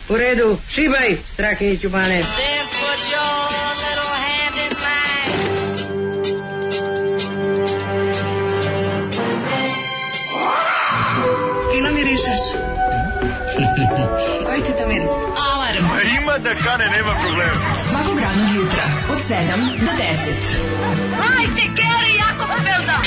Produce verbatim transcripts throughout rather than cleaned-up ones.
U redu, šibaj, Strahinjiću Bane. Fino mirišeš. Koji ti to miris? Alarm. Ima da kane, nema problema. Svakog radnog jutra, od sedam do deset. Hajde, Geri, jako se velda.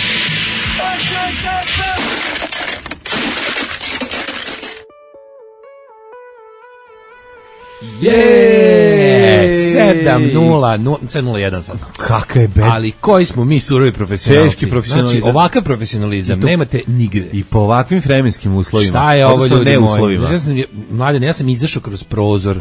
Je sedam nula jedan sam. Kakav je bed. Ali koji smo mi surovi profesionalci? Teški profesionalizam. Znači, ovakav profesionalizam to, nemate nigde. I po ovakvim vremenskim uslovima. Šta je ovo, ljudi moji? Ja sam, mladen, ja sam izašao kroz prozor.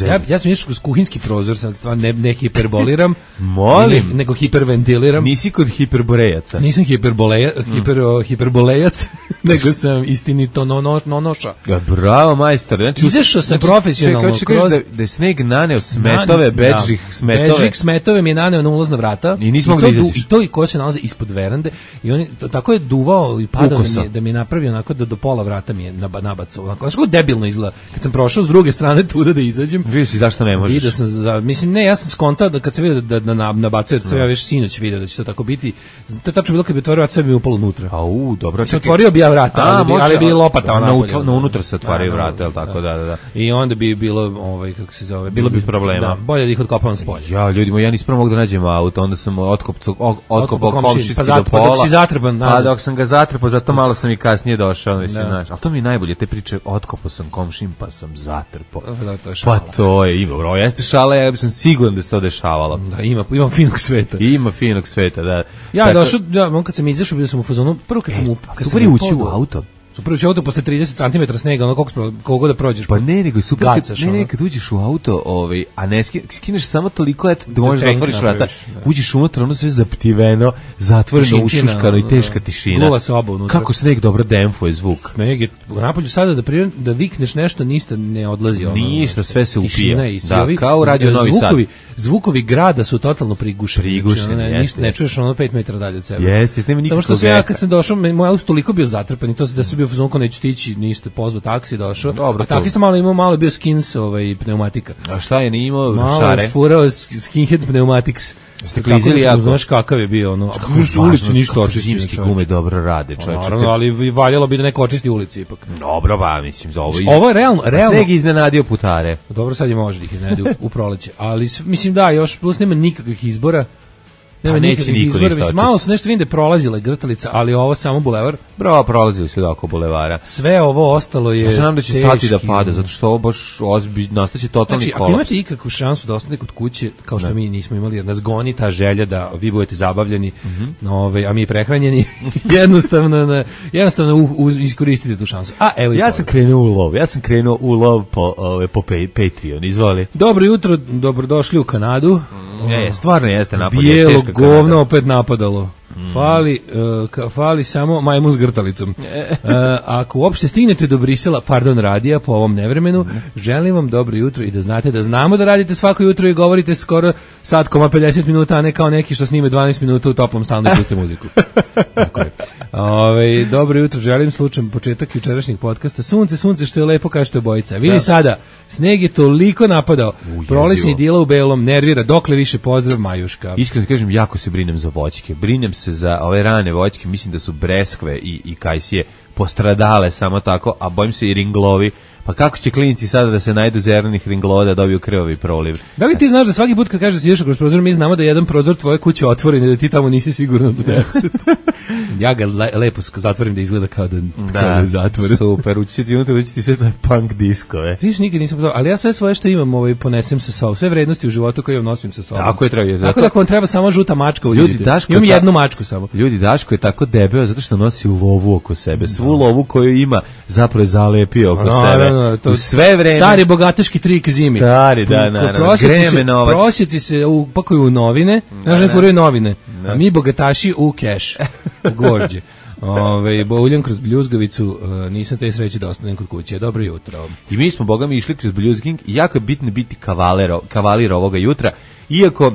Ja, ja sam izašao kroz kuhinski prozor, sad stvarno ne, ne hiperboliram. Molim. Ne, nego hiperventiliram. Nisi kod hiperborejaca. Nisam hiperboleja, hiper, mm. hiperbolejac, nego sam istinito nono, nonoša. Ja, bravo, majstor. Znači, izašao sam znači, profesionalno čekaj, kroz... Da, da je sneg naneo smetove, bežih da, smetove. Bežih smetove mi je naneo na ulazna vrata. I nismo mogli da izađeš. I to i ko se nalaze ispod verande. I on to, tako je duvao i padao da mi, da mi je napravio onako da do pola vrata mi je nabacao. Onako, znači kako debilno izgleda. Kad sam prošao s druge strane tuda da izađem. Vidio si zašto ne možeš. Vidio sam, za, mislim, ne, ja sam skontao da kad se vidio da, da, da nabacuje, sve ja već sinoć vidio da će to tako biti. To je tačno bilo kad bi otvorio vrata, sve bi upalo unutra. A u, dobro. Znači, otvorio bi ja vrata, ali, bi, ali bi lopata onako. Na unutra se otvaraju vrata, je li tako, da, da, da. I onda bi bilo, ovaj, kako se zove, bilo bi problema. Da, bolje da ih otkopavam s polja. Ja, ljudi moji, ja nisam prvo mogu da nađem auto, onda sam otkopao otkopao komšijski pa do pola. Pa dok si zatrpan nazad. A dok sam ga zatrpao, zato malo sam i kasnije došao, mislim, znaš. Ali to mi je najbolje, te priče, otkopao sam komšijim, pa sam zatrpao. Da, to je šala. Pa to je, ima, bro, jeste šala, ja sam siguran da se to dešavalo. Da, ima, ima finog sveta. Ima finog sveta, da. Ja je došao, ja, on kad sam izašao, bio sam u fazonu, prvo kad sam u... Super je ući u auto. Super ući u auto posle trideset centimetara snega, ono koliko, koliko da prođeš. Pa ne, nego super, gacaš, kad, ne, ne, kad uđeš u auto, ovaj, a ne skineš samo toliko, eto, da možeš da otvoriš vrata, uđeš unutra, ono sve zaptiveno, zatvoreno, ušuškano i teška tišina. Gluva soba unutra. Kako sneg dobro demfuje zvuk. Sneg je, napolju sada da, prijem, da vikneš nešto, ništa ne odlazi. Ono, ništa, sve se upija. I da, ovi, kao radio Novi Sad. Zvukovi grada su totalno prigušeni. Prigušeni, znači, ne, jeste. Ne čuješ ono pet metara dalje od sebe. Jeste, nema nikakvog. Samo što sam ja kad sam došao, moj auto toliko bio zatrpan i to da se bio fazon neću stići ništa, pozvao taksi, došao. Dobro, a taksista malo imao, malo bio skins ovaj, pneumatika. A šta je, nije imao malo šare? Malo furao skinhead pneumatics. Ste klizili jako. Znaš kakav je bio, ono. Kako su ulici ništa očistili. Zimske gume dobro rade, čovječe. Naravno, ali valjalo bi da neko očisti ulici ipak. Dobro, ba, mislim, za ovo... Iz... Ovo je realno, realno. Sneg iznenadio putare. Dobro, sad je može da ih iznenadi u, u proleće. Ali, mislim, da, još plus nema nikakvih izbora. Nema nikakvih izbora. Mislim, malo su nešto vidim da je prolazila grtalica, ali ovo samo bulevar. Bro, prolazili su oko bulevara. Sve ovo ostalo je... Ja znam da će teški. Stati da pada, zato što ovo baš ozbi, nastaće totalni znači, kolaps. Ako imate ikakvu šansu da ostane kod kuće, kao što ne. Mi nismo imali, jer nas goni ta želja da vi budete zabavljeni, mm-hmm. ove, a mi prehranjeni, jednostavno, na, jednostavno u, u, iskoristite tu šansu. A, evo ja sam krenuo u lov, ja sam krenuo u lov po, ove, po Patreon, izvoli. Dobro jutro, dobrodošli u Kanadu. Mm. Je, stvarno jeste napad. Bijelo govno opet napadalo. Mm. Fali, uh, ka, fali samo majmun s grtalicom. Uh, ako uopšte stignete do Brisela, pardon radija po ovom nevremenu, mm. želim vam dobro jutro i da znate da znamo da radite svako jutro i govorite skoro sat koma pedeset minuta, a ne kao neki što snime dvanaest minuta u toplom stanu i puste muziku. Tako je. Ove, dobro jutro, želim slučajno početak jučerašnjeg podcasta. Sunce, sunce, što je lepo, kažete obojica. Vidi da. Sada, sneg je toliko napadao. Prolećni dila u belom, nervira, dokle više pozdrav, Majuška. Iskreno kažem, jako se brinem za voćke. Brinem se za ove rane voćke, mislim da su breskve i, i kajsije postradale samo tako, a bojim se i ringlovi. Pa kako će klinici sada da se najdu zelenih ringlova da dobiju krvavi proliv? Da li ti znaš da svaki put kad kažeš da si ješao kroz prozor, mi znamo da je jedan prozor tvoje kuće otvoren i da ti tamo nisi sigurno do deset. Ja ga le, lepo zatvorim da izgleda kao da, da kao da je zatvoren. Super, ući ti unutra, ući ti sve to je punk diskove. Viš, nikad nisam to, ali ja sve svoje što imam ovaj, ponesem sa sobom, sve vrednosti u životu koje imam nosim sa sobom. Tako je, treba. Tako da ako vam treba samo žuta mačka, ljudi, Daško imam ta, jednu mačku samo. Ljudi, Daško je tako debeo zato što nosi lovu oko sebe. Svu lovu koju ima zapravo je zalepio oko no, sebe. No, no, to, sve vreme. Stari bogataški trik zimi. Stari, da, naravno. Greme novac. Prosjeci se upakuju u novine, znaš ne furaju novine, a mi bogataši u keš, u gvorđe. Ove, bouljam kroz bljuzgavicu, uh, nisam te sreći da ostanem kod kuće. Dobro jutro. I mi smo, boga mi, išli kroz bljuzging i jako je bitno biti kavaler, kavalir ovoga jutra, iako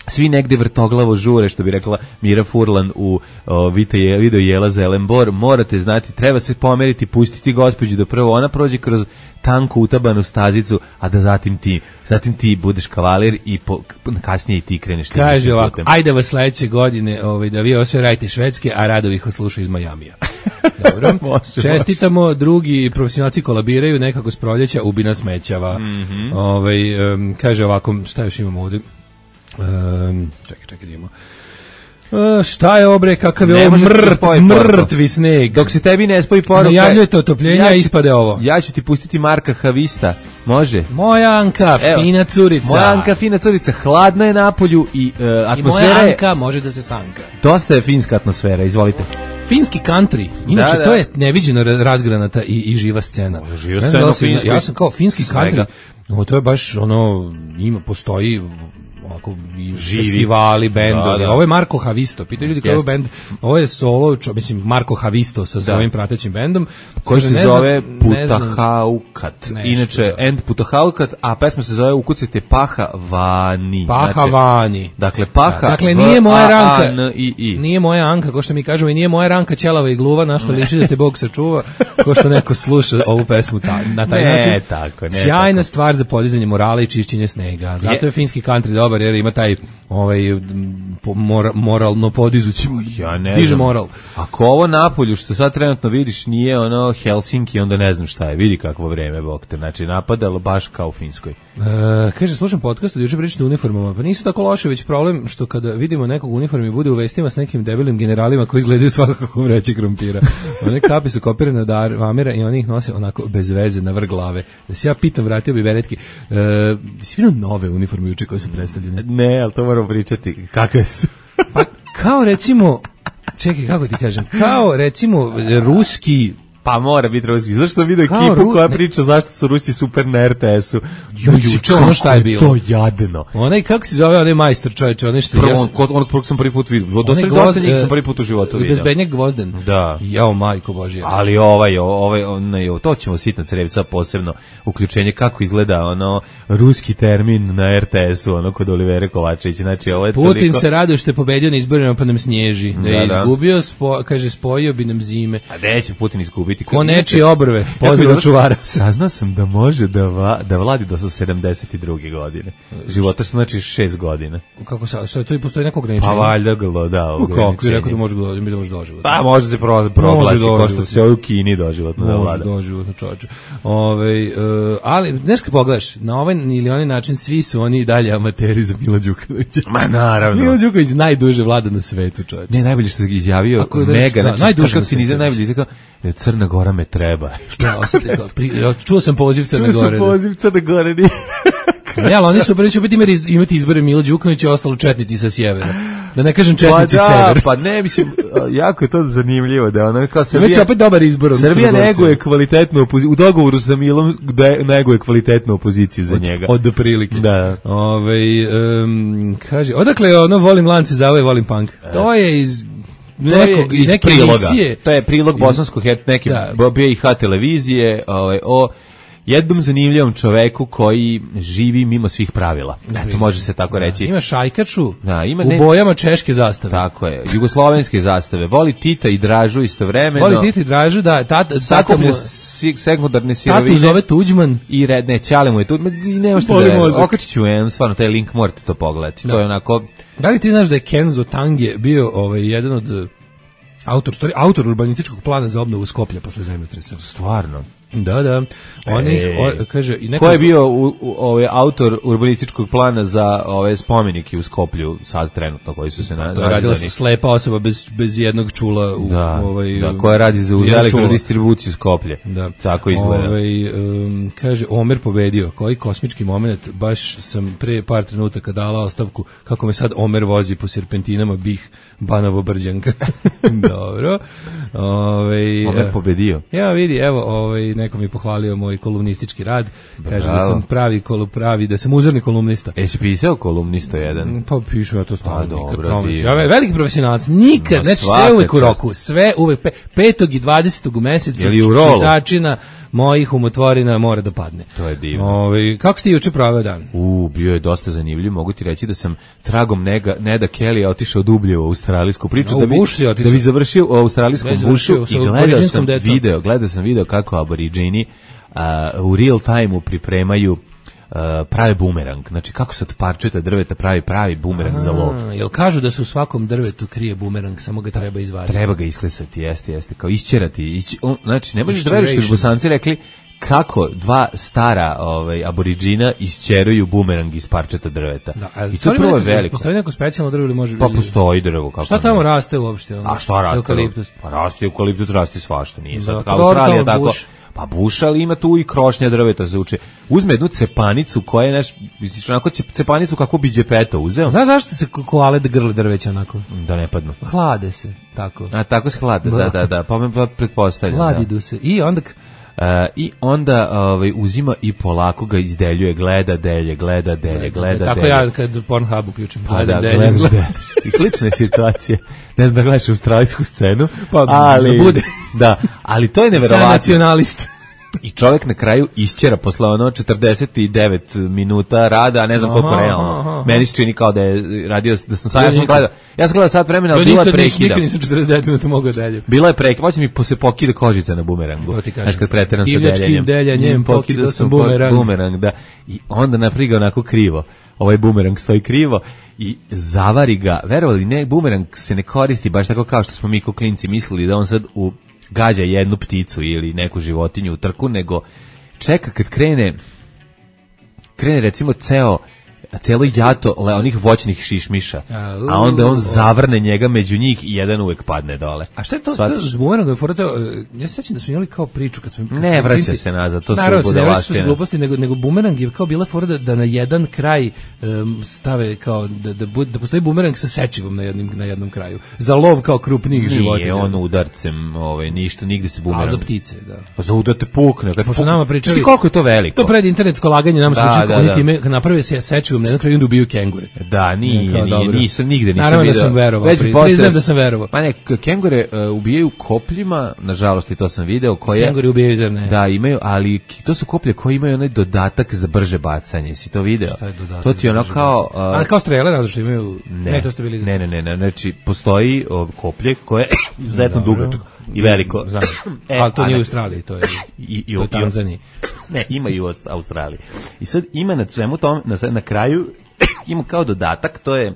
svi negde vrtoglavo žure, što bi rekla Mira Furlan u o, Vita je, video Jela Zelenbor, morate znati, treba se pomeriti, pustiti gospođu da prvo ona prođe kroz tanku utabanu stazicu, a da zatim ti, zatim ti budeš kavalir i po, kasnije i ti kreneš. Kaže ovako, ajde vas sledeće godine ovaj, da vi ovo sve radite švedske, a Radovi ih osluša iz Majamija. Dobro, čestitamo, drugi profesionalci kolabiraju, nekako s proljeća ubina smećava. Mm-hmm. Ovaj, um, kaže ovako, šta još imamo ovdje? Um, čekaj, čekaj, idemo. Uh, šta je obre, kakav je ovo mrt, mrtvi sneg. Dok se tebi ne spoji poruka. Najavljujete otopljenja, ja ispade ovo. Ja ću ti pustiti Marka Havista. Može? Moja Anka, Evo, fina curica. Moja Anka, fina curica. Hladno je napolju i uh, atmosfera. I moja Anka može da se sanka. Dosta je finska atmosfera, izvolite. Finski country, inače da, da. To je neviđeno razgranata i, i živa scena. Živa scena u Finskoj. Ja sam kao finski country, no, to je baš ono, ima, postoji ovako živi festivali, bendovi. Da, da. Ovo je Marko Havisto. Pitaju ljudi koji je bend. Ovo je solo, čo, mislim Marko Havisto sa svojim pratećim bendom koji se zove Putahaukat. Inače End Putahaukat, a pesma se zove Ukucite Paha Vani. Paha znači, Vani. Dakle Paha. Dakle nije moja ranka. Nije moja Anka, ko što mi kažemo, i nije moja ranka ćelava i gluva, na što liči da te Bog sačuva, ko što neko sluša ovu pesmu ta, na taj ne, način. Tako, ne, sjajna tako. stvar za podizanje morala i čišćenje snega. Zato je, je finski country dobar, jer ima taj ovaj mora, moralno podizući, ja ne diže znam. Moral. Ako ovo napolju što sad trenutno vidiš nije ono Helsinki, onda ne znam šta je. Vidi kakvo vreme, bog te. Znači napadalo baš kao u Finskoj. E, kaže, slušam podcast od juče pričate o uniformama. Pa nisu tako loše, već problem što kada vidimo nekog u uniformi bude u vestima s nekim debilim generalima koji izgledaju svakako kao vreće krompira. One kapi su kopirane od Amira i oni ih nose onako bez veze na vrh glave. Da se ja pitam, vratio bi beretki. E, si vidio nove uniforme juče koje su predstavljene? Ne, ali to moramo pričati. Kakve su? Pa, kao recimo, čekaj, kako ti kažem, kao recimo ruski. Pa mora biti ruski. Zašto sam vidio ekipu ru... koja priča zašto su Rusi super na er te esu? Jujuče, ono šta je bilo? To jadno. Onaj, kako se zove, onaj majstor čovječe, onaj što... Prvo, ja sam... onog prvog sam prvi put vidio. Dosta dosta njih sam prvi put u životu vidio. Bezbednjak Gvozden. Da. Jao, majko Božija. Ali ovaj, ovaj, onaj, to ćemo sitna crevca posebno uključenje kako izgleda ono ruski termin na er te esu, ono kod Olivera Kovačevića. Znači, ovo je Putin toliko... se raduje što je pobedio na izborima pa nam snježi. Da je da, izgubio, spo... kaže, spojio bi nam zime. A neće Putin izgubiti. Ko nečije obrve, pozdrav čuvara. Saznao sam da može da, va, da vladi do sedamdeset druge godine. Života su znači šest godina. Kako sa, što to i postoji neko ograničenje? Pa valjda glo, da, ograničenje. Kako, rekao da može doživotno, mi da može doživotno. Pa može se pro, proglasi, ko što se u Kini doživotno da vlada. Može doživotno, čovječe. Ove, uh, ali, znaš kad pogledaš, na ovaj ili onaj način svi su oni i dalje amateri za Mila Đukanovića. Ma naravno. Milo Đukanović najduže vlada na svetu, čovječe. Ne, najbolje što je izjavio Mega, znači, najduže kako cinizam najbolje izjavio, Crna Gora me treba. Ja, osjetio, pri, čuo sam poziv Crne Gore. Čuo sam poziv Crne Gore. Ne, ali oni su prvi će opet imati izbore Milo Đukanović i ostalo četnici sa sjevera. Da ne kažem četnici pa da, sever. Pa ne, mislim, jako je to zanimljivo da ona kao Srbija... Već je opet dobar izbor. Srbija neguje kvalitetnu opoziciju, u dogovoru sa Milom neguje kvalitetnu opoziciju za od, njega. Od prilike. Da. Ove, um, kaže, odakle je ono, volim lance za ove, volim punk. E. To je iz... nekog, iz neke priloga. emisije. To je prilog bosanskog neke B I H televizije ovaj, o jednom zanimljivom čoveku koji živi mimo svih pravila. Eto, može se tako da, reći. Ima šajkaču da, ima u ne... bojama češke zastave. Tako je, jugoslovenske zastave. Voli Tita i Dražu istovremeno. Voli Tita i Dražu, da. Tata, tata mu... sekundarne sirovine. Tatu zove Tuđman. I red, ne, Ćale mu je Tuđman. I nema što da je. Okačit ću jedan, stvarno, taj link morate to pogledati. Da. To je onako... Da li ti znaš da je Kenzo Tange bio ovaj, jedan od... Autor, story, autor urbanističkog plana za obnovu Skoplja posle zemljotresa. Stvarno. Da, da. Oni e, kaže i neko ko je bio u, u, ovaj autor urbanističkog plana za ove spomenike u Skoplju sad trenutno koji su se na to radila se slepa osoba bez bez jednog čula u da, ovaj da koja radi za elektrodistribuciju Skoplje. Da. Tako izgleda. Ovaj um, kaže Omer pobedio. Koji kosmički momenat, baš sam pre par trenutaka dala ostavku kako me sad Omer vozi po serpentinama Bih Banovo Brđanka. Dobro. Ovaj Omer pobedio. Ja vidi, evo, ovaj neko mi pohvalio moj kolumnistički rad. Kaže da sam pravi kolu pravi, da sam uzorni kolumnista. Jesi pisao kolumnista jedan? Pa pišem ja to stalno. Dobro, ja veliki profesionalac, nikad, znači sve uvek u roku, sve uvek pe, petog i dvadesetog u mesecu čitačina mojih umotvorina mora da padne. To je divno. Ove, kako ste juče proveo dan? U, bio je dosta zanimljiv. Mogu ti reći da sam tragom nega, Neda Kelly otišao dublje u australijsku priču. A, da, bi, da bi završio u australijskom bušu i gledao sam video, gledao sam video kako aboriđini uh, u real time-u pripremaju Uh, pravi bumerang, znači kako se od parčeta drveta pravi pravi bumerang za lov. Jel kažu da se u svakom drvetu krije bumerang, samo ga treba izvaditi? Treba ga isklesati, jeste, jeste, kao isćerati. Ići, on, znači, ne možeš da veriš kad Bosanci rekli kako dva stara ovaj, aboriđina isćeruju bumerang iz parčeta drveta. Da, i to prvo je veliko. Postoji neko specijalno drvo ili može... Pa postoji drvo. Kako šta tamo ne? Raste uopšte? A šta raste? Eukaliptus. Pa raste eukaliptus, raste svašta, nije da, sad kao Australija tako... Buš. Pa buša, ali ima tu i krošnja drveta se uče. Uzme jednu cepanicu koja je, naš, misliš, onako cepanicu kako bi džepeto uzeo. Znaš zašto se koale da grle drveća onako? Da ne padnu. Hlade se, tako. A tako se hlade, da, da, da, pa me pretpostavljam. Hladidu se. I onda... Uh, I onda ovaj, uzima i polako ga izdeljuje, gleda delje, gleda delje, gleda tako delje. Tako ja kad Pornhub uključim, pa gledam da, delje. Gledaš, I slične situacije. Ne znam da gledaš australijsku scenu, pa, ali, bude. Da, ali to je neverovatno. Nacionalist. I čovjek na kraju isćera posle ono četrdeset devet minuta rada, a ne znam koliko realno. Meni se čini kao da je radio, da sam sad, ja sam gledao, ja sam gledao sat vremena, ali bila je prekida. Nikad nisam četrdeset devet minuta mogao dalje. Bila je prekida, moće mi se pokida kožica na bumerangu. Znaš kad preteram sa deljenjem. Divljačkim deljanjem pokidao sam bumerang. bumerang. Da. I onda napriga onako krivo. Ovaj bumerang stoji krivo i zavari ga. Verovali ne, bumerang se ne koristi baš tako kao što smo mi ko klinci mislili da on sad u gađa jednu pticu ili neku životinju u trku, nego čeka kad krene krene recimo ceo celo jato le onih voćnih šišmiša, a, a onda on zavrne njega među njih i jedan uvek padne dole. A šta je to? to s bumerangom, ja se sećam da smo imali kao priču kad smo... Kad ne vraća klinci, se nazad, to naravno, su budalaštine. Ne gluposti, nego, nego bumerang je kao bila fora da, da na jedan kraj um, stave kao, da, da, da postoji bumerang sa sečivom na, jednim, na jednom kraju. Za lov kao krupnijih životinja. Nije on udarcem, ovaj, ništa, nigde se bumerang... A za ptice, da. Pa za udar te pukne. Kad pošto nama pričali... Šti koliko je to veliko? To pred internetsko laganje nama su učili kako oni time naprave se sečivom na jednom kraju i ubiju kengure. Da, nije, nije, nije nisam, nigde nisam naravno vidio. Naravno da sam verovao, Već pri, priznam da sam verovao. Pa ne, kengure uh, ubijaju kopljima, nažalost i to sam video, koje... Kengure ubijaju, zar ne? Da, imaju, ali to su koplje koje imaju onaj dodatak za brže bacanje, si to video? Šta je dodatak? To ti je ono kao... Uh, a kao strele, zato što imaju... Ne, ne, to ste bili ne, ne, ne, ne, znači, postoji uh, koplje koje je izuzetno dugačko i veliko. e, ali to nije u Australiji, to je i, i, u Tanzaniji. Ne, ima i u Australiji. I sad ima na svemu tom, na, na kraju, ima kao dodatak, to je...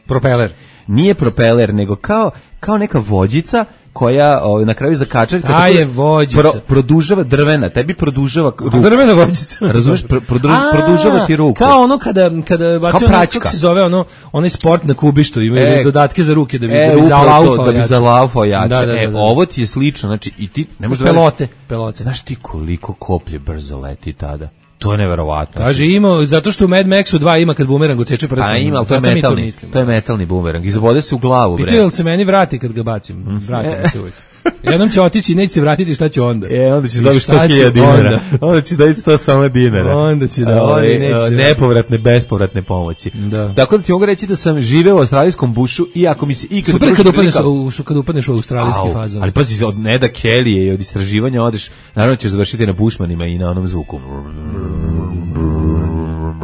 Propeler. Nije propeler, nego kao, kao neka vođica koja o, na kraju zakačari ta je vođica. Pro, produžava drvena, tebi produžava ruku. Drvena vođica. Razumeš, pro, produž, produžava ti ruku. Kao ono kada kada bacio ono, kako se zove ono, onaj sport na kubištu, imaju e, dodatke za ruke da bi, e, da bi zalaufao da bi zalaufao jače. Da, da, da, da. E, ovo ti je slično, znači i ti ne možeš pelote, da pelote. Znaš ti koliko koplje brzo leti tada? To je neverovatno. Kaže ima, zato što u Mad Maxu dva ima kad bumerang odseče prstom. A ima, to je metalni, to, to je metalni bumerang. Izbode se u glavu, bre. Pitaju li se meni vrati kad ga bacim? Vrati mi se uvijek. Jednom će otići i neće se vratiti, šta će onda? E, onda ćeš dobiti sto hiljada dinara. Onda ćeš dobiti sto samo dinara. Onda će da, onda neće. Nepovratne, bespovratne pomoći. Da. Tako da ti mogu reći da sam živeo u australijskom bušu i ako mi se ikad... Super kad upadneš, u, kad upadneš u australijski fazon. Ali pazi, od Neda Kelly i od istraživanja odeš, naravno ćeš završiti na Bushmanima i na onom zvuku.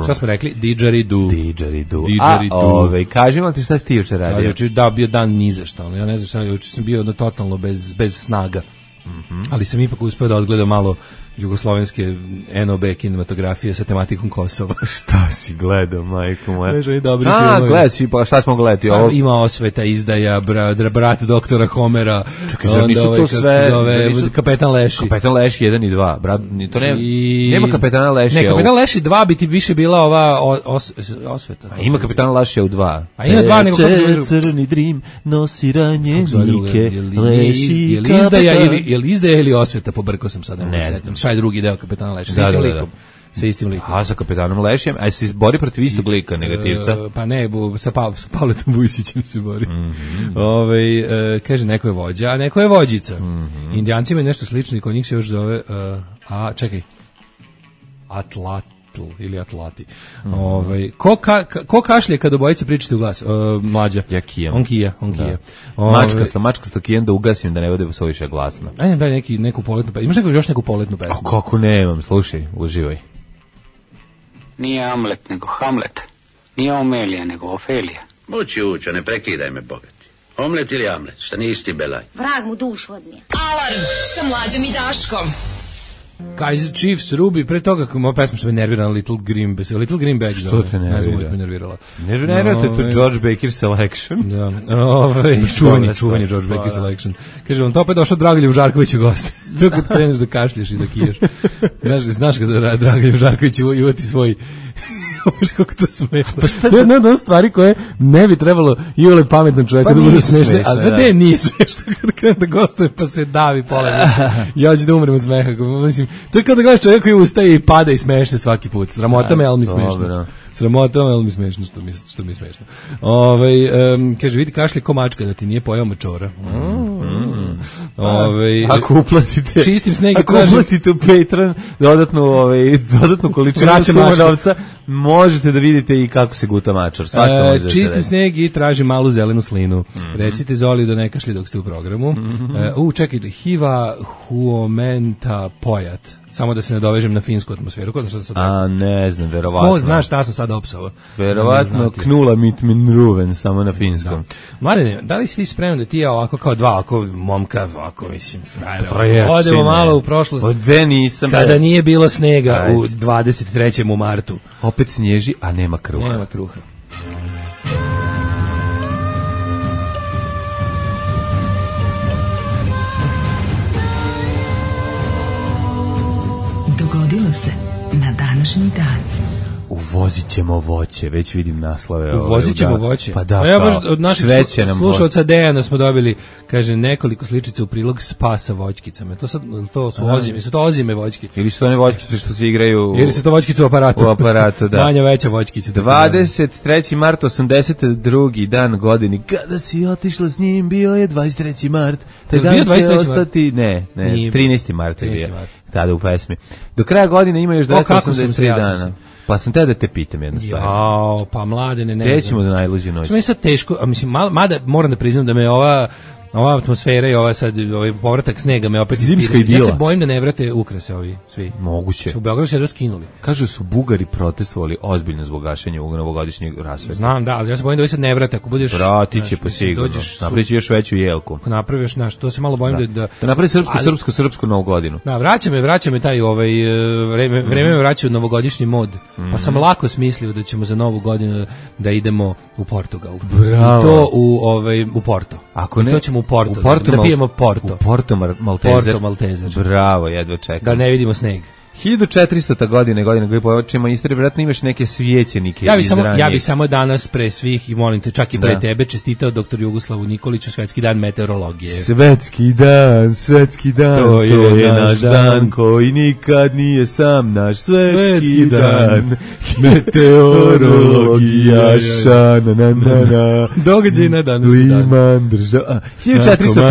Šta smo rekli? Didgeridoo. Didgeridoo. A, ove, kaži vam ti šta si ti juče radio? Ja, da, bio dan ni za šta. Ja ne znam šta, juče sam bio totalno bez, bez snaga. Mm-hmm. Ali sam ipak uspio da odgledam malo jugoslovenske N O B kinematografije sa tematikom Kosova. Šta si gledao, majko moja? Veže i dobri A, filmovi. gledaj si, pa šta smo gledati? Ovo? Ima Osveta, Izdaja, brat, brat doktora Homera. Čekaj, zar nisu to sve? Zove, nisu... Kapetan Leši. Kapetan Leši jedan i dva. Brat, to ne, I... nema Kapetana Lešija. Ne, Kapetan Leši dva bi ti više bila ova os, Osveta. A ima Kapetana Lešija u dva. A ima dva, nego kako se... Crni drim, nosi ranjenike, Leši, je li Izdaja ili, je li Izdaja ili Osveta, pobrkao sam sad. Ne znam. Šta je drugi deo Kapetana Leši? Sa istim likom. Sa istim likom. A sa Kapetanom Lešijem, a se bori protiv istog lika, negativca? E, pa ne, bu, sa, pa, sa Pavletom Vujsićem se bori. Mm-hmm. Ove, e, kaže, neko je vođa, a neko je vođica. Mm-hmm. Indijanci imaju nešto slično i kod njih se još zove, uh, a čekaj, Atlat, Atl ili Atlati. Mm. Ovaj ko ka, ko kašlje kad obojice pričate u glas? Uh, mlađa. Ja kijem. On kija, on da. kija. Mačkasto, mačkasto kijem da ugasim da ne bude suviše glasno. Ajde daj neki neku poletnu pesmu. Imaš neku još neku poletnu pesmu? A kako nemam, slušaj, uživaj. Nije Amlet nego Hamlet. Nije Omelija nego Ofelija. Ući uća, ne prekidaj me, bogati. Omlet ili Amlet, šta nije isti belaj. Vrag mu dušu odnije. Alarm sa Mlađom i Daškom. Kaiser Chiefs, Ruby, pre toga kako moja pesma što me nervira Little Green Bag. Little Green Bag. Što te nervira? Ne znam, uvijek me nervirala. Nervira te to George Baker Selection. Da, ovaj, čuvanje, čuvanje George Baker Selection. Kaže, on to opet došao Dragoljev Žarković u goste. To kad kreneš da kašlješ i da kiješ. Znaš, znaš kada Dragoljev Žarković uvati svoj... Znaš kako to smešno. Pa šta to je jedna od stvari koje ne bi trebalo i ole pametnom čovjeku pa da bude smešne, a da ne nije smešno kada krene da gostuje pa se davi pola. Ja ću da umrem od smeha. Mislim, to je kao da gledaš čovjek koji ustaje i pada i smeše svaki put. Sramota me, ali mi smešno. Sramota me, ali mi smešno, što mi, što mi smešno. Ove, um, kaže, vidi kašlje ko mačka da ti nije pojao mačora. Mm. Ove, ako uplatite, čistim sneg ako uplatite u Patreon dodatnu, ove, dodatnu količinu suma novca, možete da vidite i kako se guta mačor. Svašta e, možete čistim da sneg i tražim malu zelenu slinu. Mm-hmm. Recite Zoli da ne kašlje dok ste u programu. Mm-hmm. E, u, čekajte, Hiva Huomenta Pojat. Samo da se ne dovežem na finsku atmosferu. Ko zna šta sam sad... A, ne znam, verovatno. Ko zna šta sam sad opsao? Verovatno knula mit min ruven, samo na finskom. Da. Mladene, da li si ti spreman da ti ja ovako kao dva, ovako momka, ovako, mislim, frajera, odemo malo u prošlost. Ode nisam. Kada nije bilo snega Ajde. U dvadeset trećem u martu. Opet snježi, a nema kruha. Nema kruha. Dogodilo se na današnji dan. Uvozit ćemo voće, već vidim naslove. Uvozit ćemo voće? Pa da, pa ja baš od naših slušalca Dejana smo dobili, kaže, nekoliko sličica u prilog spa sa voćkicama. To, sad, to su ozime, su to ozime voćke. Ili su to one voćkice što se igraju... Ili su to voćkice u aparatu. U aparatu, da. Manja veća voćkice. dvadeset treći mart osamdeset drugi dan godini. Kada si otišla s njim, bio je dvadeset treći mart. Taj dan će ostati... Ne, ne, trinaesti mart je bio. Tada u pesmi. Do kraja godine ima još dvesta osamdeset tri dana. Pa sam te da te pitam jednu stvar. Jao, pa Mladene, ne znam. Gde ćemo za najluđu noć? Što mi je sad teško, a mislim, mada moram da priznam da me ova... Ova atmosfera i ova sad ovaj povratak snega me opet zimska idila. Ja se bojim da ne vrate ukrase ovi svi. Moguće. Su u Beogradu se raskinuli. Kažu su Bugari protestovali ozbiljno zbog gašenja ovog novogodišnjeg rasveta. Znam, da, ali ja se bojim da vi sad ne vrate ako budeš. Vrati će pa sigurno. Napraviš još veću jelku. Ako napraviš, znaš, to se malo bojim da da, da, da napravi srpsku, ali, srpsku, srpsku novu godinu. Da, vraća me, vraća me taj ovaj vreme, mm. vreme me vraća u novogodišnji mod. Mm. Pa sam lako smislio da ćemo za novu godinu da idemo u Portugal. Bravo. I to u ovaj u Porto. Ako ne, to ćemo u Porto. U Porto da pijemo Porto. U Porto Maltezer. Porto Maltezer. Bravo, jedva čekam. Da ne vidimo sneg. hiljadu četiristo. godine, godine koji počnemo istoriju, vjerojatno imaš neke svijećenike ja bi iz samo, ranije. Ja bih samo danas pre svih, i molim te, čak i pre da. tebe, čestitao doktor Jugoslavu Nikoliću svetski dan meteorologije. Svetski dan, svetski dan, to je, to je naš dan, dan koji nikad nije sam naš svetski, svetski dan, dan. Meteorologija, šana, na, na, na. Događaj na današnji dan. Liman, država, hiljadu četiristo.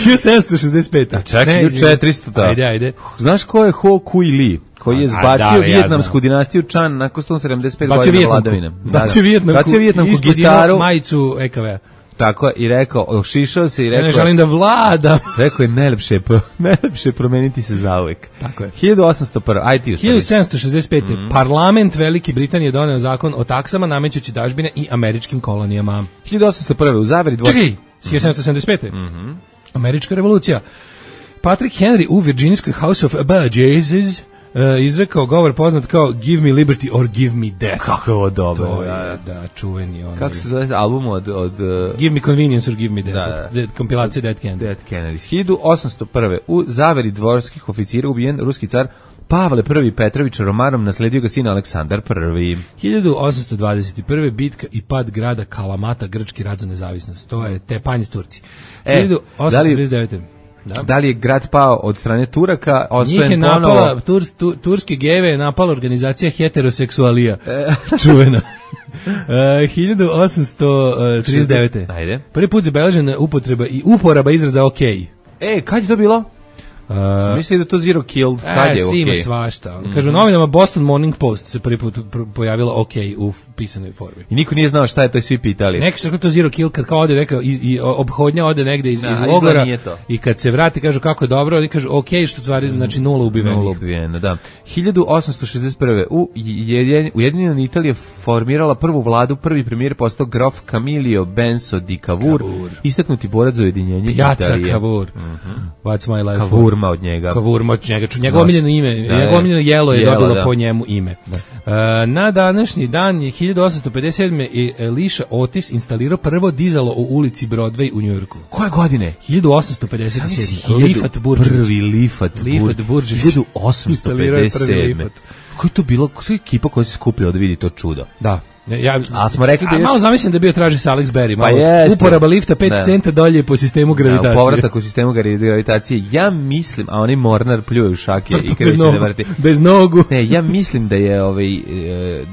hiljadu sedamsto šezdeset pet. A čekaj, hiljadu četiristo. Ajde, ajde. Znaš ko je Ho Kui Li? Koji je zbacio vijetnamsku ja dinastiju Chan nakon sto sedamdeset pet godina vladavine. Zbacio Vijetnamku, zbacio Vijetnamku gitaru, majicu E K V. Tako i rekao, ošišao se i rekao... Ne želim da vladam. Rekao je, najlepše, najlepše promeniti se zauvek. Tako je. hiljadu osamsto prva. Aj ti hiljadu sedamsto šezdeset pet. Mm-hmm. Parlament Velike Britanije doneo zakon o taksama namećući dažbine i američkim kolonijama. hiljadu osamsto prva. U zaveri dvost... Čekaj, hiljadu sedamsto sedamdeset pet. Mm-hmm. Američka revolucija. Patrick Henry u Virginijskoj House of Burgesses uh, izrekao govor poznat kao Give me liberty or give me death. Kako je ovo dobro. To je, da, čuveni onaj. Kako se zove album od... od uh... Give me convenience or give me death. Da, da. Kompilacija Dead Kennedy. Dead Kennedy. hiljadu osamsto prva. U zaveri dvorskih oficira ubijen ruski car Pavle prvi Petrović Romanom, nasledio ga sin Aleksandar prvi. hiljadu osamsto dvadeset prva. bitka i pad grada Kalamata, grčki rat za nezavisnost. To je Tepanje s Turci. E, hiljadu osamsto trideset devete. Da. Da li je grad pao od strane Turaka, osvojen Njih je ponovo... napala, tur, tu, turske geve je napala organizacija heteroseksualija. E. Čuvena. Uh, hiljadu osamsto trideset devete. Ajde. Prvi put zabeležena upotreba i uporaba izraza OK. E, kad je to bilo? Uh, Misli da to zero killed, kad je e, okej? Ima svašta. Kažu, mm-hmm. novinama Boston Morning Post se prvi put pojavila ok u pisanoj formi. I niko nije znao šta je to i svi pitali. Neki što to zero kill, kad kao ode neka i, i obhodnja ode negde iz, da, iz logora i kad se vrati kažu kako je dobro, oni kažu ok, što stvari znači nula ubivenih. Nula ubivena, da. hiljadu osamsto šezdeset prve u Ujedinjena Italija formirala prvu vladu, prvi premijer postao grof Camillo Benso di Cavour, Cavour. istaknuti borac za ujedinjenje Italije. Piazza Cavour. Mm-hmm. What's my life? Cavourma od njega. Cavourma od njega. Njegovo omiljeno ime, da, njegovo omiljeno jelo je jelo, dobilo da. po njemu ime. Da. Uh, na današnji dan je hiljadu osamsto pedeset sedme i Elisha Otis instalirao prvo dizalo u ulici Broadway u Njujorku. Koje godine? hiljadu osamsto pedeset sedme. Lifat Burđević. Prvi Lifat, Lifat Burđević. hiljadu osamsto pedeset sedme. Kako je to bilo? Koja je ekipa koja se skupila da vidi to čudo? Da. Ja, a smo rekli da je... malo zamislim da bio traži sa Alex Berry, malo pa uporaba lifta pet centa dolje po sistemu gravitacije. Da, povratak u sistemu gravitacije. Ja mislim, a onaj Mornar pljuje u šake i kreće da vrti. Bez nogu. Ne, ja mislim da je ovaj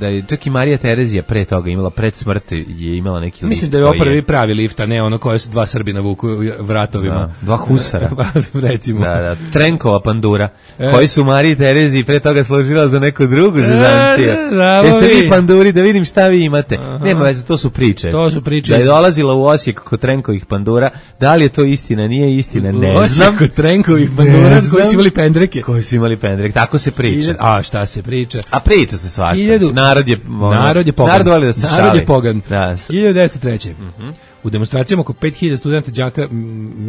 da je čak i Marija Terezija pre toga imala pred smrti je imala neki lift. Mislim da je ovo prvi pravi lift, a ne ono koje su dva Srbina vuku vratovima. Da, dva husara. Recimo. Da, da, Trenkova pandura, e. koji su Mariji Tereziji pre toga služila za neku drugu zezancija. E, Jeste vi panduri da vidim šta vi imate? Aha. Nema veze, to su priče. To su priče. Da je dolazila u Osijek kod Trenkovih pandura, da li je to istina, nije istina, ne u znam. Osijek kod Trenkovih pandura koji su imali pendreke. Koji su imali pendreke, tako se priča. A šta se priča? A priča se svašta. Hiljadu... Narod je ono, narod je pogan. Narod voli da se šali. Narod je pogan. Da. hiljadu devetsto treće. Mhm. U demonstracijama oko pet hiljada studenta, đaka,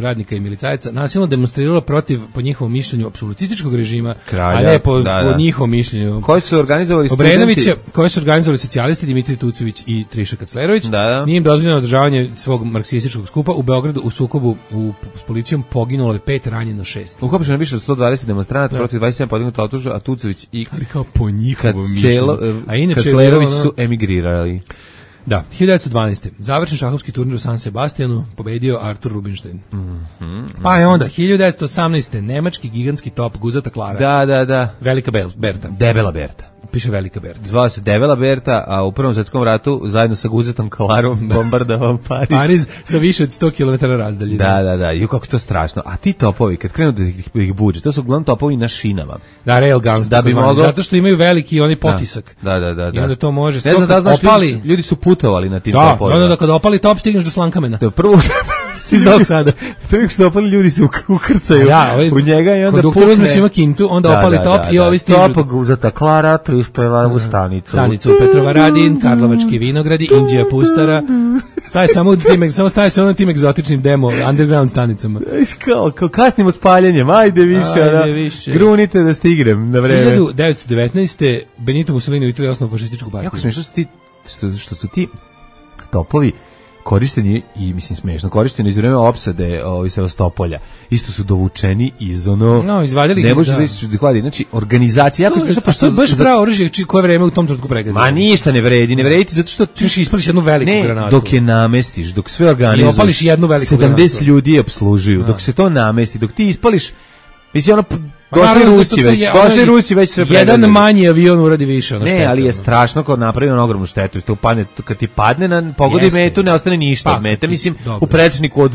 radnika i milicajaca nasilno demonstriralo protiv, po njihovom mišljenju, apsolutističkog režima, Kralja, a ne po, da, da. po njihovom mišljenju. Koji su organizovali Obrenovića, studenti? Koji su organizovali socijalisti Dimitri Tucović i Triša Kaclerović. Da, da. Nije im dozvoljeno održavanje svog marksističkog skupa. U Beogradu u sukobu u, s policijom poginulo je pet, ranjeno šest. Uhapšeno je više od sto dvadeset demonstranata, protiv dvadeset sedam podignuto optužbe, a Tucović i ali kao po njihovom mišljenju. A inače Kaclerović su emigrirali. Da, hiljadu devetsto dvanaeste. Završen šahovski turnir u San Sebastianu, pobedio Artur Rubinstein. Mm-hmm. Pa je onda, hiljadu devetsto osamnaeste. Nemački gigantski top Guzata Klara. Da, da, da. Velika Berta. Debela Berta. Piše Velika Berta. Zvao se Debela Berta, a u Prvom svetskom ratu zajedno sa Guzatom Klarom bombardovao Pariz. Pariz sa više od sto kilometara razdalje. Da, da, da. I kako to strašno. A ti topovi, kad krenu da ih, ih buđe, to su uglavnom topovi na šinama. Da, railguns. Da bi mogao... Zato što imaju veliki oni potisak. Da, da, da. da. I onda to može... Ne znam da znaš, opali... ljudi, ljudi su putovali na tim da, topovima. Da, da, kada opali top stigneš do Slankamena. To je prvo... Si znao sada. Prvi što opali ljudi se ukrcaju ja, ovaj, u njega i onda pukne. Konduktor uzme svima kintu, onda da, opali da, top da, i ovi stižu. Top Guzata Klara prispeva u stanicu. Stanicu Petrovaradin, Karlovački vinogradi, Indija Pustara. Staje samo tim, samo staje samo na tim egzotičnim demo underground stanicama. Kao, kao kasnimo s paljenjem, ajde više, ajde da, više. Grunite da stigrem na vreme. hiljadu devetsto devetnaeste. Benito Mussolini u Italiji osnovao fašističku partiju. Jako smiješno što, što, što su ti topovi korišteni i mislim smešno korišteni iz vremena opsade ovih Sevastopolja. Isto su dovučeni iz ono no, izvadili ne može reći da hvali. Znači organizacija jako to, pa što je baš pravo oružje koje vreme u tom trenutku pregazilo. Ma ništa ne vredi, ne vredi zato što ti ispališ jednu veliku ne, granatu. Dok je namestiš, dok sve organizuješ. I opališ jednu veliku sedamdeset granatu. ljudi opslužuju, dok se to namesti, dok ti ispališ mislim ono došli naravno, Rusi već, je, došli Rusi već sve pregazili. Jedan manji avion uradi više ono ne, štete. ali je strašno kad napravi on ogromnu štetu. To padne, kad ti padne na pogodi Jeste. metu, ne ostane ništa od mete. Mislim, dobro. U prečniku od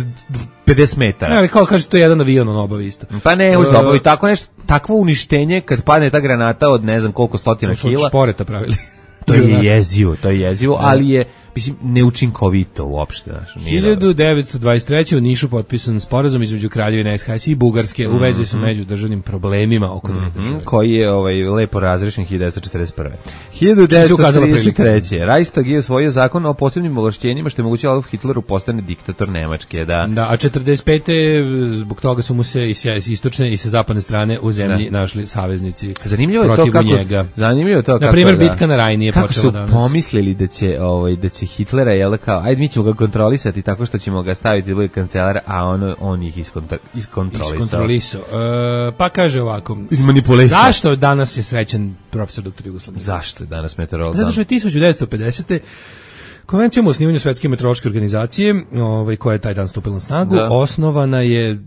pedeset metara. Ne, ali kao kaže, to je jedan avion on obavi isto. Pa ne, uz obavi tako nešto, takvo uništenje kad padne ta granata od ne znam koliko stotina kila. To su šporeta pravili. To je jezivo, to je jezivo, ali je mislim neučinkovito uopšte, znači. hiljadu devetsto dvadeset treće. u Nišu potpisan sporazum između Kraljevine S H S i Bugarske u vezi sa međudržavnim problemima oko dve države. Koji je ovaj lepo razrešen hiljadu devetsto četrdeset prve. hiljadu devetsto trideset treće. Reichstag je osvojio zakon o posebnim ovlašćenjima što je moguće Adolf Hitleru postane diktator Nemačke, da. Da, a četrdeset pete. zbog toga su mu se i s istočne i sa zapadne strane u zemlji da. našli saveznici. Zanimljivo je to kako njega. Zanimljivo je to kako. Na primjer bitka na Rajni je počela danas. Kako su pomislili da će ovaj da će Hitlera je kao ajde mi ćemo ga kontrolisati tako što ćemo ga staviti da bude kancelar, a on on ih iskontra, iskontrolisao. Iskontrolisao. E, pa kaže ovako. Izmanipulisao. Zašto danas je srećan profesor doktor Jugoslav? Zašto je danas meteorolog? Zato što je hiljadu devetsto pedesete. Konvencijom o osnivanju Svetske meteorološke organizacije, ovaj, koja je taj dan stupila na snagu, da. osnovana je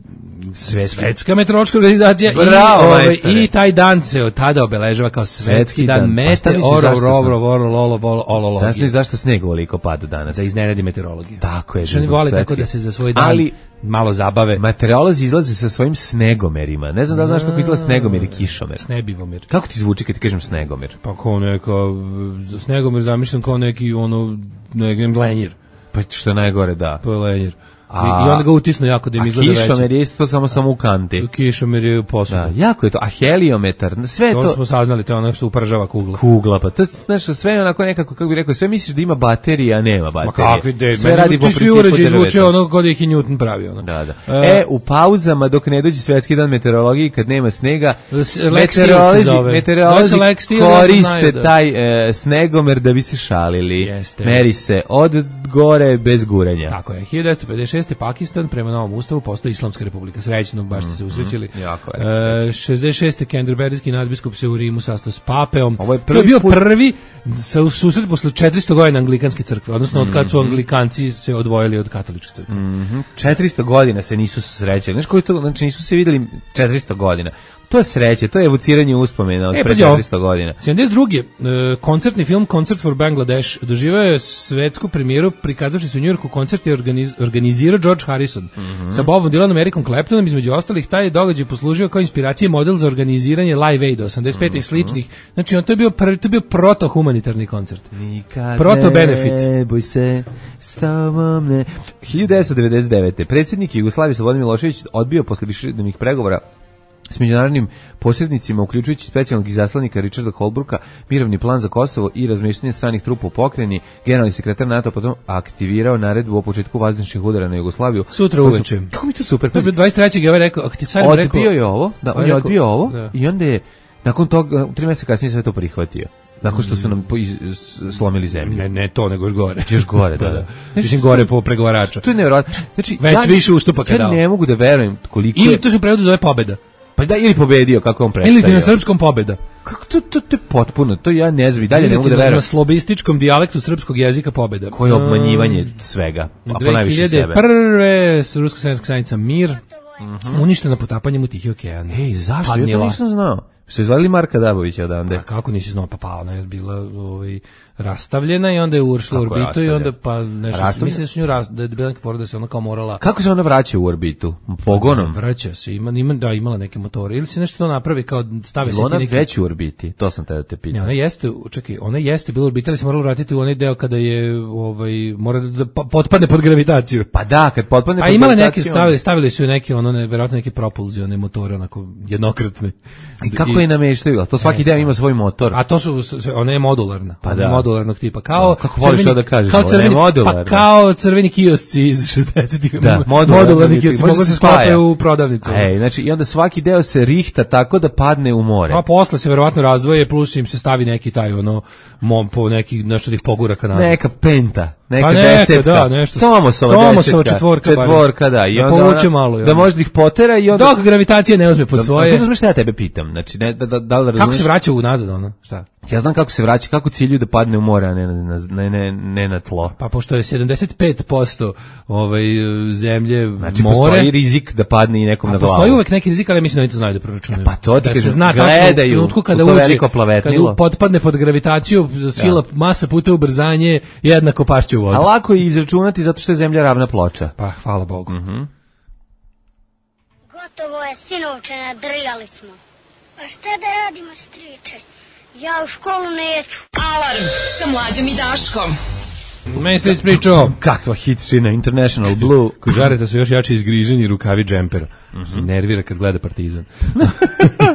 Svetski. Svetska meteorološka organizacija. Bravo, i, ovaj, i taj dan se od tada obeležava kao Svetski, Svetski dan, dan. Mete, oro, rovro, voro, lolo, volo, olologije. Znaš li zašto sneg ovoliko pada danas? Da iznenadi meteorologiju. Tako je. Što oni vole tako da se za svoj dan ali, malo zabave. Meteorolozi izlaze sa svojim snegomerima. Ne znam da li znaš kako izgleda snegomir i kišomer. Snebivomir. Kako ti zvuči kad ti kažem snegomir? Pa kao neka, snegomir zamišljam kao neki, ono, neki lenjir. Pa što je najgore, da. To je lenjir. A, I onda ga utisnu jako da im izgleda veće. A kišomer je isto to samo samo u kanti. Kišomer je posuda. Da, jako je to. A heliometar, sve to... To smo saznali, to je ono što upržava kugla. Kugla, pa to, znaš, sve je onako nekako, kako bi rekao, sve misliš da ima baterija, a nema baterije. Ma kakvi de, sve radi po principu principu uređaj zvuče drveta. ono kod ih i Newton pravi. Ono. Da, da. E, e, u pauzama, dok ne dođe svetski dan meteorologije, kad nema snega, Lex Steel se zove. meteorolozi Zove se Lex Steel, koriste znaju da- taj e, snegomer da bi se šalili. Jeste. Meri se od gore bez guranja. Tako je. hiljadu devetsto pedeset šeste. Pakistan prema novom ustavu postao Islamska republika. Srećno, baš ste se usrećili. Jako je, E, srećno. šezdeset šeste. Kenterberijski nadbiskup se u Rimu sastao s papeom. Ovo je To prvi je bio put- prvi sa susret posle četiristo godina anglikanske crkve, odnosno od kad su anglikanci se odvojili od katoličke crkve. Mhm. četiristo godina se nisu srećali. Znaš koji to, znači nisu se videli četiristo godina. To je sreće, to je evociranje uspomena od E, pre pazi ovo. četiristo godina. sedamdeset druge. E, koncertni film Concert for Bangladesh doživao je svetsku premijeru prikazavši se u Njujorku. Koncert je organiz, organizirao George Harrison Mhm. sa Bobom Dylanom, Ericom Claptonom. Između ostalih, taj događaj poslužio kao inspiracija i model za organiziranje Live Aid osamdeset pete i sličnih. Znači, on to je bio, prvi, to je bio proto-humanitarni koncert. Nikad Proto benefit. ne boj se s tobom ne. hiljadu devetsto devedeset devete. Predsjednik Jugoslavije Slobodan Milošević odbio posle višednevnih pregovora s međunarodnim posrednicima, uključujući specijalnog izaslanika Richarda Holbrooka, mirovni plan za Kosovo i razmještanje stranih trupa u pokrajini. Generalni sekretar NATO potom aktivirao naredbu o početku vazdušnih udara na Jugoslaviju. Sutra Kako su- uveče. Kako mi to super. To je bio dvadeset trećeg je ovaj rekao, ako ti carimo rekao... Odbio je ovo, da, on on je rekao- odbio ovo da. i onda je nakon toga, tri mjeseca kasnije sve to prihvatio. Nakon što su nam po- iz- s- slomili zemlju. Ne, ne to, nego još gore. Još gore, da, da. Mislim, gore po pregovarača. To je nevjerojatno. Znači, Već više ustupaka ja dao. ne mogu da verujem koliko Ili je, to se u prevodu zove pobeda. pa da, ili pobedio, kako je on predstavio. Ili ti na srpskom pobeda. Kako to, to, to je potpuno, to ja ne znam, i dalje Ili ne mogu ti da na- verujem. Na slobističkom dijalektu srpskog jezika pobeda. Koje obmanjivanje svega, a po najviše sebe. dve hiljade prve. Ruska srpska zajednica Mir uništena potapanjem u Tihi okean. Ej, zašto? Ja to Padnila. nisam znao. Su izvadili Marka Dabovića odande? A kako nisi znao, pa pa ona je bila ovaj, rastavljena i onda je ušla u Kako je orbitu i onda rastavljena? pa nešto, Rastavljena? mislim da su nju ras, da je bila neka fora da se ona kao morala Kako se ona vraća u orbitu? Pogonom? vraća se, ima, ima, da, imala neke motore ili se nešto to napravi kao stave se Ili ti ona neki... već u orbiti? To sam te da te Ne, pitam. ona jeste, čekaj, ona jeste bila u orbitu, ali se morala vratiti u onaj deo kada je, ovaj, mora da, da pa- potpadne pod gravitaciju. Pa da, kad potpadne A pod imala neke, gravitacijom- stavili, stavili su joj neke, ono, ne, verovatno neke propulzione motore, onako, jednokratne. I kako je nameštaju? A to svaki E, deo sad. ima svoj motor. A to su, sve- ona je modularna. Pa Ona je da. modularnog tipa. Kao, Da, kako voliš crveni- to da kažeš, kao ona je crveni, modularna. Pa kao crveni kiosci iz šezdesetih. Da, modularni, modularni kiosci. može Mogu se se spaja. sklapaju u prodavnicu. Ej, znači, i onda svaki deo se rihta tako da padne u more. A posle se verovatno razdvoje, plus im se stavi neki taj, ono, mom, po neki, nešto da ih pogura ka nazad. Neka penta, neka Pa neka, desetka. da, nešto- Tomosova, Tomosova desetka. četvorka barem. Četvorka, da. I Da onda povuče ona- malo, i Da onda. možda ih potera i onda... Dok gravitacija ne uzme pod Da, svoje. da, razumeš šta ja tebe pitam? Znači, ne, da, da, da li razumeš? Kako se vraća u nazad, ono? Šta? Ja znam kako se vraća, kako cilju da padne u more, a ne na, na, ne, ne, ne na tlo. Pa pošto je sedamdeset pet posto ovaj, zemlje Znači, more, postoji rizik da padne i nekom a na glavu. postoji uvek neki rizik, ali ja mislim da oni to znaju da proračunaju. Pa to ti da se kažem, zna tačno u gledaju trenutku u kada to uđe, veliko plavetnilo. kada potpadne pod gravitaciju, sila, masa puta ubrzanje, jednako pašće u vodu. A lako je izračunati zato što je zemlja ravna ploča. Pa, hvala Bogu. Mhm. Gotovo je, sinovče, nadrljali smo. Pa šta da radimo, striče? Ja u školu neću. Alarm sa Mlađom i Daškom. Meni ste ispričao. Kakva hitčina, International Blue. Kod Žareta su još jači izgriženi rukavi džempera. Se nervira kad gleda Partizan.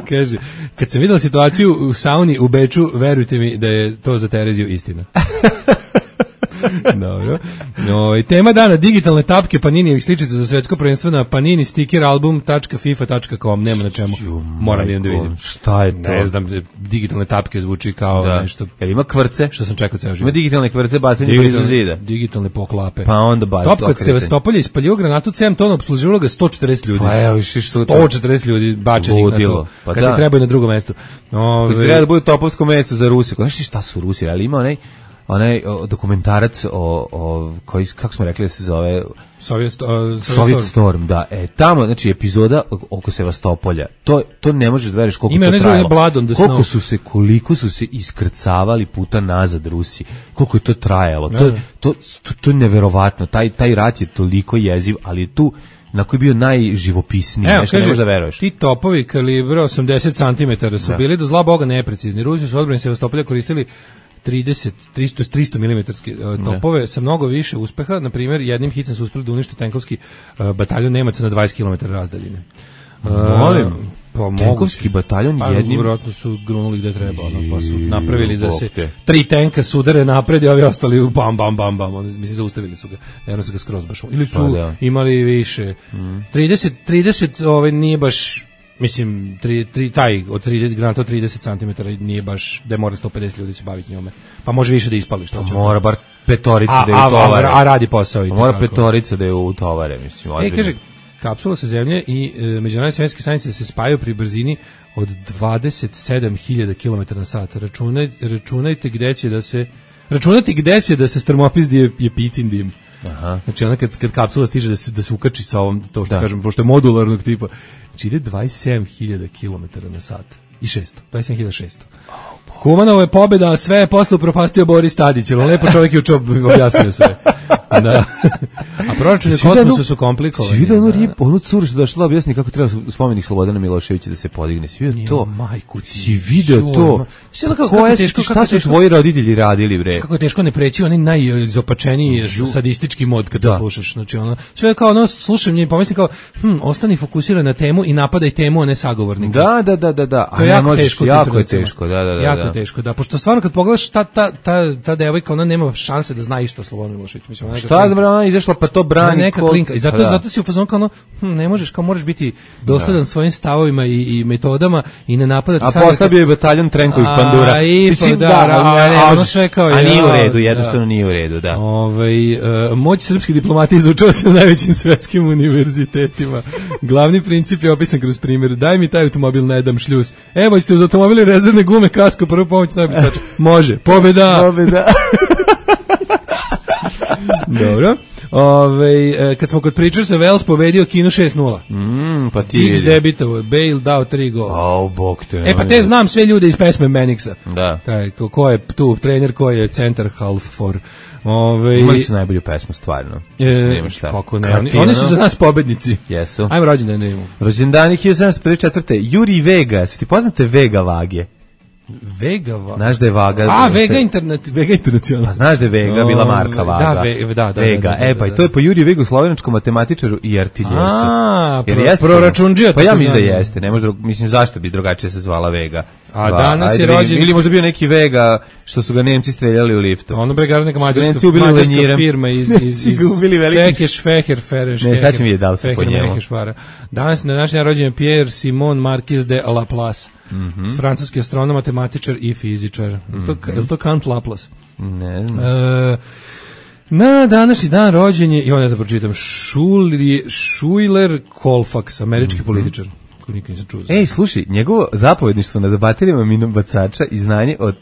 Kaže, kad sam videla situaciju u sauni u Beču, verujte mi da je to za Tereziju istina. Dobro. No, i tema dana, digitalne tapke Paninijevih sličica za svetsko prvenstvo na panini sticker album tačka fifa tačka com, nema na čemu. Moram jedan da vidim. Šta je to? Ne znam, digitalne tapke zvuči kao Da. nešto Jel ima kvrce? što sam čekao ceo Ima život. digitalne kvrce bacanje blizu zida. digitalne poklape. Pa onda baci. Top kod Sevastopolja ispalio granatu sedam tona, opsluživalo ga sto četrdeset ljudi. Pa evo, viš što sto četrdeset ljudi bačenih na Ludilo. to. Pa Kad da. ti trebaju na drugom mestu. Ove, Treba da bude topovsko mesto za Rusiju. Znaš ti šta su Rusi? Ali ima onaj onaj o, dokumentarac o, o koji, kako smo rekli da se zove Sovjet, uh, Soviet Storm, da. E, tamo, znači, epizoda oko Sevastopolja, to, to ne možeš da veriš koliko Ima to onaj drugi trajalo. Blood on the Koliko Snow. su se, koliko su se iskrcavali puta nazad Rusi. Koliko je to trajalo. To, Da, da. to, to, to je neverovatno. Taj, taj rat je toliko jeziv, ali je tu na koji je bio najživopisniji, Evo, nešto kaže, ne možeš da veruješ. Ti topovi kalibra osamdeset centimetara su Da. bili do zla boga neprecizni. Rusi su odbrani Sevastopolja koristili trideset, tristo, tristo milimetarske topove sa mnogo više uspeha. Na primjer, jednim hicem su uspeli da unište tenkovski uh, bataljon Nemaca na dvadeset kilometara razdaljine. Uh, Molim, pa tenkovski bataljon pa, jednim... vjerojatno su grunuli gde treba, ono, pa su napravili da se Bog te. tri tenka sudare napred i ovi ostali u bam, bam, bam, bam. Oni, mislim, zaustavili su ga. Jedno su ga skroz baš. Ili su Pa da. imali više. Mm. trideset, trideset ovaj, nije baš... Mislim, tri, tri, taj od trideset granata od trideset centimetara nije baš da mora sto pedeset ljudi se baviti njome. Pa može više da ispali što će. Mora bar petorica a, da je a, utovare. a, a radi posao i Mora tako. petorica da je utovare, mislim. E, ozbiljno. kaže, kapsula sa zemlje i e, međunarodne svemirske stanice se spajaju pri brzini od dvadeset sedam hiljada kilometara na sat. Računaj, računajte gde će da se računajte gde će da se strmopizdi je, je picin dim. Aha. Znači onda kad, kad kapsula stiže da se, da se ukači sa ovom, to što Da. kažem, pošto je modularnog tipa, znači ide dvadeset sedam hiljada kilometara na sat i šesto, dvadeset sedam hiljada šesto. Kumanovo je pobjeda, a sve je posle upropastio Boris Tadić, ali lepo čovjek je učeo objasnio sve. Da. A proračuni u kosmosu su komplikovani. Si vidio onu, da. rip, onu curu što došla da objasni kako treba spomenik Slobodana Miloševića da se podigne. Si vidio to? Majku ti. Si vidio Čuj, to? ma. Si ono kako- Koje kako su- teško, šta kako su teško- tvoji roditelji radili, bre? Kako je teško ne preći onaj najizopačeniji sadistički mod kad to Da. slušaš. Znači ono, sve kao ono, slušam nje i pomislim kao, hm, ostani fokusiran na temu i napadaj temu, a ne sagovornika. Da, da, da, da, da. A To je ne jako možeš, teško. u jako tim je trenucima. teško, da, da, da. Jako da. je teško, da. Pošto stvarno kad pogledaš ta, ta, ta, ta devojka, ona nema šanse da zna išta o Slobodanu Miloševiću. Mislim, ona je Šta da ona izašla pa to Ona brani? neka ko- klinka. I zato, Pa da. zato si u fazonu kao ono, hm, ne možeš, kao moraš biti dosledan svojim stavovima i, i metodama i ne napadati A samo posle bio je bataljon Trenkovih A, pandura. i pa Mislim, da, da, da, ali a- ne a ono možeš- sve kao, a nije u ja, redu, jednostavno da. nije u redu, da. Ovaj e, moć srpske diplomatije izučava se na najvećim svetskim univerzitetima. Glavni princip je opisan kroz primjer. Daj mi taj automobil, ne dam šljus. Evo, ste uz automobili rezervne gume, kasko, prvu pomoć najpisača. Može, pobjeda. Pobjeda. Dobro. Ove, e, kad smo kod Preachersa, Wells pobedio Kinu šest nula. Mm, pa ti X vidi. debitovo, Bale dao tri gola. Au, bog te. E pa te znam sve ljude iz pesme Manixa. Da. Taj, ko, ko je tu trener, ko je centar half for. Ove, Imali su najbolju pesmu, stvarno. Mislim, nema e, šta. kako ne, oni, Kartino. oni su za nas pobednici. Jesu. Ajmo rođendan da imamo. Rođendani hiljadu sedamsto pedeset četvrte. Juri Vega, su ti poznate Vega vage? Vega va. Znaš da je Vaga... A, se- Vega internet, Vega internacional. Pa znaš da je Vega bila marka O, Vaga. Da, ve, da, da. Vega, da, da, e pa da, i to je po Juri Vegu, slovenačkom matematičaru i artiljercu. A, Jer pro- jeste proračundžija, Pa ja tako mislim da zvani. jeste, ne može, drug- mislim zašto bi drugačije se zvala Vega. A Va, danas ajde je vidim. rođen- Ili možda bio neki Vega što su ga Nemci streljali u liftu. Ono bre gara neka Nemci mađarska, ubili mađarska lenjirem. firma iz iz Nemci iz ga ubili velikim- Sekeš Feher Fereš. Ne, sad ćemo vidjeti da li se po njemu. Danas na današnji dan rođen je Pierre Simon Marquis de Laplace. Mhm. Francuski astronom, matematičar i fizičar. Mm to, je li to Count Laplace? Ne znam. E, na današnji dan rođen je, i on ne znam pročitam, Schuli- Schuyler Colfax, američki Mhm. političar. Koji nikad nisam čuo. za- Ej, slušaj, njegovo zapovedništvo nad baterijama minobacača i znanje o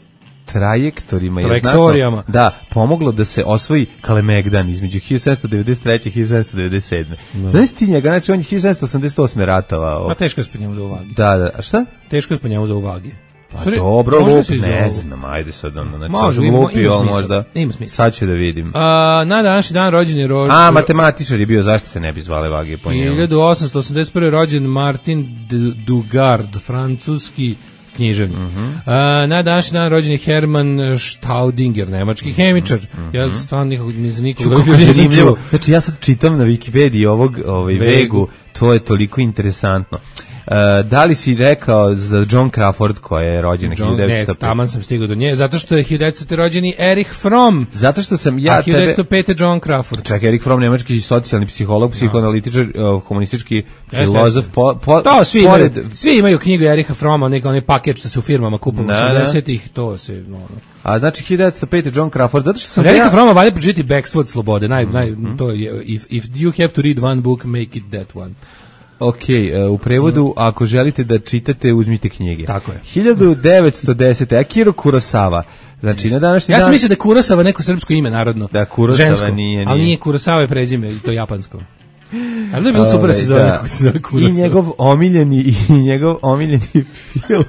trajektorima je Trajektorijama. znatno, da, pomoglo da se osvoji Kalemegdan između hiljadu sedamsto devedeset treće i hiljadu sedamsto devedeset sedme. Znaš ti njega, znači on je hiljadu sedamsto osamdeset osme ratovao. Ma teško je spanjamo za uvagi. Da, da, a šta? Teško je spanjamo za uvagi. Pa dobro, možda lup, se i ne zovu. znam, ajde sad ono, znači Može, sam ima- lupio, ima ali smisla. možda, Ima smisla. sad ću da vidim. A, na današnji dan rođen je ro... A, matematičar je bio, zašto se ne bi zvale vage po njemu? hiljadu osamsto osamdeset prve rođen Martin D- Dugard, francuski književnik. Mhm. A, na današnji dan rođen je Hermann Staudinger, nemački hemičar. Ja stvarno nikog, ni za nikog Kako nisam je zanimljivo. čuo. Znači ja sad čitam na Wikipediji ovog ovaj Vegu. Vegu, to je toliko interesantno. Uh, da li si rekao za John Crawford koja je rođena John, hiljadu ne, devetsto pet? taman sam stigao do nje, zato što je hiljadu devetsto rođeni Erich Fromm, Zato što sam ja a tebe... hiljadu devetsto pete John Crawford. Čak, Erich Fromm, nemački socijalni psiholog, psihoanalitičar, uh, komunistički filozof, jeste. po, po, To svi pored... imaju, svi imaju knjigu Eriha Froma, neka onaj paket što se u firmama kupuje Da, da. osamdesetih, to se, no, no. A znači hiljadu devetsto pete John Crawford, zato što sam Od Erika ja... Froma valja pročitati Backstreet Slobode, naj, naj, Mhm. to je, if, if you have to read one book, make it that one. Ok, uh, u prevodu, ako želite da čitate, uzmite knjige. Tako je. hiljadu devetsto desete Akira Kurosawa. Znači, na današnji Ja dan... sam mislio da je Kurosawa neko srpsko ime narodno. Da, Kurosawa žensko, nije, ali nije. nije Kurosawa je prezime, i to japansko. Ali to je bilo super da se zove, Ovaj, kako se zove I Kurosawa. njegov omiljeni i njegov omiljeni film.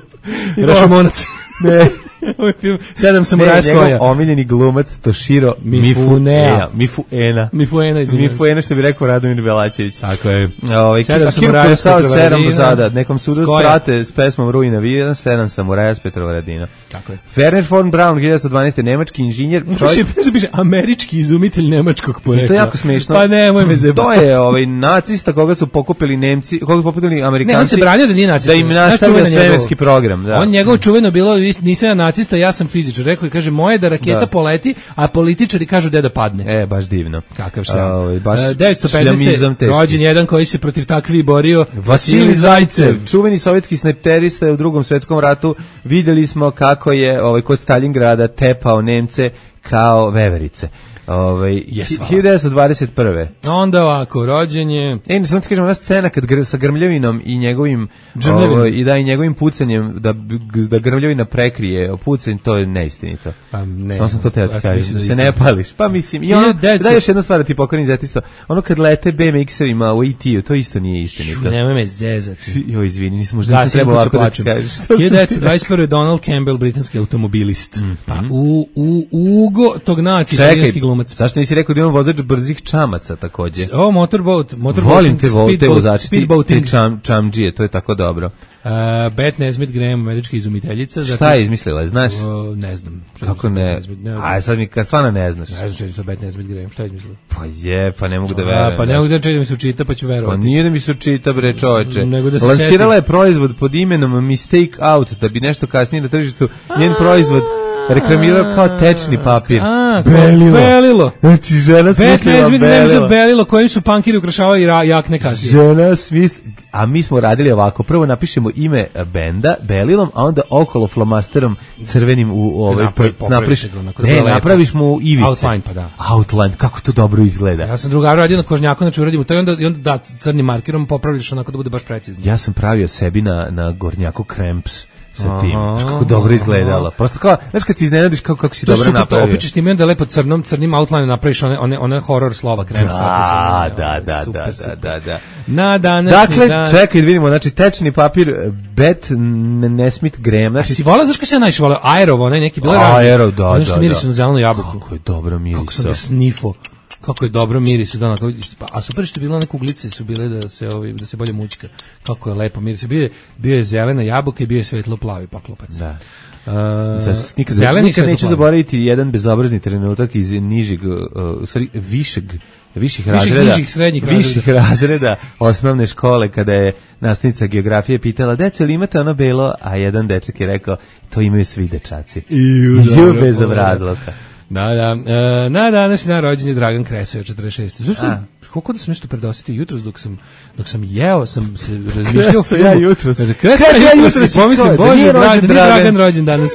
Rašomonac. Ne, Ovaj film Sedam samuraja s koja. Omiljeni glumac Toshiro Mifunea. Mifuena. Mifuena, izvinjavam. Mifuena, što bi rekao Radomir Belačević. Tako je. Ovaj Sedam Akira samuraja s Kurosawa, sedam Petrovaradina. Bozada, nekom sudu sprate s pesmom Ruina Vijena, sedam samuraja s Petrovaradina. Tako je. Werner von Braun, hiljadu devetsto dvanaeste. nemački inženjer. Čovjek piše, piše američki izumitelj nemačkog porekla. I to je jako smešno. Pa nemoj me zebati. To je ovaj nacista koga su pokupili Nemci, koga su pokupili Amerikanci. Ne, on se branio da nije nacista. Da im nastavlja svemirski program, da. On njegovo čuveno bilo, nisam ja nacista, ja sam fizičar. Rekao i kaže, moje da raketa da. poleti, a političari kažu da da padne. E, baš divno. Kakav šta. Uh, baš devetsto petnaeste. rođen jedan koji se protiv takvi borio, Vasilij Zajcev. Čuveni sovjetski snajperista u Drugom svjetskom ratu. Vidjeli smo kako je ovaj kod Stalingrada tepao Nemce kao veverice. Ovaj yes, hiljadu devetsto dvadeset prve. Onda ovako, rođen je. E, ne samo ti kažem, ona scena kad gr, sa Grmljavinom i njegovim ovaj, i da i njegovim pucanjem da da Grmljavina prekrije pucanj, to je neistinito. Pa ne. Samo sam to teo ti kažem, da se ne pališ. Pa mislim, i ono, da još jedna stvar da ti poklonim zatisto. Ono kad lete B M X-evima u E T-u, to isto nije istinito. Nemoj me zezati. Joj, izvini, nisam možda nisam trebao ovako da ti kažeš. hiljadu devetsto dvadeset prve. Donald Campbell, britanski automobilist. Pa u u Ugo Tognazzi, italijanski glumac. Zašto nisi rekao da imam vozač brzih čamaca takođe? O, motorboat, motorboat. Volim te, vo, te vozači, speedboating. Čam, čamđije, to je tako dobro. Uh, Beth Nesmith Graham, američka izumiteljica. Šta je izmislila, znaš? Uh, ne znam. Kako ne? ne A sad mi kad stvarno ne znaš. Ne znam što je to Beth Nesmith Graham, šta je izmislila? Pa je, pa ne mogu da verujem. Pa ne mogu da čekam da mi se učita, pa ću verovati. Pa nije da mi se učita, bre, čoveče. Da lansirala je proizvod pod imenom Mistake Out, da bi nešto kasnije na tržištu njen proizvod reklamirao kao tečni papir. A, belilo. belilo. Znači, žena smislila belilo. belilo kojim su punkiri ukrašavali jakne kasije. Žena smislila, a mi smo radili ovako, prvo napišemo ime benda belilom, a onda okolo flomasterom crvenim u ovaj napraviš. Ne, napraviš mu ivice. Outline, pa da. Outline, kako to dobro izgleda. Ja sam drugaru radio na kožnjaku, znači uradimo to i onda, i onda da, crnim markerom popravljaš onako da bude baš precizno. Ja sam pravio sebi na, na gornjaku Cramps sa tim, kako dobro izgledalo. Prosto kao, znaš kad se iznenadiš kako, kako si to dobro napravio. To opičeš tim i onda lepo crnom, crnim outline napraviš one, one, one horror slova Cramps. Da, da, da, super, da, super. da, da, da. Na današnji dakle, dan. Dakle, čekaj da vidimo, znači tečni papir Beth Nesmith Graham. Znači, a si volao, znaš kada se ja najviše volao? Aerov, onaj neki, bilo je razli. Aerov, da, ono da, što mirisu na zelenu jabuku. Kako je dobro miriso. Kako sam ga snifo. Kako je dobro miris, da, a super što je bilo, one kuglice su bile da se ovi da se bolje mućka. Kako je lepo miris. Bio je bio je zelena jabuka i bio je svetlo plavi paklopac. Da. Uh, nikad, zeleni nikad neću zaboraviti jedan bezobrazni trenutak iz nižeg, uh, sorry, višeg viših razreda, viših, srednjih viših razreda. razreda osnovne škole, kada je nastavnica geografije pitala, deco, li imate ono belo, a jedan dečak je rekao, to imaju svi dečaci. Ju bezobrazluka. Da, da. E, na današnji dan rođen je Dragan Kresoja, četrdeset šeste. Zašto? Kako da sam nešto predosjetio jutros dok sam dok sam jeo, sam se razmišljao o filmu. Ja jutros. Kresoja jutros. Pomislim, bože, Dragan, Dragan rođen danas.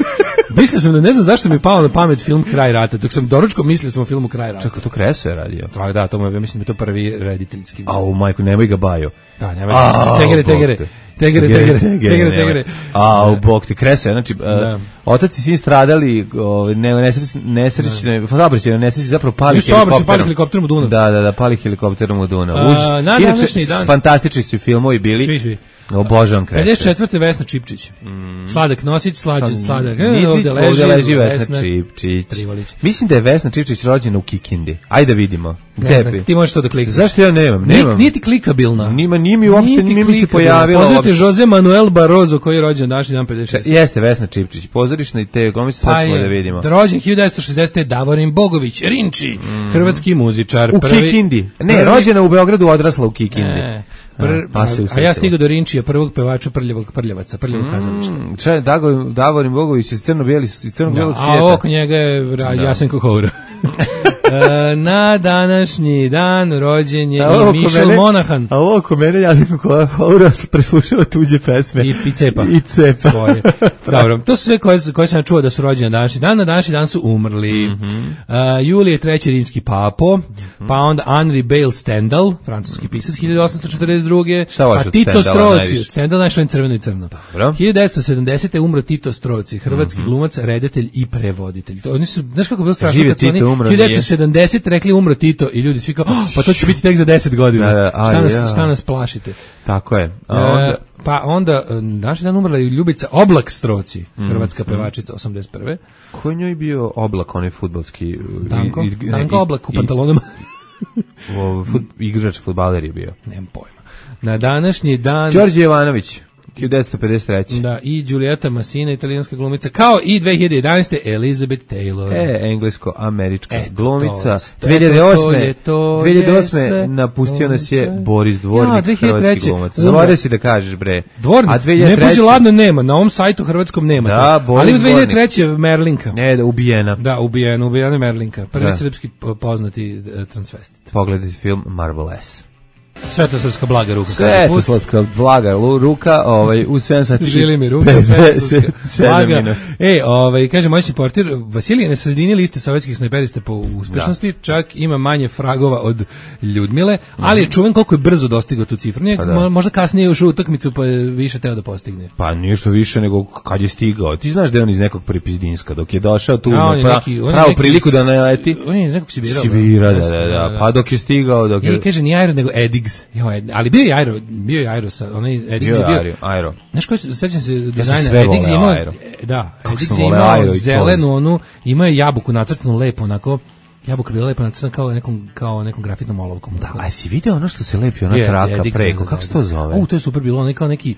Mislio sam da ne znam zašto mi je palo na pamet film Kraj rata. Dok sam doručko mislio sam o filmu Kraj rata. Čekaj, to Kresoja radio. Da, da, to mu je, ja mislim da je to prvi rediteljski. A u majku, nemoj ga baju. Da, nemoj ga. Tegere, tegere. Tegere, tegere, tegere, tegere. A, u bok ti Kresoja, znači, uh, otac i sin stradali, uh, ne, nesrećne, saobraćajne nesreće, zapravo pali helikopterom. pali helikopterom u Dunav. Da, da, da, pali helikopterom u Dunav. Uh, na današnji dan. Fantastični su filmovi bili. Svi, svi. Obožavam Kresoja. pedeset četvrte. Vesna Čipčić. Mm. Sladak Nosić, slađen, sladak. Ničić, ovdje leži, ovdje leži Vesna, Vesna Čipčić. Trivolić. Mislim da je Vesna Čipčić rođena u Kikindi. Ajde da vidimo. Gde? Ti možeš to da klikneš. Zašto ja nemam? nemam. Nije ti klikabilna. Nima, nije mi uopšte, nije mi se pojavila. Pozdravite Jose Manuel Barroso koji je rođen današnji dan pedeset šeste. Jeste Vesna Čipčić. Pozorišna i te glumice, sad ćemo da vidimo. Rođen hiljadu devetsto šezdesete. Davorin Bogović, Rinči, mm. hrvatski muzičar. U prvi, Kikindi. Ne, prvi, rođena u Beogradu, odrasla u Kikindi. Ne. Pr, a, a ja stigao do Rinčija, prvog pevača Prljavog Prljavaca, Prljavog mm, kazališta. Če, Davorin Bogović iz crno-bijeli, iz crno-bijelog svijeta. A oko njega je da. Jasenko Houra. e, na današnji dan rođen je i Mišel mene, Monahan. A ovo oko mene Jasenko Houra preslušava tuđe pesme. I, i cepa. I cepa. Svoje. Dobro, to su sve koje, koje sam čuo da su rođene na današnji dan. Na današnji dan su umrli. Mm -hmm. uh, Julije treći rimski papo, mm -hmm. pa onda Henri Bale Stendhal, francuski pisac, hiljadu osamsto četrdeset druge. Šta pa Tito Stroci, Stendhal našao crveno i crno. Dobro. hiljadu devetsto sedamdesete. umro Tito Stroci, hrvatski mm -hmm. glumac, reditelj i prevoditelj. To, oni su, znaš kako je bilo strašno? Žive Tito umro. hiljadu devetsto sedamdeset rekli umro Tito i ljudi svi kao, oh, pa to će biti tek za deset godina. Da, da, aj, šta, nas, ja. šta nas plašite? Tako je. A onda... E, pa onda, naši dan umrla je Ljubica Oblak Stroci, hrvatska pevačica, osamdeset prve. Ko je njoj bio Oblak, onaj fudbalski? Danko, i, i, Danko i, Oblak u pantalonama. O, fut, igrač, fudbaler je bio. Nemam pojma. Na današnji dan... Đorđe Jovanović, hiljadu devetsto pedeset treće. Da, i Giulietta Massina, italijanska glumica, kao i dve hiljade jedanaeste. Elizabeth Taylor. E, englesko-američka Eto, glumica. to, dve hiljade osme. to, to, dve hiljade osme sve, napustio to nas je sve. Boris Dvornik, Ja, dve hiljade treće. hrvatski glumac. Zaboravio si da kažeš, bre. Dvornik, A dve hiljade ne treće. puzi ladno nema, na ovom sajtu hrvatskom nema. Da, to. Boris Ali u dve hiljade treće. Dvornik. Merlinka. Ne, da, ubijena. Da, ubijena, ubijena je Merlinka. Prvi Da. srpski po- poznati uh, transvestit. Pogledajte film Marvelous. Svetosavska blaga ruka. kaže put. Svetosavska blaga lu- ruka, ovaj, u sedam sati. Žili mi ruka, pedeset sedam blaga. minuta. E, ovaj, kaže moj supporter, Vasilij je na sredini liste sovjetskih snajperista po uspešnosti, čak ima manje fragova od Ljudmile, ali je čuven koliko je brzo dostigao tu cifru. Nije, Pa da. mo- možda kasnije ušao u utakmicu pa je više teo da postigne. Pa ništa više nego kad je stigao. Ti znaš da je on iz nekog Prepizdinska, dok je došao tu A, na on je pra, neki- on je pravu neki priliku da s- naleti. On je iz nekog Sibira. Sibira, da, da, da. Pa dok je stigao, dok I je... kaže ni Aero nego Edigs. Jo, Ed- ali bio je Aero, bio je Aero sa onaj Edigs Bio je je bio. Aero, Aero. Znaš koji se sećam se sam dizajna sve Edigs je voleo imao Aero. e, da, Kako Edigs sam je voleo imao Aero i zelenu Polis. onu, imao je jabuku nacrtanu lepo onako. Jabuka bila lepo nacrtana kao nekom kao nekom grafitnom olovkom. Da, a si video ono što se lepi, ona Je, traka Edigs, preko, da, kako da, se to da. zove? U, to je super bilo, onaj kao neki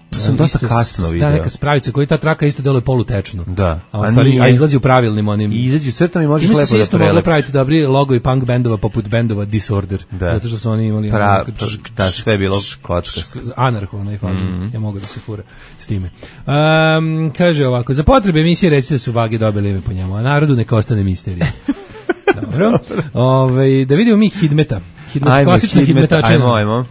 To sam dosta isto kasno s- video. Ta neka spravica koja ta traka isto deluje polutečno. Da. A, u A stvari, nije. a izlazi u pravilnim onim. I izađu crtom i možeš Time lepo se da isto moglo prelepi. praviti dobri logo i punk bendova poput bendova Disorder. Da. Zato što su oni imali Pra, ono- pra- da, sve je bilo kockasto. Anarho, onaj fazon. Ja mogu da se fura s time. Um, kaže ovako, za potrebe emisije recite da su vage dobili ime po njemu, a narodu neka ostane misterija. Dobro. Ove, da vidimo mi Hidmeta. Hidmet, Ajmo, klasična Hidmet, Hidmetačina. Ajmo, ajmo.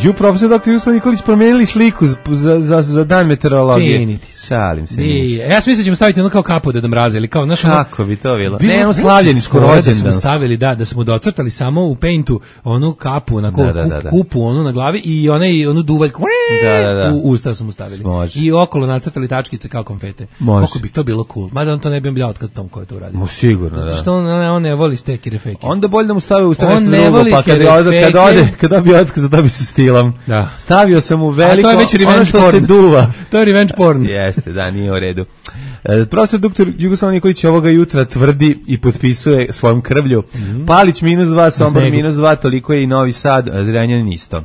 Ju, profesor doktor Jugoslav Nikolić promenili sliku za, za, za, za dan meteorologije. Čini ti se. Šalim se. I, ništa. ja sam mislio da ćemo staviti ono kao kapu da nam mraze, ili kao, znaš, ono, Kako bi to bilo? Bilo- Ne, ono bilo slavljeničko se fora Da smo rođendan. stavili, da, da smo docrtali samo u paintu onu kapu, onako Da, da, kup- da, da. kupu onu na glavi i onaj, onu duvaljku Da, da, da. u usta smo stavili. Može. I okolo nacrtali tačkice kao konfete. Može. Kako bi to bilo cool. Mada on to ne bi bio otkaz tom ko je to uradio. Mo sigurno, Zato da. što on, on, on ne voli stekire fake. Onda bolje da mu stave u On nešto ne drugo, voli pa kad, kerefeke. ode, kad ode, kad dobije otkaz, dobije se stilom. Da. Stavio sam u veliko, A to je već revenge ono što porn. se duva. To je revenge porn. Jeste, da, nije u redu. E, profesor doktor Jugoslav Nikolić ovoga jutra tvrdi i potpisuje svojom krvlju. Palić minus dva, Sombor snegu. minus dva, toliko je i Novi Sad, a Zrenjanin isto.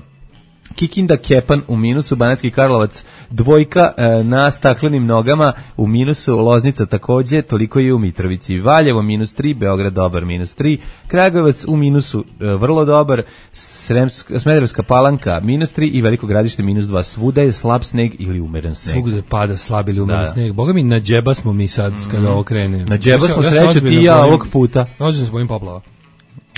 Kikinda Kepan u minusu, Banatski Karlovac dvojka e, na staklenim nogama, u minusu Loznica takođe, toliko je u Mitrovici. Valjevo minus tri, Beograd dobar minus tri, Kragujevac u minusu e, vrlo dobar, Sremsk, Smederevska Palanka minus tri i Veliko Gradište minus dva. Svuda je slab sneg ili umeren sneg. Svugde pada slab ili umeren Da. sneg. Boga mi, na džeba smo mi sad kada ovo krene. Na džeba smo se sreće ti ozbiljno i ja bojim- ovog puta. Ozbiljno se bojim poplava.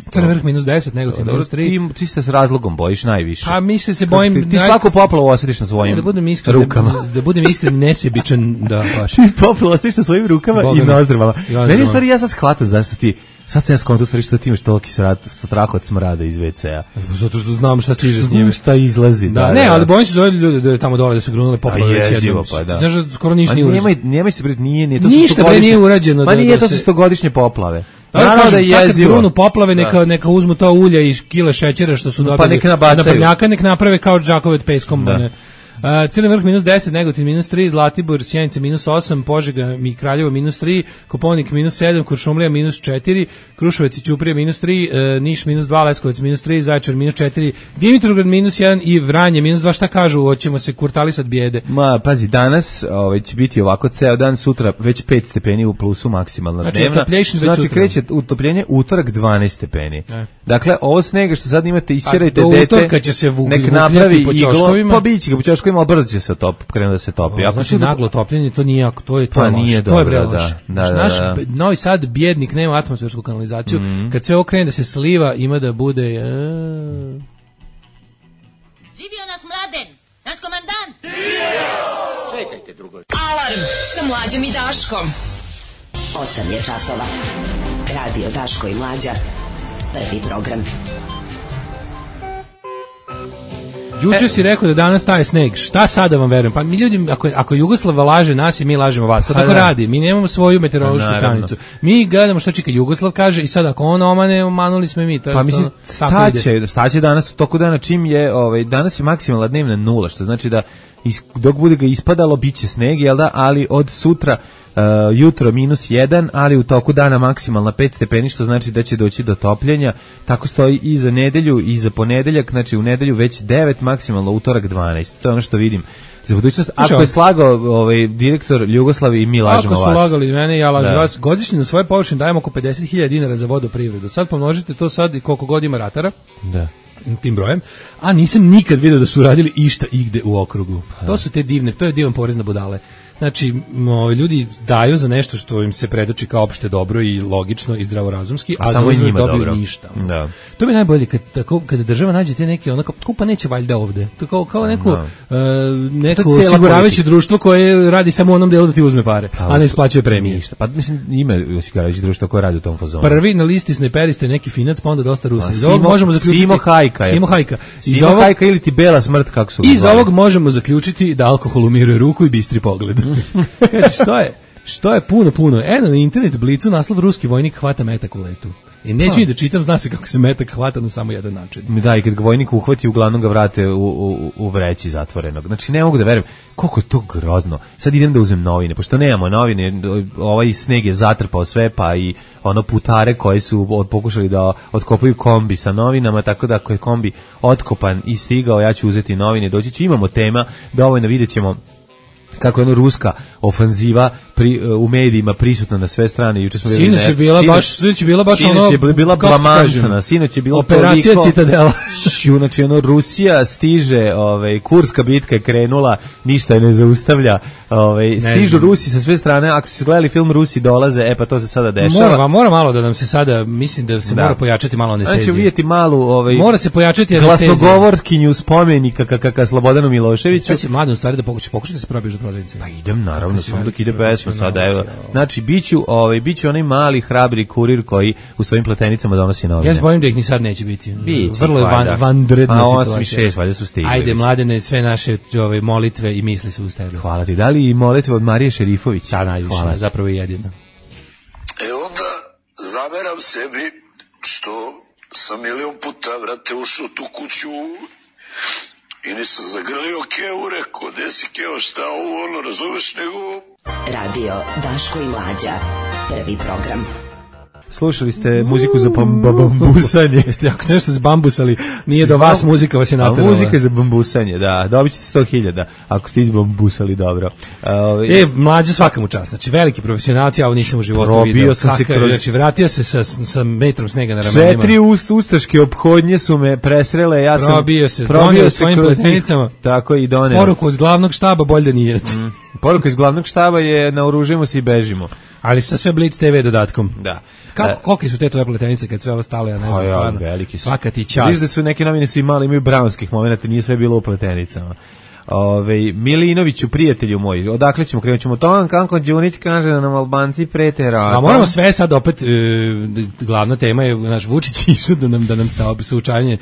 Crni vrh minus deset, Negotin Dobro, minus tri. ti, ti se s razlogom bojiš najviše. A mi se se Kako bojim... Ti, ti naj- svaku poplavu osjetiš na svojim da budem iskren, rukama. Da, da budem iskren, nesebičan, da, baš. Ti poplavu osjetiš na svojim rukama Boga i mi. nozdrvama. I nozdrvama. Meni je stvari, ja sad shvatam zašto ti, sad sam ja skonto stvari što ti imaš toliki srat, strah od smrada iz ve ce a. Zato što znam šta stiže s njime. Znam šta izlazi. Da, ne, ali bojim se za ove ljude da je tamo dole da su grunule poplave već jezivo, jednom. pa da. Znaš da skoro ništa A nije urađeno. nemoj, nemoj se pred, nije, nije, to su Ništa, bre, stogodišnje- nije urađeno Pa da- nije, da to su se- stogodišnje poplave. Da, Naravno kažem, da je sad kad jezivo. grunu poplave, neka, Da. neka uzmu to ulja i kile šećera što su Pa dobili nek nabacaju. na prljaka, nek naprave kao džakove od peskom. Da. Ne. Uh, Crni vrh minus deset, Negotin minus tri, Zlatibor, Sjenica minus osam, Požega i Kraljevo minus tri, Koponik minus sedam, Kuršumlija minus četiri, Kruševac i Ćuprija minus tri, uh, Niš minus dva, Leskovac minus tri, Zaječar minus četiri, Dimitrovgrad minus jedan i Vranje minus dva. Šta kažu? Hoćemo se kurtalisat bijede. Ma, pazi, danas ovaj, će biti ovako ceo dan, sutra već pet stepeni u plusu maksimalno Znači, dnevna. utoplješin već Znači, sutra. kreće utopljenje utorak dvanaest stepeni. E. Dakle, ovo snega što sad imate, isćerajte A do dete, utorka će se vu- nek vukljati napravi po iglo, ćoškovima. pa biće ga po ćoškovima, ali brzo će se top, krenu da se topi. Ako Znači, se naglo topljenje, to nije jako, to je, to Pa je loše. nije To je bre dobro, loše. da, da, Znači, da, naš da. b- Novi Sad, bjednik, nema atmosfersku kanalizaciju. Kad sve ovo krene da se sliva, ima da bude... E, Živio nas Mladen, naš komandant. Alarm sa Mlađom i Daškom. osam je časova. Radio Daško i Mlađa. Prvi program. Juče si rekao da danas taje sneg. Šta sada vam verujem? Pa mi ljudi, ako, ako Jugoslava laže nas i mi lažemo vas, to tako radi. Mi nemamo svoju meteorološku stanicu. Mi gledamo što čeka Jugoslav kaže i sad ako on omane, omanuli smo i mi. To pa mislim, staće, staće danas u toku dana čim je, ovaj, danas je maksimalna dnevna nula, što znači da is, dok bude ga ispadalo, bit će sneg, jel da, ali od sutra Uh, jutro minus jedan, ali u toku dana maksimalna pet stepeni, što znači da će doći do topljenja. Tako stoji i za nedelju i za ponedeljak, znači u nedelju već devet, maksimalno utorak dvanaest. To je ono što vidim za budućnost. Ako je slagao ovaj direktor Jugoslavi i mi lažemo vas. Ako su lagali mene, ja lažem vas. Godišnje na svoje površine dajemo oko pedeset hiljada dinara za vodoprivredu. Sad pomnožite to sad i koliko god ima ratara. Da. Tim brojem, a nisam nikad vidio da su radili išta igde u okrugu. To su te divne, to je divan porez na budale. Znači, no, ljudi daju za nešto što im se predoči kao opšte dobro i logično i zdravorazumski, a, a samo za njima dobiju dobro. Ništa. Da. To mi je najbolje kad tako kada država nađe te neke onako, kupa neće valjda ovde. To kao kao neko uh, neko osiguravajuće društvo koje radi samo u onom delu da ti uzme pare, pa, a ne isplaćuje premije. Ništa. Pa mislim ima osiguravajuće društvo koje radi u tom fazonu. Prvi na listi snajperiste neki Finac, pa onda dosta Rusa. Iz ovog možemo zaključiti Simo Hajka. Simo Hajka. Iz ovog Hajka ili ti bela smrt kako su. Iz ovog možemo zaključiti da alkohol umiruje ruku i bistri pogled. Kaže, što je? Što je puno, puno? Eno, na internet Blicu naslov ruski vojnik hvata metak u letu. I neću ni da čitam, zna se kako se metak hvata na samo jedan način. Da, i kad ga vojnik uhvati, uglavnom ga vrate u, u, u vreći zatvorenog. Znači, ne mogu da verujem. Koliko je to grozno. Sad idem da uzmem novine, pošto nemamo novine, ovaj sneg je zatrpao sve, pa i ono putare koji su od, pokušali da otkopaju kombi sa novinama, tako da ako je kombi otkopan i stigao, ja ću uzeti novine, doći ću, imamo tema, dovoljno vidjet ćemo kako je ono ruska ofanziva pri, u medijima prisutna na sve strane. Juče smo sinoć je bila baš sinoć je bila baš ono sinoć je bila blamantna, sinoć je bilo operacija toliko, Citadela. Znači ono Rusija stiže, ovaj Kurska bitka je krenula, ništa je ne zaustavlja. Ovaj stižu Rusi sa sve strane. Ako ste gledali film Rusi dolaze, e pa to se sada dešava. Mora, mora malo da nam se sada, mislim da se da. mora pojačati malo anestezija. Znači vidjeti malu, ovaj mora se pojačati anestezija. Glasnogovorkinju spomenika kakaka Slobodanu Miloševiću. Sad će mladen stvari da pokuša pokušati da se probiješ do prodavnice. Pa idem naravno, samo dok ide pesma sada, evo. Znači biću, ovaj biću onaj mali hrabri kurir koji u svojim pletenicama donosi novine. Ja se bojim da ih ni sad neće biti. Bići, vrlo je van, vanredna situacija. A osam i šest valjda su stigli. Ajde mladene, sve naše ove molitve i misli su uz tebe. Hvala ti. Da li i molitve od Marije Šerifović? Da, najviše, hvala, zapravo i jedina. E onda zameram sebi što sam milion puta, vrate, ušao tu kuću i nisam zagrlio Keo, rekao, gde si Keo, šta ovo, ono, razumeš, nego... Radio Daško i Mlađa, prvi program. Slušali ste muziku za bambusanje. Jeste jako ste nešto zbambusali, nije do vas muzika vas je naterala. Muzika je za bambusanje, da. Dobit ćete sto hiljada ako ste izbambusali dobro. Uh, e, Mlađa svaka mu čast. Znači, veliki profesionalci, a ovo nisam u životu vidio. Probio sam se kroz... Znači, vratio se sa, sa metrom snega na ramenima. Četiri ust, ustaške ophodnje su me presrele. Ja sam probio se, probio svojim pletenicama. Tako i doneo. Poruku iz glavnog štaba, bolje da nije. Mm. Poruka iz glavnog štaba je naoružimo se i bežimo. Ali sa sve Blitz te ve dodatkom. Da. Kako, koliki su te tvoje pletenice kad sve ovo stalo, ja ne znam, stvarno. Veliki su. Svaka ti čast. Viš da su neke novine su imali, imaju brownskih momenta, nije sve bilo u pletenicama. Ove, Milinoviću, prijatelju moj, odakle ćemo, krenut ćemo to, Kanko Đunić kaže da nam Albanci prete ratom. A moramo sve sad opet, e, glavna tema je, naš Vučić išao da nam, da nam sa suočanje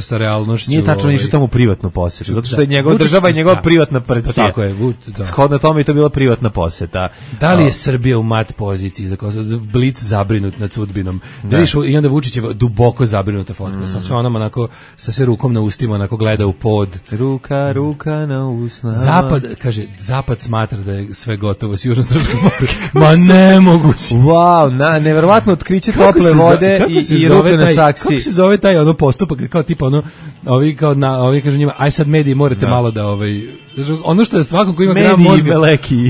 sa realnošću. Nije tačno, ovaj, išao tamo u privatnu posetu, zato što je njegova država i njegova privatna partija. Tako je, Vut, da. Shodno tome je to bila privatna poseta. Da li je Srbija u mat poziciji, za Blic zabrinut nad sudbinom? Da. Viš, i onda Vučić je duboko zabrinuta fotka, mm. sa sve onom onako, sa sve rukom na ustima, onako gleda u pod. Ruka, ruka na usnama. Zapad, kaže, Zapad smatra da je sve gotovo s Južno-Srpskom moru. Ma nemoguće. Wow, na, neverovatno otkriće tople vode i, i ruke na saksi. Kako se zove taj ono postupak, kao tipa ono, ovi kao na, ovi kažu njima, aj sad mediji morate da. malo da ovaj, ono što je svakom ko ima gram mozga,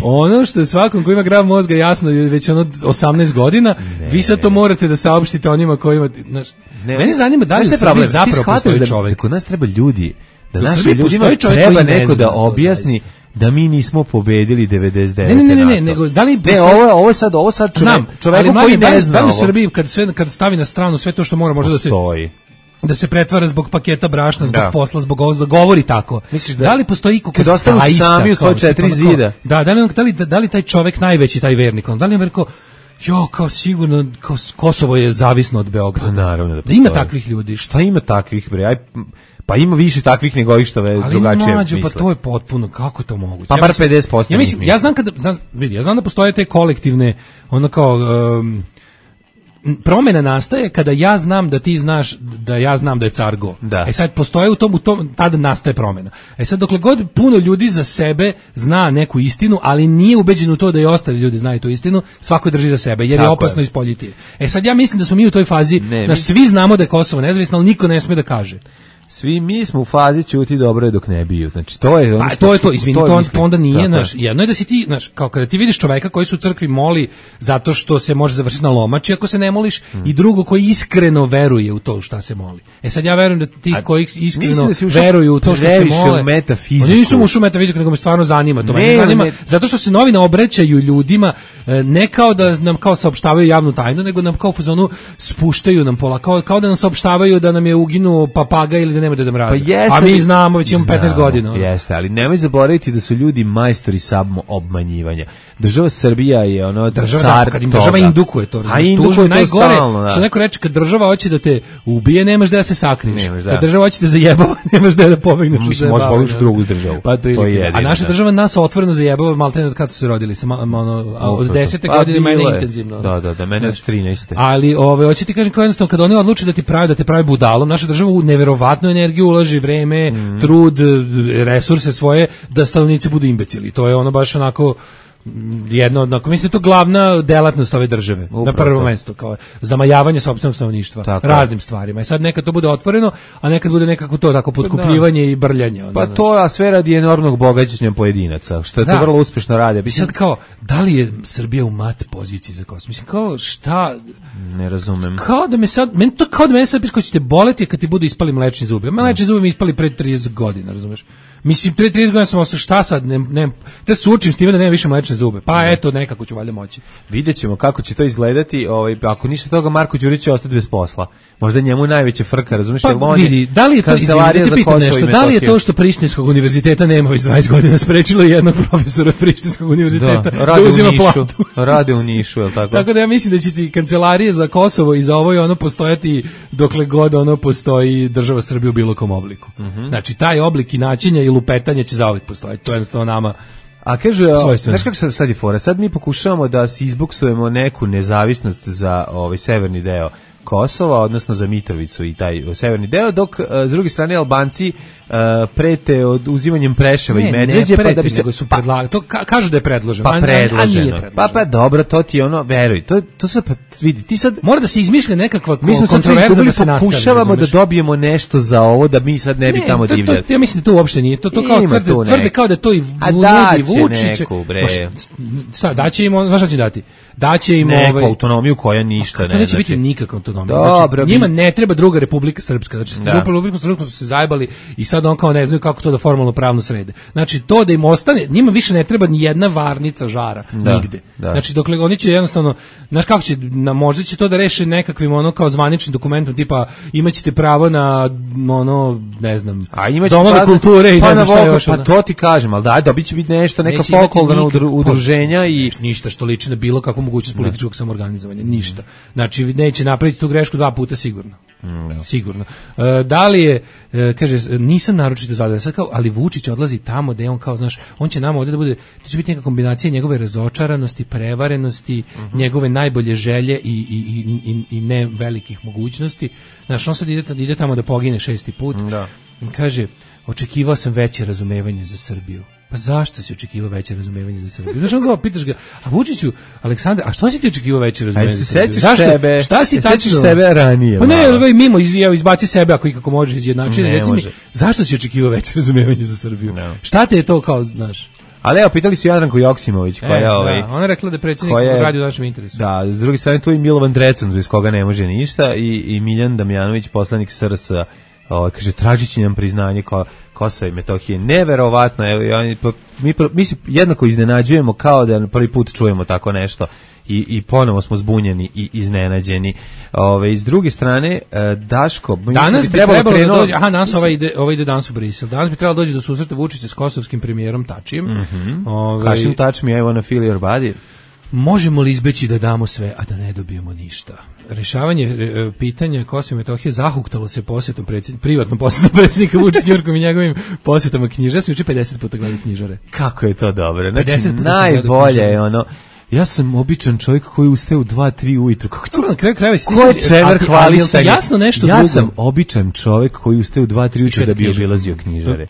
ono što je svakom ko ima gram mozga jasno već ono osamnaest godina, ne, vi sad to morate da saopštite onima koji ima, znaš, ne, mene zanima da li je problem zapravo postoji da, čovjek. Kod nas treba ljudi, da naši ljudima treba neko da objasni da mi nismo pobedili devedeset devete. Ne, ne, ne, ne, nego da li ne, ovo ovo sad, ovo sad čovjek, čovjek koji ne zna. Da li u Srbiji kad sve kad stavi na stranu sve to što mora možda da se da se pretvara zbog paketa brašna, zbog da. posla, zbog ovog, da govori tako. Misliš da, da li postoji iko ko ostanu sami u svoje četiri zida? Da, da li, da li da li taj čovjek najveći taj vernik, on da li je rekao jo, kao sigurno kao Kosovo je zavisno od Beograda. Pa naravno da, da ima takvih ljudi. Šta ima takvih bre? Aj Pa ima više takvih nego ovih što ve drugačije mlađo, misle. Pa to je potpuno, kako to moguće? Pa ja bar mislim, pedeset posto. Ja mislim, ja znam kada, znam, vidi, ja znam da postoje te kolektivne, ono kao, um, promjena nastaje kada ja znam da ti znaš da ja znam da je car go. Da. E sad postoje u tom, u tom, tada nastaje promjena. E sad dokle god puno ljudi za sebe zna neku istinu, ali nije ubeđen u to da i ostali ljudi znaju tu istinu, svako drži za sebe, jer Tako je opasno je. ispoljiti. E sad ja mislim da smo mi u toj fazi, Ne, naš, mi- svi znamo da je Kosovo nezavisno, ali niko ne sme da kaže. Svi mi smo u fazi ćuti dobro je dok ne biju. Znači to je ono Pa što to je su- to, izvini, to, je on- mislim. to onda nije, Tako je. znaš, jedno je da si ti, znaš, kao kada ti vidiš čoveka koji se u crkvi moli zato što se može završiti na lomači ako se ne moliš, i drugo koji iskreno veruje u to u šta se moli. E sad ja verujem da ti A koji mislim iskreno da si ušao veruju u to što se previše mole. u metafiziku. Oni nisu ušli u metafiziku, nego me stvarno zanima, to Ne, mene zanima, ne. zato što se novine obraćaju ljudima, e, ne kao da nam kao saopštavaju javnu tajnu, nego nam kao u fazonu spuštaju nam pola, kao, kao da nam saopštavaju da nam je uginuo papaga ili da nema Deda Mraza. Pa jeste A mi li- znamo, već imamo petnaest Znamo, godina. ono. Jeste, ali nemoj zaboraviti da su ljudi majstori samo obmanjivanja. Država Srbija je ono Država, car da, kad im toga. država indukuje to, A razumiješ, indukuje tužno je to najgore, stalno, da. što neko reče, kad država hoće da te ubije, nemaš da se sakriješ. Nemaš, da. Kad država hoće da zajebava, nemaš da da pobegneš. od Mislim, možeš zajebavanja. voliš drugu državu. Pa to, To je je jedino, A naša da. država nas otvoreno zajebava, maltene od kada su se rodili, sa, ma- ono, a od desete Pa godine mene bilo je. intenzivno. Da, da, da, mene od trinaeste. Ali ove hoće ti kažem kao jednostavno kad oni odluče da ti pravi da te pravi budalom, naša država u neverovatnu energiju ulaže, vreme, Mhm. trud, resurse svoje da stanovnici budu imbecili. To je ono baš onako mm, jedno od, onako, mislim da je to glavna delatnost ove države, Upravo na prvo to. mesto, kao zamajavanje sopstvenog stanovništva, Tako je. raznim stvarima. I sad nekad to bude otvoreno, a nekad bude nekako to tako potkupljivanje i brljanje. ono, Pa znaš. to, a sve radi enormnog bogaćenja pojedinaca, što je to Da. vrlo uspešno radi. I Mislim, sad kao, da li je Srbija u mat poziciji za Kosovo? Mislim, kao, šta, ne razumem. kao da me sad, meni to kao da mene sad piše ko će te boleti kad ti budu ispali mlečni zubi. Mlečni zubi mi ispali pre trideset godina, razumeš? Mislim, pre trideset godina sam ostao, šta sad, ne, ne, te sučim s time da nema više mlečne zube. Pa eto, nekako ću valjda moći. Vidjet ćemo kako će to izgledati, ovaj, ako ništa toga Marko Đurić će ostati bez posla. Možda je njemu najveća frka, razumiješ? Pa jer on je vidi, da li je to, izvini, kancelarija da te za pitam Kosovo i nešto, da li je Metohiju. to što Prištinskog univerziteta nema već dvadeset godina sprečilo jednog profesora Prištinskog univerziteta Da, da, rade u uzima Nišu, platu? rade u Nišu, je li tako? Tako da ja mislim da će ti kancelarije za Kosovo i za ovo i ono postojati dokle god ono postoji država Srbija u bilo kom obliku. Mhm. Znači, taj oblik i načinja i lupetanja će zauvijek postojati. To je jednostavno nama. A kaže, Svojstveno. znaš kako sad, sad je fora? Sad mi pokušavamo da si izbuksujemo neku nezavisnost za ovaj severni deo Kosova, odnosno za Mitrovicu i taj severni deo, dok uh, s druge strane Albanci uh, prete od uzimanjem Preševa i Medveđe, ne pa preti, da bi se nego su predlagali. To ka, kažu da je predloženo. pa a- a- a nije predloženo. predloženo. Pa pa dobro, to ti je ono, veruj, to to se pa vidi, ti sad Mora da se izmišlja nekakva ko- mi smo sad sve kontroverza izgubili, da se nastavi. pokušavamo da razumeš? dobijemo nešto za ovo, da mi sad ne bi tamo to- to- divljali. Ja mislim da to uopšte nije. To, to kao Ima tvrde, tu tvrde neko. kao da je to i A nudi daće Vučić. neku, bre. Ma šta- Šta, daće im, on- znaš šta će dati? Daće im Neku ovaj, autonomiju koja ništa to ne neće znači. biti nikakva autonomija. Dobro, Znači, bi- njima ne treba druga Republika Srpska. Znači, Da. da. Republika Srpska su se zajebali i sad on kao ne znaju kako to da formalno pravno srede. Znači, to da im ostane, njima više ne treba ni jedna varnica žara Da, nigde. da. Znači, dokle oni će jednostavno, znaš kako će, na, možda će to da reše nekakvim ono kao zvaničnim dokumentom, tipa imaćete pravo na ono, ne znam, A imaće domove pa- kulture i pa ne znam na šta vokal, još. Pa ono. to ti kažem, ali daj, dobit će biti nešto, neka Neće imati folklorna nikakvo- udru- udruženja i ništa što liči na bilo kakvu mogućnost političkog samoorganizovanja, ništa. Znači neće napraviti tu grešku dva puta sigurno. Sigurno. E, da li je, e, kaže, nisam naročito zadovoljan, sad kao, ali Vučić odlazi tamo da je on kao, znaš, on će nama ovdje da bude, to će biti neka kombinacija njegove razočaranosti, prevarenosti, njegove najbolje želje i, i, i, i, i ne velikih mogućnosti. Znaš, on sad ide, ide tamo da pogine šesti put. Da. Kaže, očekivao sam veće razumevanje za Srbiju. Pa zašto si očekivao veće razumevanje za Srbiju? Znaš, on ga pitaš ga, a Vučiću, Aleksandar, a što si ti očekivao veće razumevanje Aj, za se Srbiju? sećaš Zašto? sebe, Šta si se tačno? sećaš sebe ranije, Pa ne, malo. ovaj, mimo, iz, evo, izbaci sebe ako ikako možeš izjednačiti. Ne Reci mi, može. zašto si očekivao veće razumevanje za Srbiju? Ne. Šta te je to kao, znaš? Ali evo, pitali su Jadranku Joksimović, koja E, je ovaj... da, ona je rekla da je predsjednik koja je- radi u našem interesu. Da, s druge strane tu je Milovan Drecun, bez koga ne može ništa, i, i Miljan Damjanović, poslanik S R S, ovaj, kaže, tražit će nam priznanje ko, Kosova i Metohije. Neverovatno, evo, i oni, pa, mi, pro- mi se jednako iznenađujemo kao da prvi put čujemo tako nešto. I, i ponovo smo zbunjeni i iznenađeni. Ove, s druge strane, e, Daško... mislim Danas bi trebalo, da krenuo- dođe, aha, danas ovaj ide, ovaj ide danas u Brisel. Danas bi trebalo doći do susreta Vučića s kosovskim premijerom Tačijem. Mhm. Ovaj, Kašim touch me, I wanna feel your body. Možemo li izbeći da damo sve, a da ne dobijemo ništa? Rešavanje e, pitanja Kosova i Metohije zahuktalo se posjetom predsjednika, privatnom posjetom predsjednika Vučića Njujorkom i njegovim posjetama knjižara. Ja sam juče pedeset puta gledao knjižare. Kako je to dobro. Znači, najbolje je ono, ja sam običan čovjek koji ustaje u dva tri ujutru. Kako to na kraju krajeva? Ko je čever hvalisanje? Jasno nešto ja drugo. sam običan čovjek koji ustaje u dva tri ujutru da bi obilazio knjižare.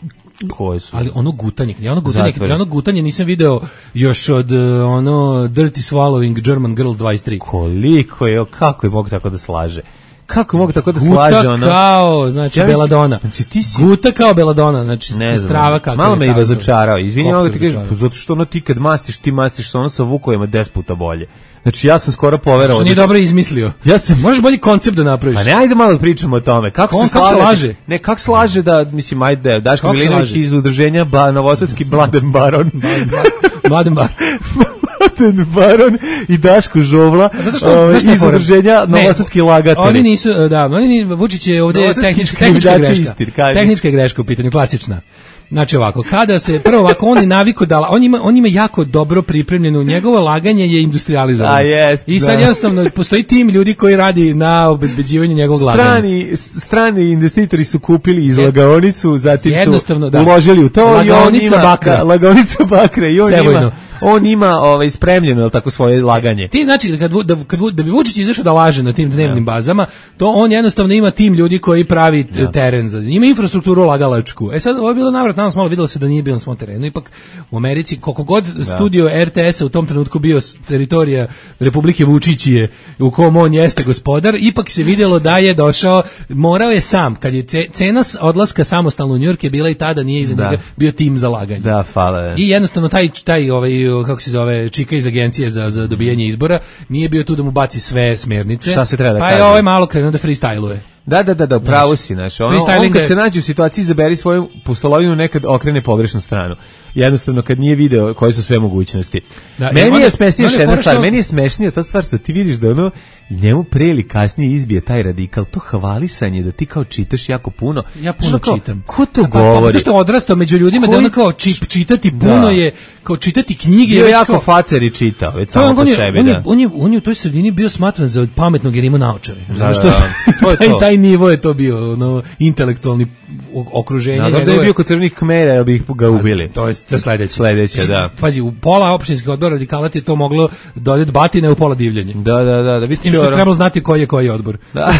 Koje su? Ali ono gutanje, ja ono gutanje, ja ono gutanje nisam video još od uh, ono Dirty Swallowing German Girl dvadeset tri. Koliko je, kako je mogu tako da slaže? Kako mogu tako da guta slaže ono? Guta kao, znači ja Beladona. Znači ti si guta kao Beladona, znači strava kako. Malo me i razočarao. Izvini, mogu ti kažem, zato što ono ti kad mastiš, ti mastiš sa ono sa vukovima deset puta bolje. Znači ja sam skoro poverovao. Što nije dobro izmislio. Ja sam, možeš bolji koncept da napraviš. Pa ne, ajde malo da pričamo o tome. Kako On, se kako slaže? Ne, kako slaže da, mislim, ajde, Daško Milinović iz udruženja ba, Novosadski Mladen Baron. Mladen Baron. Mladen Baron i Daško Žovla. Zato što, ove, iz udruženja Novosadski lagatelji. Oni nisu, da, oni ni, Vučić je ovdje tehnička, tehnička greška. Istir, tehnička greška u pitanju, klasična. Znači ovako, kada se prvo ovako on je naviko da on ima on ima jako dobro pripremljeno, njegovo laganje je industrializovano. A jest, I sad da. jednostavno postoji tim ljudi koji radi na obezbeđivanju njegovog laganja. Strani strani investitori su kupili izlagaonicu, zatim jednostavno, su da. uložili u to i on ima bakra. Da, lagaonica bakra i on Sevojno. ima on ima ovaj spremljeno el tako svoje laganje. Ti znači kad da kad da bi Vučić izašao da laže na tim dnevnim ja. bazama, to on jednostavno ima tim ljudi koji pravi ja. teren za. Ima infrastrukturu lagalačku. E sad ovo je bilo navrat nas malo videlo se da nije bio na svom terenu. Ipak u Americi koliko god ja. studio R T S-a u tom trenutku bio teritorija Republike Vučićije u kom on jeste gospodar, ipak se vidjelo da je došao, morao je sam kad je cena odlaska samostalno u Njujork je bila i tada nije iza njega bio tim za laganje. Da, hvala. I jednostavno taj taj ovaj kako se zove čika iz agencije za za dobijanje izbora nije bio tu da mu baci sve smernice. Šta se treba da pa kaže? je ovaj malo krenuo da freestyluje. Da, da, da, da, pravo si, znaš. Ono, on kad se nađe u situaciji izaberi svoju pustolovinu, nekad okrene pogrešnu stranu. Jednostavno, kad nije video koje su sve mogućnosti. Da, meni je smešnija još jedna stvar, meni je smešnija ta stvar što ti vidiš da ono, njemu pre ili kasnije izbije taj radikal, to hvalisanje, da ti kao čitaš jako puno. Ja puno kao, čitam. Ko to pa, govori? Zašto je odrastao među ljudima, koji? Da ono kao čip, čitati puno da. je, kao čitati knjige. Je jako kao, facer i čitao, već samo on, po on sebi, on da. Je, on, je, on je u toj sredini bio smatran za pametnog jer ima naočare. Da, što, da, to je taj, to. taj nivo je to bio, ono, intelektualni okruženje. Da, da je bio kod crvenih Kmera, jel bi ih ga ubili. To je to sledeće. Sledeće, da. Pazi, u pola opštinskih odbora radikala ti je to moglo dodati batine, u pola divljanje. Da, da, da. da Tim što trebalo znati koji je koji odbor. Da.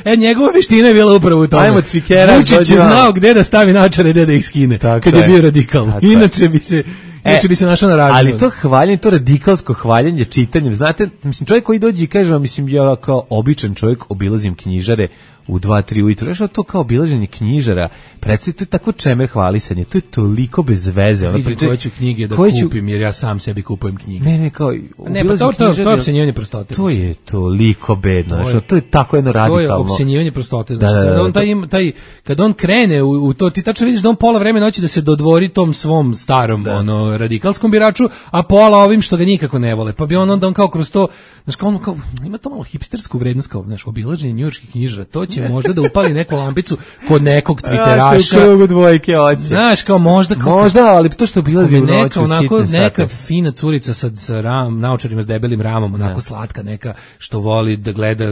E, njegova veština je bila upravo u tome. Ajmo cvikera. Vučić je znao gde da stavi naočare i gde da ih skine. Tako kad je, je bio radikal. Tako Inače bi se... Inače bi se našao na radnju. Ali to hvaljenje, to radikalsko hvaljenje čitanjem, znate, mislim, čovjek koji dođe i kaže, mislim, ja kao običan čovjek obilazim knjižare u dva tri ujutru, nešto to kao obilaženje knjižara, predstavite, to je tako čemer hvalisanje, to je toliko bez veze. Vidim priče, koje ću knjige da ću... kupim, jer ja sam sebi kupujem knjige. Ne, ne, kao, ne, pa to, to, to je opsenjivanje prostote. To je toliko bedno, to je, to je tako jedno radikalno. To je opsenjivanje prostote. Znači, da, da, da, on taj, taj, kad on krene u, u to, ti tačno vidiš da on pola vremena hoće da se dodvori tom svom starom da. ono, radikalskom biraču, a pola ovim što ga nikako ne vole. Pa bi on onda on kao kroz to, znaš, kao on kao, ima to malo hipstersku vrednost, kao, znaš, obilaženje njujorških knjižara, to će možda da upali neku lampicu kod nekog twitteraša. Ja, krugu dvojke hoće. Znaš, kao možda... Kao, možda, ali to što obilazi u noću, neka, onako, sitne neka sate. fina curica sa, sa ram, naočarima s debelim ramom, onako ne. slatka neka, što voli da gleda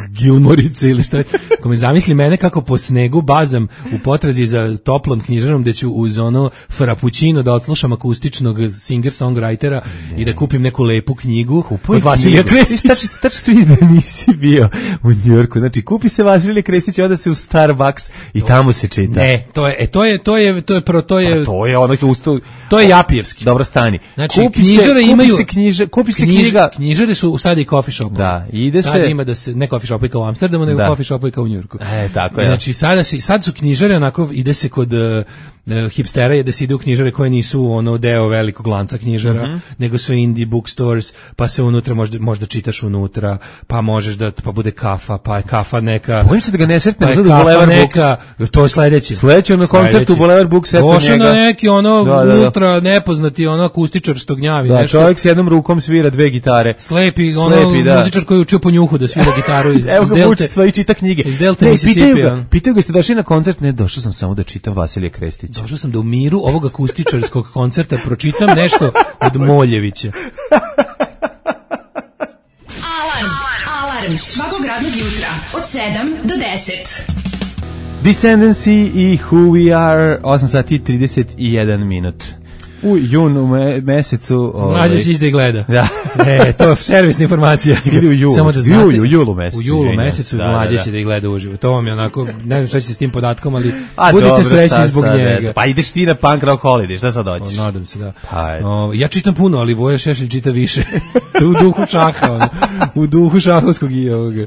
Gilmorice ili šta. Ko me zamisli mene kako po snegu bazam u potrazi za toplom knjižarom, gde ću uz ono frappuccino da odslušam akustičnog singer-songwritera i da kupim neku lepu knjigu Kupuj od Vasilija Krestića. Tačno se vidi da nisi bio u Njujorku. Znači, kupi se Vasilija Krestić, onda se u Starbucks i tamo se čita. Ne, to je, e, to je, to je, to je, pro, to je, pa to je ono usto, to je Japijevski. Dobro stani. Znači, kupi knjižare se, imaju, kupi se knjiže, kupi se knjiž, knjiga. Knjižare su sad i coffee shop. Da, ide sad se. Ima da se, ne coffee shop kao u Amsterdamu, nego da. coffee shop kao u Njujorku. E, tako je. Znači, sada se, sad su knjižare, onako, ide se kod uh, hipstera je da se ide u knjižare koje nisu ono deo velikog lanca knjižara, mm-hmm. nego su indie bookstores, pa se unutra možda, možda čitaš unutra, pa možeš da, pa bude kafa, pa je kafa neka... Bojim se da ga ne sretne, pa je kafa Boulevard neka, Books. To je sledeći. Sledeći ono koncertu Boulevard Books, eto njega. Došao na neki ono da, da, unutra da. nepoznati ono akustičar što gnjavi. Da, nešto. čovjek s jednom rukom svira dve gitare. Slepi, ono Slepi, da. muzičar koji je učio po njuhu da svira gitaru iz, evo iz Delte. Evo ga svoji čita knjige. Iz Delte, ne, pitaju ga, pitaju ga, ste došli na koncert? Ne, došao sam samo da čitam Vasilija Krestića. Došao sam da u miru ovog akustičarskog koncerta pročitam nešto od Moljevića. sedam svakog radnog jutra od sedam do deset. Descendancy i Who We Are, osam sati i trideset jedan minut. U junu me, mesecu... Mlađe će ići da gleda. Da. E, to je servisna informacija. Ili u julu. Samo da znate, u julu mesecu. U julu mesecu da, mlađe da, će da ih gleda uživo. To vam je onako, ne znam šta će s tim podatkom, ali a, budite dobro, srećni zbog sad, njega. Pa ideš ti na Punk Rock Holiday, šta sad hoćeš? O, nadam se, da. Pa, o, ja čitam puno, ali Voja Šešelj čita više. U duhu šaha, ono. U duhu šahovskog i ovoga.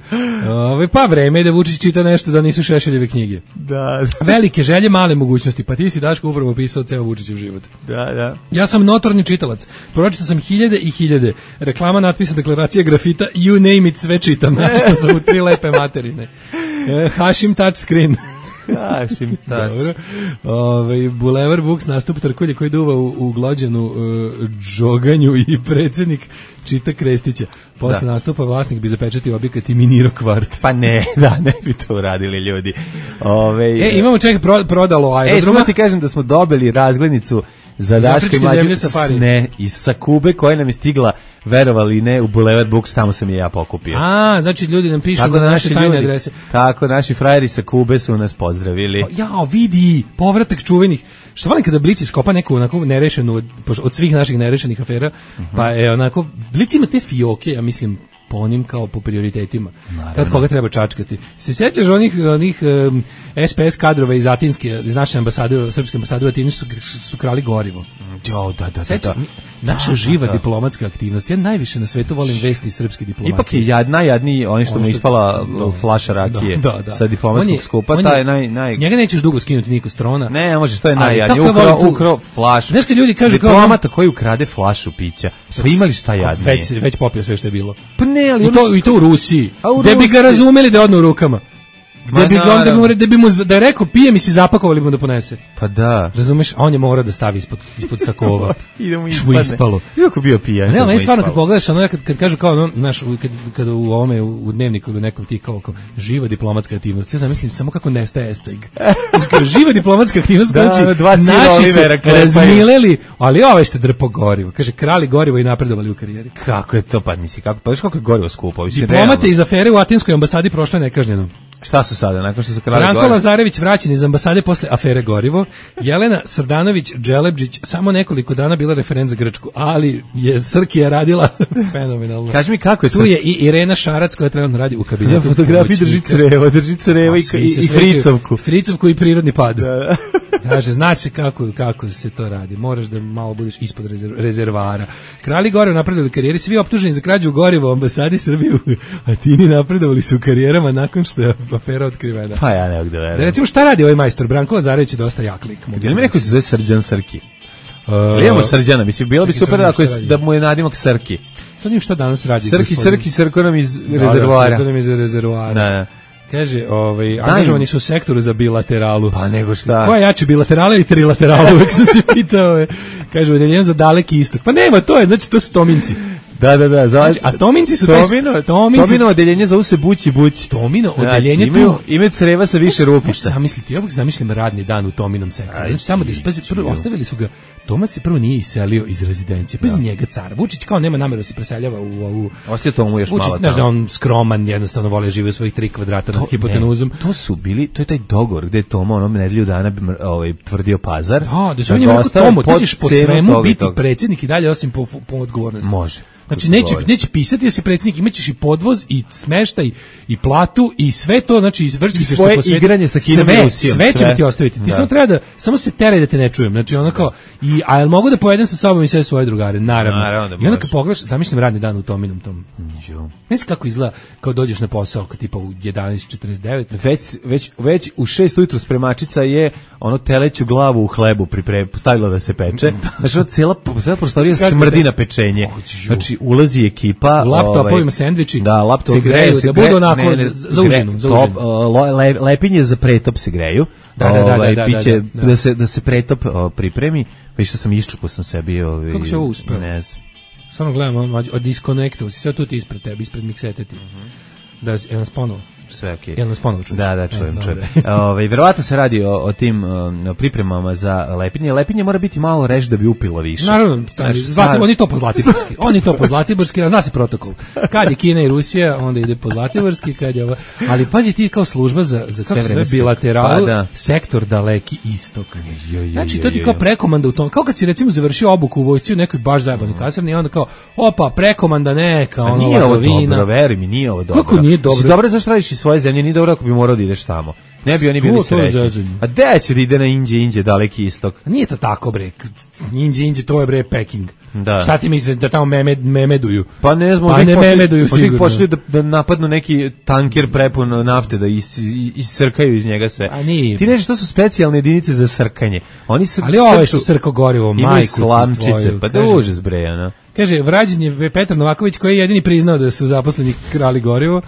Ove, pa vreme je da Vučić čita nešto da nisu Šešeljeve knjige. Da. Velike želje, male mogućnosti. Pa ti si, Daško, upravo opisao ceo Vučićev život. Da, da. Ja sam notorni čitalac. Pročitao sam hiljade i hiljade. Reklama, natpisa, deklaracija, grafita, you name it, sve čitam. Znači, sam u tri lepe materine. E, Hašim touchscreen. Hašim touch. Ove, Bulevar Vuks, nastup Trkulje koji duva u, u glođenu uh, džoganju i predsjednik čita Krestića. Posle da. Nastupa vlasnik bi zapečatio objekat i minirao kvart. Pa ne, da, ne bi to uradili ljudi. Ove, e, imamo ček pro, prodalo aerodroma. E, samo ti kažem da smo dobili razglednicu za Daška i Mlađu ne, iz Sakube koja nam je stigla, verovali ne, u Bulevar Buks, tamo sam je ja pokupio. A, znači ljudi nam pišu tako na naše tajne ljudi, adrese. Tako, naši frajeri sa Kube su nas pozdravili. Jao, vidi, povratak čuvenih. Što volim kada Blic iskopa neku onako nerešenu od, od svih naših nerešenih afera, uh-huh. Pa je onako, Blic ima te fioke, ja mislim, po onim kao po prioritetima. Naravno. Kad koga treba čačkati. Se sjećaš onih, onih um, S P S kadrova iz Atinske, iz naše ambasade, srpske ambasade u Atini su, su krali gorivo. Jo, da, da, Sjeća, da, da. Naša da, živa da, diplomatska aktivnost. Ja najviše na svetu volim vesti srpske diplomatije. Ipak je jad, najjadniji oni što, što mu ispala da, flaša rakije da, da, da. Sa diplomatskog je, skupa. Taj, naj, naj... Njega nećeš dugo skinuti niko s trona. Ne, možeš, to je najjadniji. Ukrao, ukrao flašu. Znaš kad ljudi kažu diplomata koji ukrade flašu pića. Pa imali šta jadnije? Već, već popio sve što je bilo. Pa ne, ali... I to, i to u Rusiji. Gde bi ga razumeli da je odno u rukama. Da bi, ga, da, bi, da bi mu da je rekao pije mi si zapakovali mu da ponese. Pa da. Razumeš, a on je mora da stavi ispod ispod sakova. Idemo ispalo. Kako bio pijan. Ne, ali stvarno kad pogledaš, ono kad kad kažu kao naš kad kad u ovome u dnevniku ili nekom ti kao, kao živa diplomatska aktivnost. Ja zamislim samo kako nestaje esceg. Znači živa diplomatska aktivnost znači da, naši se razmileli, ali ovaj što drpo gorivo. Kaže krali gorivo i napredovali u karijeri. Kako je to pa misli kako pa kako je gorivo skupo. Diplomate iz afere u Atinskoj ambasadi prošle nekažnjeno. Šta su sada, nakon što su krali Branko gorivo? Lazarević vraćen iz ambasade posle afere gorivo. Jelena Srdanović Dželebđić samo nekoliko dana bila referent za Grčku, ali je Srkija radila fenomenalno. Kaži mi kako je tu je i Irena Šarac koja trenutno radi u kabinetu. Ja fotografiji drži crevo, drži crevo i, i, i fricovku. Fricovku i prirodni pad. Da, da. Kaže, zna se kako, kako se to radi. Moraš da malo budeš ispod rezerv, rezervara. Krali gorivo napredovali u karijeri, svi optuženi za krađu goriva u ambasadi Srbije, a tini napredovali su u karijerama nakon što je afera otkrivena. Pa ja ne mogu da verujem. Da recimo šta radi ovaj majstor? Branko Lazarević je dosta jak lik. Jel mi neko se zove Srđan Srki? Uh, Imamo Srđana, mislim, bilo bi super da, da mu je nadimak Srki. Sad njim šta danas radi? Srki, Srki, Srko nam iz da, rezervoara. Da, Srko nam iz rezervoara. Da, da. Kaže, ovaj, angažovani su u sektoru za bilateralu. Pa nego šta? Koja jače, bilaterala ili trilaterala? Uvijek sam se pitao. Kaže, udeljenje za daleki istok. Pa nema, to je, znači, to su Tominci. Da, da, da. Znači, a Tominci su... Tomino, taj, tominci, Tomino odeljenje zovu se Bući Bući. Tomino odeljenje znači, tu... Imaju creva sa više rupišta. Možeš zamisliti, ja bih zamišljam radni dan u Tominom sektoru. Znači, tamo da ispazi, prvo, ostavili su ga, Tomac se prvo nije iselio iz rezidencije. Pa iz njega car. Vučić kao nema nameru da se preseljava u ovu... Ostio tomu još Vučić, malo tamo. Znaš, on skroman, jednostavno vole žive u svojih tri kvadrata nad hipotenuzom. To su bili, to je taj dogovor gde je Toma onom nedelju dana ovaj, tvrdio pazar. Da, da su on je rekao, Tomo, ti ćeš po svemu biti predsjednik i dalje osim po, po odgovornosti. Može. Znači neće, neće pisati da si predsjednik, imaćeš i podvoz i smeštaj i platu i sve to, znači izvršiti se po svetu. Igranje sa Kinom i Rusijom. Sve ćemo ti ostaviti. Ti da. samo treba da, samo se teraj da te ne čujem. Znači ono kao, i, a jel mogu da pojedem sa sobom i sve svoje drugare? Naravno. Naravno da I onda kad pogledaš, zamišljam radni dan u Tominom tom. Ne znam kako izgleda kao dođeš na posao, kao tipa u jedanaest četrdeset devet. Već, već, već u šest ujutru spremačica je ono teleću glavu u hlebu pripre, stavila da se peče. Znači ono cijela, cijela prostorija smrdi na pečenje. Znači ulazi ekipa, u laptopovima ovaj, sendviči, da, laptop se greju, se da budu onako ne, ne, za užinu, za užinu. Top, le, lepinje za pretop se greju. Da, da, da, ovaj, da, biće, da, da. da se da se pretop o, pripremi. Pa što sam iščupao sam sebi, ovaj. Kako se ovo uspeo? Ne znam. Samo gledam, od disconnectu, sve tu ti ispred tebe, ispred miksete ti. Da, je nas ponovo. sve okej. Jel nas ponovo čuješ? Da, da, čujem, E, čujem. dobro. Ovaj verovatno se radi o, o tim um, pripremama za lepinje. Lepinje mora biti malo rež da bi upilo više. Naravno, Znaš, zlati, sad- oni to po Zlatiborski. Oni to po Zlatiborski, a zna se protokol. Kad je Kina i Rusija, onda ide po Zlatiborski, kad je ovo. Ali pazi ti kao služba za za Sve kako se vreme zove, se- bilateralu, pa da. sektor daleki istok. Jo, jo, Znači jo, to ti jo, kao jo. prekomanda u tom, kao kad si recimo završio obuku u vojsci u nekoj baš zajebanoj kasarni i onda kao, opa, prekomanda neka, A ono, nije ovo ladovina. dobro, veruj mi, nije ovo dobro. Kako nije dobro? Si dobro zašto radiš iz svoje zemlje, nije dobro ako bi morao da ideš tamo. Ne bi oni To- bili to je srećni. zezanje. A gde će da ide na Inđe, Inđe, daleki istok? A nije to tako, bre. Inđe, inđe, to je, bre, Peking. Da. Šta ti misliš da tamo meme, memeduju? Pa ne znam, Pa možda ne ih pošli- memeduju možda ih sigurno. pošli da, da napadnu neki tanker prepun nafte, da is, is- iscrkaju iz njega sve. A nije. Ti nešto, to su specijalne jedinice za srkanje. Oni sr, Ali ovo je srču- što srko gorivo, imaju majku ti slamčice, tvoju, pa da kaže. užas bre, ono. Kaže, vrađen je Petar Novaković koji je jedini priznao da su zaposleni krali gorivo.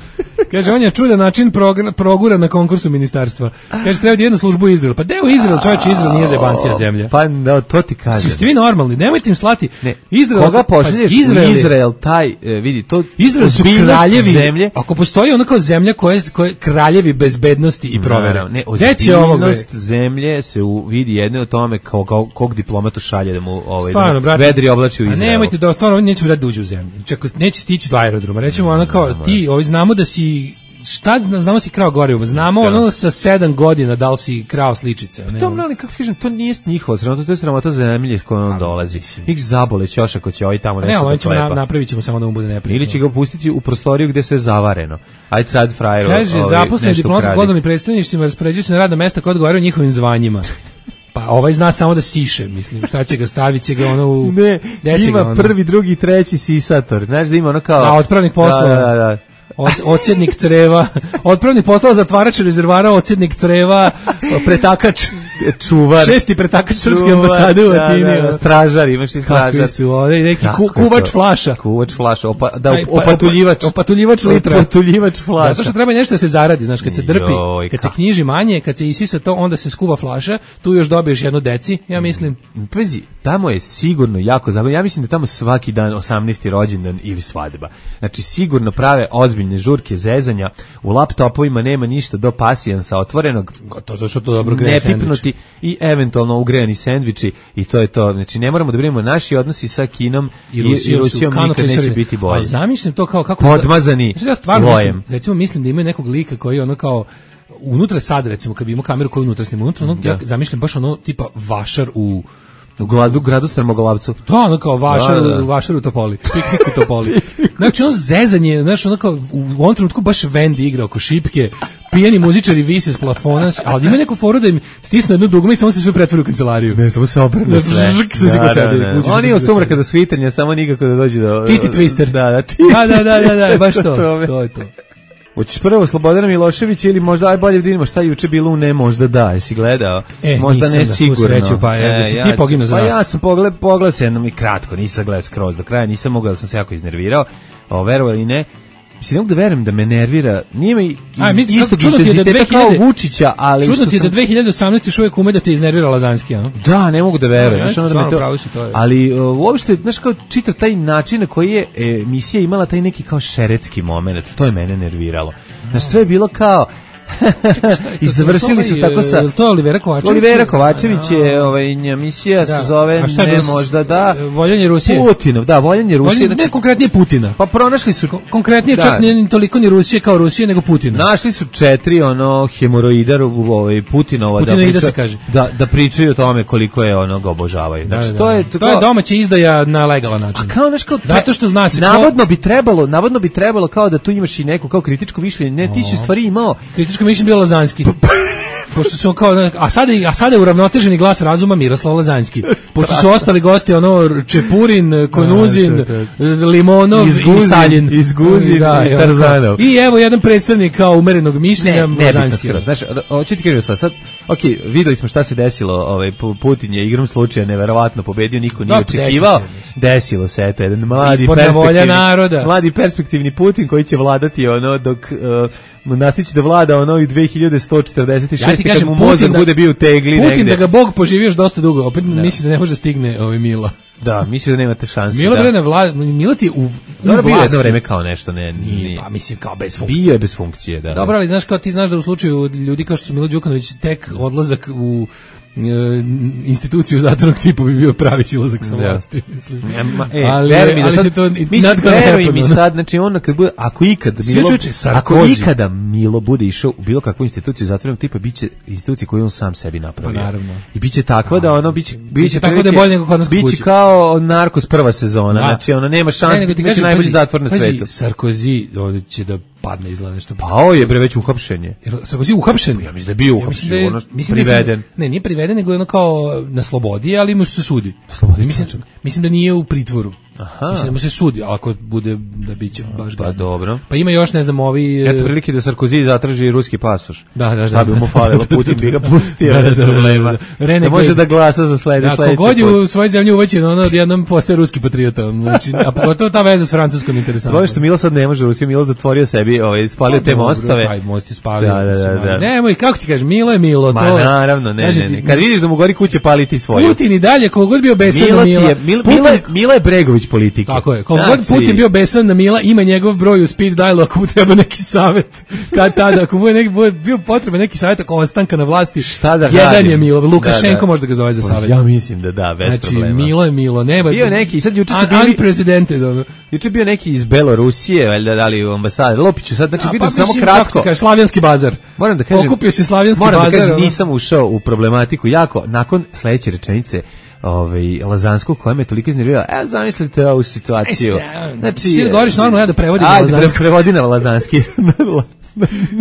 Kaže, on je čudan način progra- progura na konkursu ministarstva. Kaže, treba da jednu službu u Izrael. Pa deo Izrael, čovječe, Izrael nije zebancija zemlja. Pa da, to ti kažem. Ste vi normalni, nemojte im slati. Ne, Izrael, koga pa, pošalješ Izrael u je- Izrael, taj, e, vidi, to Izrael su ozbiljnost kraljevi zemlje. Ako postoji ono kao zemlja koja je, koja je kraljevi bezbednosti i provere. Naravno, ne, Gde će ovog, bre? ozbiljnost zemlje se u, vidi jedne o tome kao, kao kog diplomatu šalje da mu ovaj, Stvarno, da mu brate. vedri oblači u A Izraelu. nemojte da stvarno oni neće mu dati da uđe u zemlju. Znači, ako neće stići do aerodroma, rećemo ono kao ti, ovi znamo da si šta znamo si krao gorivo, znamo Da. ono sa sedam godina da li si krao sličice. Ne, To, ono. ali kako ti kažem, to nije njihovo sramota, to je sramota zemlje s kojom on dolazi. Nik zabole ćoš ako će ovaj tamo Ne, nešto ali da ćemo na, klepa. napravit ćemo samo da mu bude neprijatno. Ili će ga pustiti u prostoriju gde je sve zavareno. Ajde sad frajer. Kaže, ovaj, zaposleni nešto diplomatskim ukradi. konzularnim predstavništvima raspoređuju se na radna mesta koja odgovaraju njihovim zvanjima. Pa ovaj zna samo da siše, mislim, šta će ga stavit će ga ono u... Ne, gde će ga ima ono? prvi, drugi, treći sisator. Znaš da ima ono kao... Da, otpravnik poslova. Da, da, da. Od, odsjednik creva, otpravnik poslova, zatvarač rezervara, odsjednik creva, pretakač, Čuvar. šesti pretakač srpske Čuvar, ambasade u da, Atini. da, da, stražar, imaš i stražar. Kakvi su ovdje, neki Kako ku, je kuvač to? flaša. Kuvač flaša, opa, da, Aj, pa, opatuljivač. opatuljivač litra. Opatuljivač flaša. Zato što treba nešto da se zaradi, znaš, kad se drpi, Joj, kad se kako. knjiži manje, kad se isisa to, onda se skuva flaša, tu još dobiješ jednu deci, ja mislim. Pazi, tamo je sigurno jako zabavno. Ja mislim da tamo svaki dan osamnaesti rođendan ili svadba. Znači sigurno prave ozbiljne žurke, zezanja. U laptopovima nema ništa do pasijansa otvorenog. To zašto to dobro greje Nepipnuti i eventualno ugrejani sendviči i to je to. Znači ne moramo da brinemo, naši odnosi sa Kinom i, i Rusijom nikad neće biti bolji. Ali zamišljam to kao kako Podmazani Znači, ja stvarno lojem. mislim, recimo mislim da imaju nekog lika koji je ono kao unutra sad recimo kad bi imao kameru koju unutra snima unutra, ono, ja zamišljam baš ono tipa vašar u U gradu, gradu Strmoglavcu. to ono kao vašar, Da, da, da. vašar u Topoli, piknik u Topoli. Znači ono zezanje, znaš ono kao u ovom trenutku baš Wendy igra oko šipke, pijani muzičari vise s plafona, ali ima neku foru da im stisne jedno dugme i samo se sve pretvori u kancelariju. Ne, samo se obrne Da, sve. žrk se ko sedi, uđeš Oni u od sumraka sedi. do svitanja, samo nikako da dođe do... Titi Twister. Da, da, Titi Da, da, da, da, da, baš to. tome. To je to. Hoćeš prvo Slobodana Miloševića ili možda aj bolje da vidimo šta je juče bilo u Ne možda da, jesi gledao? E, možda nisam ne na svu sigurno. sreću, pa, evo, da si ti ću- poginuo za pa nas. ja sam pogled, pogledao se jednom i kratko, nisam gledao skroz do kraja, nisam mogao, da sam se jako iznervirao. O, verovali ili ne, mislim, ne mogu da verujem da me nervira, nije mi A, mi- istog čudno ti je da intenziteta kao dve hiljade Vučića, ali Čudno što ti je da sam... dve hiljade osamnaeste još uvijek ume da te iznervira Lazanski, a? Da, ne mogu da verujem. Ja, Znaš, ono da me stvarno to... pravo si, to je. Ali uh, uopšte, znaš, kao čitav taj način na koji je emisija imala taj neki kao šeretski moment, to je mene nerviralo. Znaš, sve je bilo kao... I završili su tako sa... Je li to Olivera Kovačević? Olivera Kovačević je, ovaj, emisija Da. se zove A šta je Ne bilo s- možda da... Voljanje Rusije? Putinov, da, voljenje Rusije. Voljenje, znači- ne konkretnije Putina. Pa pronašli su... Konkretnije Da. čak nije ni toliko ni Rusije kao Rusije, nego Putina. Našli su četiri ono hemoroida ovaj Putinova Putinoida da se priča- kaže. da da pričaju o tome koliko je ono ga obožavaju. Da, Znači da, to da. je to je domaća izdaja na legalan način. kao znaš kao Zato što zna se ko- navodno bi trebalo, navodno bi trebalo kao da tu imaš i neku kao kritičko mišljenje. Ne, ti si u stvari imao Kritičko mišljenje bio Lazanski. Pošto su kao, a sada, a sada je uravnoteženi glas razuma Miroslav Lazanski. Pošto su ostali gosti ono Čepurin, Konuzin, Limonov Izguzin, i Stalin. Izguzin Da, i evo, Tarzanov. I evo jedan predstavnik kao umerenog ne, mišljenja ne bitno Lazanski. skroz. Znaš, hoću ti kažem sad, sad, ok, videli smo šta se desilo, ovaj, Pu- Putin je igrom slučaja neverovatno pobedio, niko nije Da, desilo očekivao. se, Desilo se, eto, jedan mladi Izborna volja perspektivni, naroda. mladi perspektivni Putin koji će vladati ono dok uh, nastići da vlada ono i dve hiljade sto četrdeset šeste Ja ti kad kažem, mu Putin mozak da- bude bio u tegli Putin negde. da ga Bog poživi još dosta dugo, opet misli da ne može stigne ovaj Milo. Da, mislim da nemate šanse. Milo da. bre na vlast, Milo ti u, u Dobro, bio je vlasti. jedno vreme kao nešto, ne, Nije, nije. pa mislim kao bez funkcije. Bio je bez funkcije, da. Dobro, ali znaš kao ti znaš da u slučaju ljudi kao što su Milo Đukanović tek odlazak u e, instituciju zatvornog tipa bi bio pravi silazak sa vlasti, mislim. E, ali veruj mi da ali sad, se to mislim, veruj mi sad, znači on kad bude, ako ikad Milo, ako ikada Milo bude išao u bilo kakvu instituciju zatvorenog tipa, biće institucija koju on sam sebi napravio. Pa naravno. I biće takva da ono biće biće tako da je bolje nego kod nas kod kuće. Biće kao Narkos prva sezona, da. Znači ono nema šanse, ne, ti biće najbolji zatvor na svetu. Sarkozy ovdje će da padne izgleda nešto. Pa ovo je bre već uhapšenje. Jer Sarkozy uhapšen? Ja mislim da je bio uhapšen, ja ono priveden. Da ne, nije priveden, nego je ono kao na slobodi, ali mu se sudi. Slobodi, mislim, mislim da nije u pritvoru. Aha. Mislim da mu se sudi, ali ako bude da biće baš pa gadno. dobro. Pa ima još, ne znam, ovi... Eto prilike da Sarkozy zatraži ruski pasoš. Da, da, šta da. bi mu falilo, Putin bi ga pustio, da, da, bez da, problema. Da, da, da. Da može da glasa za slede, da, sledeći kogod je put. u svojoj zemlji uvećen, ono jednom postaje ruski patriota. Znači, a pogotovo ta veza s Francuskom interesantna. Ovo što Milo sad ne može, Rusija Milo zatvorio sebi, ovaj, spalio te mostove. Aj, most je spalio. Da, da, da, da. Nemoj, kako ti kažeš, Milo je Milo. Ma to, naravno, ne, ne, ne. Kad vidiš da mu gori kuće, pali ti svoju. Putin i dalje, kogod bio besan na Mila. Milo, Milo, Milo je Bregović politike. Tako je, kogod Putin bio besan na Mila, ima njegov broj u speed dialu ako mu treba neki savjet. Kad tada, ako mu je neki, bio potreba neki savjet ako ostanka na vlasti, šta da jedan radim? je Milo, Lukašenko da, da. može da ga zove za savjet. Ja mislim da da, bez znači, problema. Znači, Milo je Milo, nema... Bio neki, sad juče su bili... Unprecedented, ono. Juče bio neki iz Belorusije, valjda da li u ambasade, Lopiću sad, znači vidim pa, samo mislim, kratko. Kaže, Slavijanski bazar. Moram da kažem, okupio se Slavijanski moram bazar. Moram da kažem, ono. nisam ušao u problematiku jako, nakon sledeće rečenice, ovaj Lazanskog koja me toliko iznervirala. Evo zamislite ovu situaciju. Znači, ti govoriš normalno, ja da prevodim ajde, na Lazanski. Ajde, prevodi na Lazanski.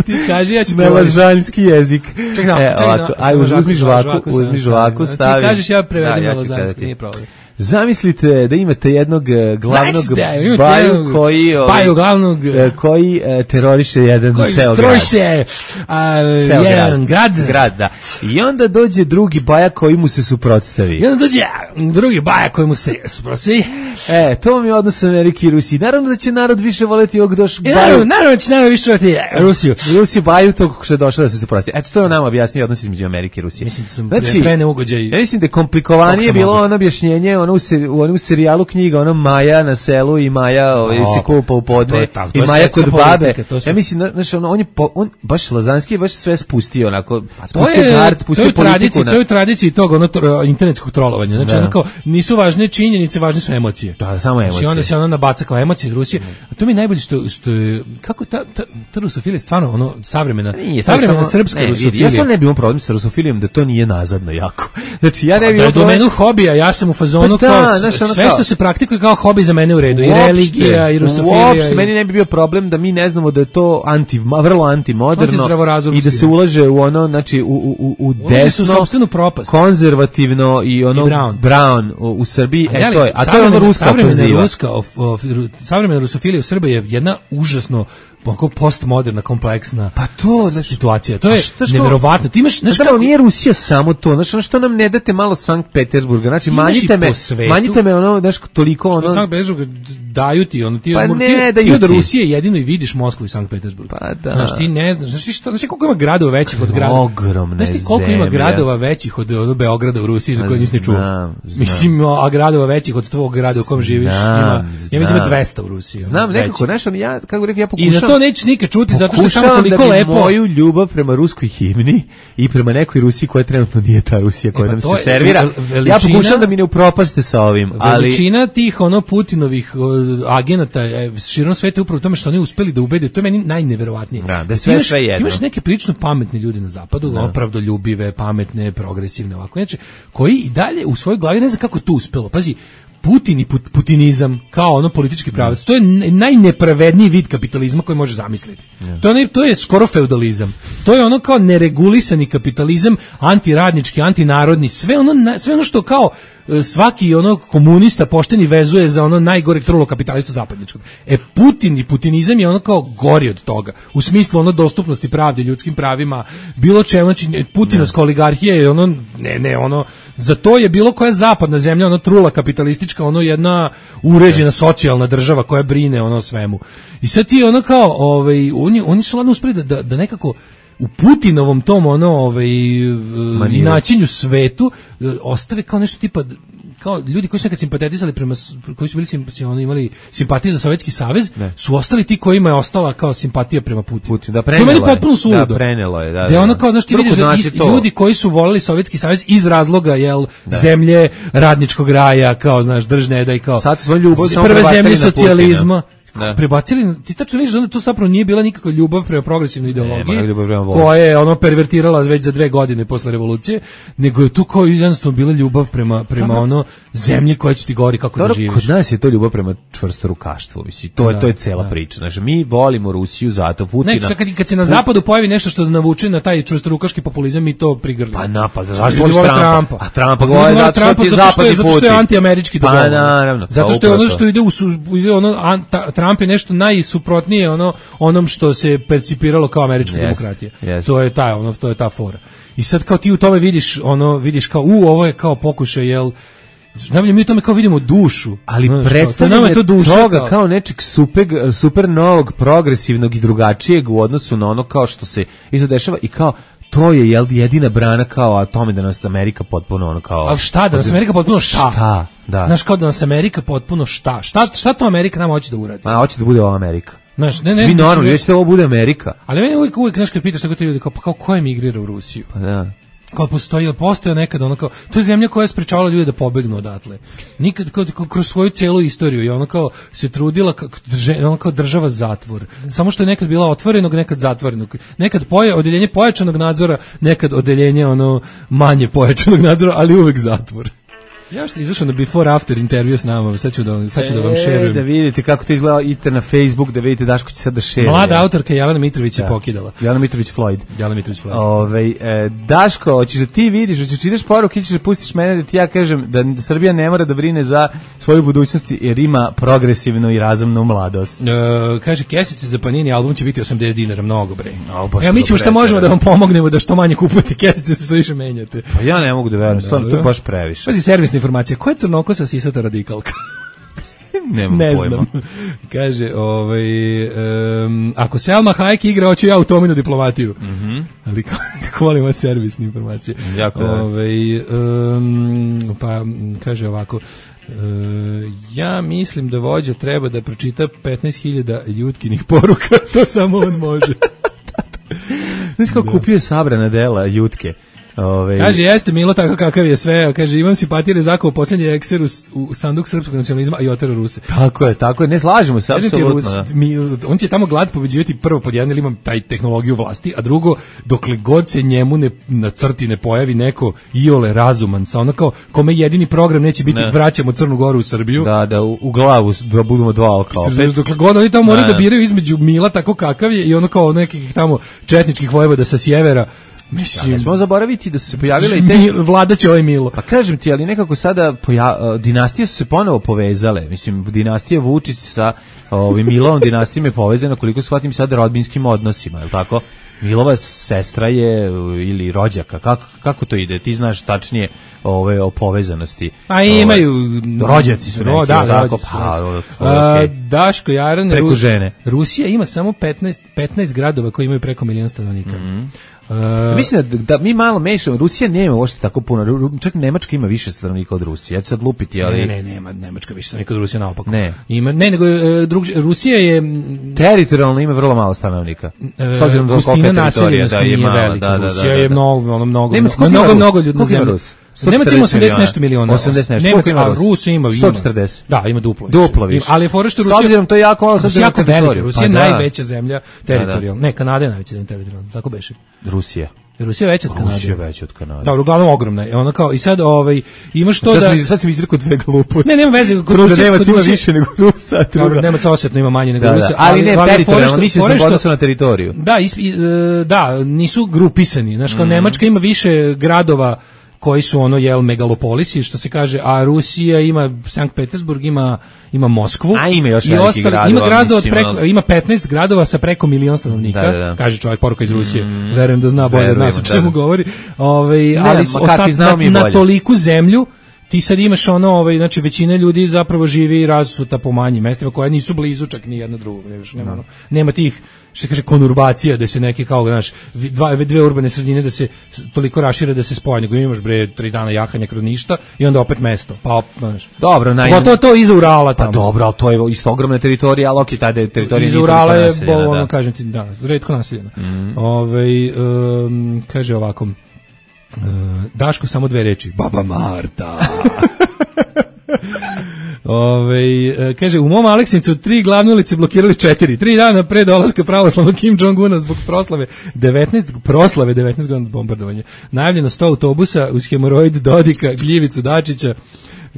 Ti kaži, ja ću na lažanski jezik. Čekaj, e, ovako, aj uzmi žvaku, uzmi žvaku, stavi. Ti kažeš, ja prevedim na Lazanski, nije problem. Zamislite da imate jednog glavnog da, baju koji baju glavnog koji teroriše jedan koji ceo grad. Teroriše jedan grad. grad, da. I onda dođe drugi baja koji mu se suprotstavi. I onda dođe drugi baja koji mu se suprotstavi. E, to vam je odnos Amerike i Rusije. Naravno da će narod više voleti ovog doš baju. Naravno, naravno će narod više voleti Rusiju. Rusiju baju tog što je došao da se suprotstavi. Eto, to je nama objasnio odnos između Amerike i Rusije. Mislim da sam znači, pre neugođaj. Ja mislim da je komplikovanije bilo ono objašnjenje ono u, se, u onom serijalu knjiga, ono Maja na selu i Maja ovaj, se kupa u podne i Maja kod babe. Su... Ja mislim, znaš, ono, on je, po, on, baš Lazanski je baš sve spustio, onako, spustio gard, spustio politiku. To je u tradiciji tog ono, tro, internetskog trolovanja. Znači, onako, nisu važne činjenice, važne su emocije. Da, samo emocije. Znači, onda se ono nabaca kao emocije Rusije. A to mi je najbolje što, što je, kako ta, ta, ta rusofilija stvarno, ono, savremena, nije, savremena samo, srpska ne, rusofilija. Ja stvarno ne bih imao problem sa rusofilijom da to nije nazadno jako. Znači, ja ne bih imao problem. Da je domenu hobija, ja sam u fazonu pa kao, znaš, ono sve što se praktikuje kao hobi za mene u redu, uopšte, i religija, i rusofilija. Uopšte, i... meni ne bi bio problem da mi ne znamo da je to anti, vrlo antimoderno i da se ulaže u ono, znači, u, u, u desno, konzervativno i ono, I brown, brown u, u Srbiji, a, e, to je, a to je ono ruska ofenziva. Ruska, of, of, savremena rusofilija u Srbiji je jedna užasno onako postmoderna, kompleksna pa to, znači, situacija. To je neverovatno. Ti imaš, znaš kako, nije Rusija samo to, znači, ono što nam ne date malo Sankt Petersburga, znači, manjite me, manjite me ono, znaš, toliko ono... Što Sankt Petersburg daju ti, ono, ti, pa ti, ne, ti, ti od Rusije jedino i vidiš Moskvu i Sankt Petersburg. Pa da. Znaš, ti ne znaš, znaš, znaš, znaš koliko ima gradova većih od grada? Ogromne zemlje. Znaš ti koliko ima gradova većih od, od Beograda u Rusiji za koje nisi ni čuo? Mislim, a gradova većih od tvog grada u kom živiš ima, ja mislim ima dvesta u Rusiji. Znam, nekako, znaš, ja, kako rekao, ja pokušam... I za to nećeš nikad čuti, zato što je tamo toliko da lepo. Moju ljubav prema ruskoj himni i prema nekoj Rusiji koja trenutno nije ta Rusija koja e, pa nam se servira. Veličina, ja pokušam da mi ne upropaste sa ovim, ali veličina tih ono Putinovih agenata širom sveta upravo u tome što oni uspeli da ubede, to je meni najneverovatnije. Da, da sve sve jedno. Imaš neke prilično pametne ljude na zapadu, da. Opravdoljubive, pametne, progresivne ovako, znači koji i dalje u svojoj glavi ne znam kako to uspelo. Pazi, Putin i put, putinizam kao ono politički pravac, to je najnepravedniji vid kapitalizma koji može zamisliti. Yeah. To, je, to je skoro feudalizam. To je ono kao neregulisani kapitalizam, antiradnički, antinarodni, sve ono, sve ono što kao svaki ono komunista pošteni vezuje za ono najgoreg trulo kapitalistu zapadničkog. E Putin i putinizam je ono kao gori od toga. U smislu ono dostupnosti pravde, ljudskim pravima, bilo čemu, znači Putinovska yeah. oligarhija je ono, ne, ne, ono, za to je bilo koja zapadna zemlja, ono trula kapitalistička, ono jedna uređena socijalna država koja brine ono svemu. I sad ti ono kao, ovaj, oni, oni su ladno uspeli da, da, da nekako u Putinovom tom ono ovaj i načinju svetu ostave kao nešto tipa kao ljudi koji su nekad simpatizirali prema, koji su bili sim, ono, imali simpatije za Sovjetski savez, ne. su ostali ti kojima je ostala kao simpatija prema Putinu. Putin, da prenelo je. To meni potpuno suludo. Da, prenelo je, da. Da, da ono kao, znaš, ti vidiš da ljudi to. koji su voleli Sovjetski savez iz razloga, jel, da. zemlje radničkog raja, kao, znaš, držne da i kao sad svoju ljubav prve zemlje socijalizma. Da. Prebacili, ti tačno vidiš da to zapravo nije bila nikakva ljubav prema progresivnoj ideologiji, koja je ono pervertirala već za dve godine posle revolucije, nego je tu kao jednostavno bila ljubav prema, prema ono zemlji koja će ti govori kako Dobro, da živiš. Kod nas je to ljubav prema čvrstorukaštvu, misli. To je, da, to je cela da. priča. Znači, mi volimo Rusiju zato Putina. Ne, kad, kad se na zapadu pojavi nešto što navuče na taj čvrstorukaški populizam, mi to prigrlimo. Pa napad, zašto voliš Trumpa? A Trumpa govori zato što ti je zapadni Putin. Zato što je antiamerički dogovor. Pa naravno. Zato što je ono što ide u, ide ono, Trump je nešto najsuprotnije ono onom što se percipiralo kao američka yes, demokratija. Yes. To je ta ono to je ta fora. I sad kao ti u tome vidiš ono vidiš kao u ovo je kao pokušaj jel najbolje mi u tome kao vidimo dušu. Ali no, predstavljanje to duša, toga kao, kao nečeg super, super novog, progresivnog i drugačijeg u odnosu na ono kao što se isto dešava i kao to je jel jedina brana kao a tome da nas Amerika potpuno ono kao a šta da nas Amerika potpuno šta? Šta? Da. Znaš kao da nas Amerika potpuno šta? Šta šta to Amerika nama hoće da uradi? A hoće da bude ova Amerika. Znaš, ne ne. Mi normalno hoće da ovo bude Amerika. Ali meni uvijek uvijek znaš kad pitaš tako te ljudi kao pa kao ko emigrira u Rusiju? Pa da. Kao postoji, postoje nekada ono kao, to je zemlja koja je sprečavala ljude da pobegnu odatle. Nikad, kao, kroz svoju celu istoriju i ono kao se trudila, kao, ono kao država zatvor. Samo što je nekad bila otvorenog, nekad zatvorenog. Nekad poje, odeljenje pojačanog nadzora, nekad odeljenje ono manje pojačanog nadzora, ali uvek zatvor. Ja što izašao na before after intervju s nama, sad ću da, sad ću da vam šerujem. E, da vidite kako to izgleda, idite na Facebook, da vidite Daško će sad da šeruje. Mlada autorka Jelena Mitrović je pokidala. Jelena Mitrović Floyd. Jelena Mitrović Floyd. Ove, e, Daško, hoćeš da ti vidiš, hoćeš da ideš poruke, ćeš da pustiš mene da ti ja kažem da Srbija ne mora da brine za svoju budućnost jer ima progresivnu i razumnu mladost. E, kaže, kesice za Panini album će biti osamdeset dinara, mnogo bre. O, ja, mi ćemo šta možemo da vam pomognemo da što manje kupujete kesice, se što više menjate. Pa ja ne mogu da verujem, stvarno to je baš previše. Pazi, servisna informacija, ko je crnokosa sisata radikalka? Nemam ne pojma. Znam. Kaže, ovaj, um, ako Selma Hayek igra, hoću ja u Tominu diplomatiju. Mm-hmm. Ali kako volim ove servisne informacije. Jako ovaj, um, pa kaže ovako, uh, ja mislim da vođa treba da pročita petnaest hiljada ljutkinih poruka, to samo on može. Znaš kako kupio sabrana dela jutke? Ove... Kaže, jeste Milo tako kakav je sve, kaže, imam simpatije zakao posljednji ekser u, u sanduk srpskog nacionalizma i otero Ruse. Tako je, tako je, ne slažemo se, apsolutno. On će tamo glad pobeđivati prvo pod jedan, ili imam taj tehnologiju vlasti, a drugo, dokle god se njemu ne, na crti ne pojavi neko iole razuman, sa ono kao, kome jedini program neće biti ne. vraćamo Crnu Goru u Srbiju. Da, da, u, u glavu da budemo dva oka opet. Dokle god oni tamo moraju da biraju između Mila tako kakav je i ono kao nekih tamo četničkih vojvoda sa sjevera. Mislim, ja, ne smemo zaboraviti da su se pojavile i te Mil, vladaće ovaj Milo. Pa kažem ti, ali nekako sada poja, dinastije su se ponovo povezale. Mislim, dinastija Vučić sa ovim Milovom dinastijom je povezana, koliko shvatim sad, rodbinskim odnosima, je li tako? Milova sestra je ili rođaka, kako, kako to ide? Ti znaš tačnije ove o povezanosti. A imaju ove, rođaci su neki, da, da, tako, pa, okay. Daško Jaran, preko Ru, žene. Rusija ima samo petnaest, petnaest gradova koji imaju preko milion stanovnika. Mm-hmm. Uh, Mislim da, da mi malo mešamo, Rusija nema uopšte tako puno, čak Nemačka ima više stanovnika od Rusije. Ja ću sad lupiti, ali ne, ne, nema Nemačka više stanovnika od Rusije, naopako. Ne. Ima, ne, nego drug, Rusija je teritorijalno ima vrlo malo stanovnika. S obzirom da kolika naseljenost nije velika. Da, da, Rusija da, da, da. je mnogo, ono mnogo, Nemac, mnogo, mnogo, mnogo ljudi na zemlji. Nemac ima osamdeset nešto miliona. osamdeset nešto. Nemac, a Rus ima sto četrdeset. Da, ima duplo. Duplo više. Ali je fora što Rusija, s obzirom to je jako malo, Rusija jako velika. Rusija je pa, najveća zemlja teritorijalno. Ne, Kanada je najveća zemlja teritorijalno. Tako beše. Rusija. Rusija veća od Kanade. Rusija veća od Kanade. Da, uglavnom ogromna je. Ona kao i sad ovaj imaš to sad da sam, sad sam izrekao dve gluposti. Ne, nema veze, kod Rusije Nemac ima više nego Rusa. Dobro, Nemac osetno ima manje nego da, Rusa, da, ali, ali ne teritorijalno, mislim se odnosu na teritoriju. Da, is, da, nisu grupisani. Znaš, kao mm. Nemačka ima više gradova koji su ono jel megalopolisi, što se kaže, a Rusija ima Sankt Petersburg, ima ima Moskvu, a ima još i ostali, gradova, ima gradova mislim, preko, ima petnaest gradova sa preko milion stanovnika, da, da, da. kaže čovjek poruka iz Rusije, mm, verujem da zna bolje od nas o čemu da, da. govori, ovaj, ne, ali ostat, na, na toliku zemlju ti sad imaš ono, ovaj, znači većina ljudi zapravo živi razsuta po manjim mestima koja nisu blizu čak ni jedna drugog, ne, nema, ono, nema tih, što se kaže, konurbacija, da se neki kao, znaš, dva, dve urbane sredine da se toliko rašire da se spoje, nego imaš bre tri dana jahanja kroz ništa i onda opet mesto, pa znaš. Dobro, naj... to, to iza Urala tamo. Pa dobro, ali to je isto ogromna teritorija, ali okej, tada je teritorija iza Urala je, bo, ono, da. Kažem ti, da, retko naseljena. Mm-hmm. Ove, um, kaže ovako, uh, Daško, samo dve reči, Baba Marta. Ove, kaže, u mom Aleksincu tri glavne ulice blokirali četiri. Tri dana pre dolaska pravoslavnog Kim Jong-una zbog proslave devetnaest, proslave devetnaest godina bombardovanja. Najavljeno sto autobusa uz hemoroid Dodika, Gljivicu Dačića,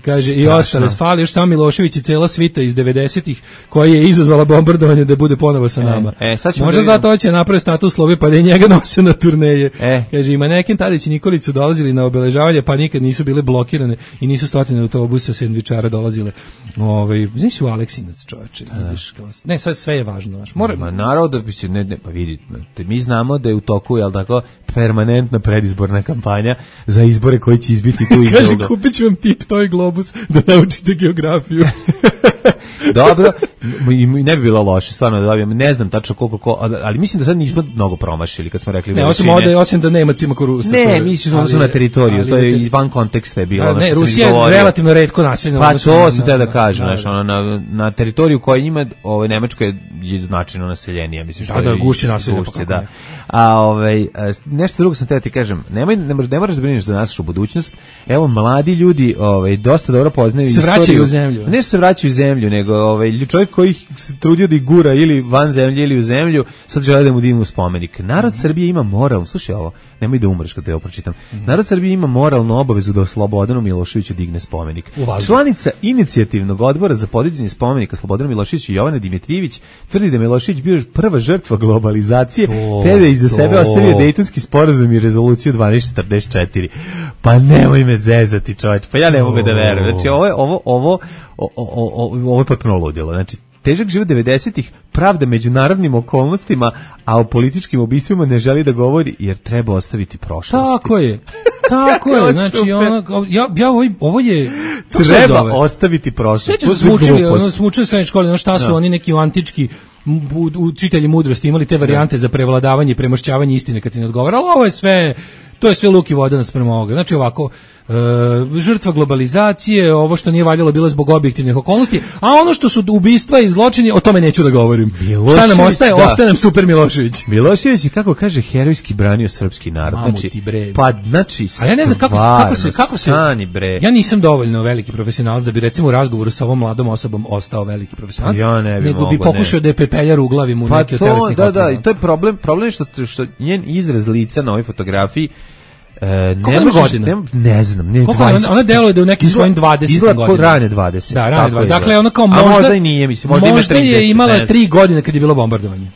kaže, strašno. I ostale, fali još samo Milošević i cela svita iz devedesetih koja je izazvala bombardovanje da bude ponovo sa nama. E, e, možda da zato će napraviti status slovi pa da je njega nose na turneje. E. Kaže, i Maneken, Tadić i Nikolić su dolazili na obeležavanje pa nikad nisu bile blokirane i nisu stotine autobusa sendvičara dolazile. Ovaj, znaš u Aleksinac, čoveče, vidiš kao. Ne, sve sve je važno, znaš. Mora Ma naravno da bi se ne, ne pa vidi, mi znamo da je u toku, jel tako, permanentna predizborna kampanja za izbore koji će izbiti tu iza. Kaže, kupiću vam tip toj globus da naučite geografiju. Dobro, i ne bi bilo loše, stvarno da dobijem, ne znam tačno koliko, ko, ali mislim da sad nismo mnogo promašili kad smo rekli ne, osim ovde, osim da nema cima korusa. Ne, mislim da na teritoriju, ali, to je van konteksta je bilo. Ne, Rusija je relativno retko naseljena. Pa to se te da kažem, znači ona na na teritoriju koja ima, ovaj Nemačka je značajno naseljenija, mislim što da, da, gušće naselje, da. A ovaj nešto drugo sam te ti kažem, nemoj ne moraš, ne moraš da brineš za našu budućnost. Evo mladi ljudi, ovaj dosta dobro poznaju istoriju. Se vraćaju u zemlju. Ne se vraćaju u zemlju, nego ovaj čovjek koji se trudio da ih gura ili van zemlje ili u zemlju, sad žele da mu dignu spomenik. Narod Srbije ima moral, slušaj ovo, nemoj da umreš kad te ovo pročitam. Mm-hmm. Narod Srbije ima moralnu obavezu da Slobodanu Miloševiću digne spomenik. Uvažu. Članica inicijativnog odbora za podizanje spomenika Slobodanu Miloševiću Jovana Dimitrijević tvrdi da Milošević bio prva žrtva globalizacije, to, te da iza to. sebe ostavio Dejtonski sporazum i rezoluciju dvanaest četrdeset četiri. Pa nemoj me zezati, čovječ, pa ja ne mogu da verujem. Znači ovo je ovo ovo O, o, o, ovo je potpuno ludilo. Znači, težak život devedesetih, pravda međunarodnim okolnostima, a o političkim ubistvima ne želi da govori jer treba ostaviti prošlost. Tako je. Tako je. Znači, ono, ja, ja ovo, ovo je... Treba ostaviti prošlost. Sve će se učili, ono, smo učili srednje škole, ono šta su no. oni neki antički učitelji mudrosti imali te varijante no. za prevladavanje i premošćavanje istine kad ti ne odgovara, ali ovo je sve... To je sve luk i voda naspram ovoga. Znači ovako, e, žrtva globalizacije, ovo što nije valjalo bilo zbog objektivnih okolnosti, a ono što su ubistva i zločini, o tome neću da govorim. Šta nam ostaje? Da. Ostaje nam Super Milošević. Milošević je, kako kaže, herojski branio srpski narod. Mamu znači, ti bre. Pa, znači, a ja ne znam kako, kako se... Kako se stani, bre. Ja nisam dovoljno veliki profesionalac da bi recimo u razgovoru sa ovom mladom osobom ostao veliki profesionalac, ja ne bi nego mogo, bi pokušao ne. da je pepeljar uglavim u pa neke to, od telesnih da, otrova. da, i to je problem, problem je što, što njen izraz lica na ovoj fotografiji E, ne, možeš, ne, ne znam, ne ona, ona deluje da u nekim svojim dvadesetim godinama. Izgleda rane dvadeset. Da, rane dvadeset. Dakle, ona kao možda, možda i nije, mislim, možda, možda ima je imala tri godine kad je bilo bombardovanje.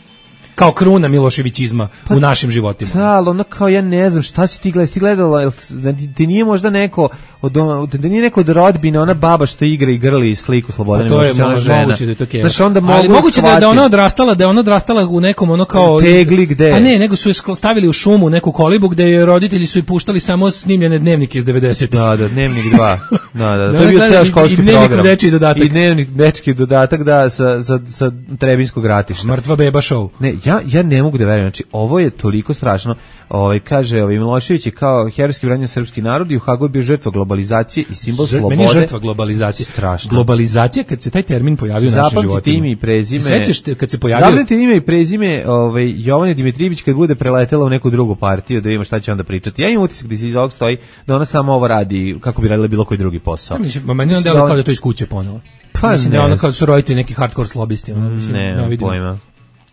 Kao kruna Miloševićizma pa, u našim životima. Da, ali ono kao ja ne znam šta si ti gledala, ti gledala, da ti nije možda neko od, da nije neko od rodbine, ona baba što igra i grli sliku Slobodana Miloševića, ona žena. Moguće da je to keva. Znaš, onda mogu ali moguće da, da ona odrastala, da je ona odrastala u nekom ono kao... Tegli gde? A ne, nego su je stavili u šumu, neku kolibu gde je roditelji su i puštali samo snimljene dnevnike iz devedesetih. Da, da, dnevnik dva. Da, da, to je bio ceo školski program. I dnevnik dečiji dodatak. I dnevnik dečiji dodatak, da, sa, sa, sa Trebinskog ratišta. Mrtva beba show. Ne, ja, ja ne mogu da verujem, znači ovo je toliko strašno. Ovaj kaže, ovaj Milošević je kao herojski branio srpski narod i u Hagu je bio žrtva globalizacije i simbol Žrt, slobode. Meni je žrtva globalizacije. Strašno. Globalizacija, kad se taj termin pojavio u našim životima. Zapamtite ime i prezime. Se sećaš kad se pojavio? Zapamtite ime i prezime, ovaj Jovane Dimitrijević kad bude preletela u neku drugu partiju, da ima šta će onda pričati. Ja imam utisak da se iz ovog stoji da ona samo ovo radi kako bi radila bilo koji drugi posao. Ja mislim, meni on delo kao da to iz kuće ponovo. Pa mislim da ona kao su roditelji neki hardcore slobisti, ona mislim, ne, ne vidim. Pojma.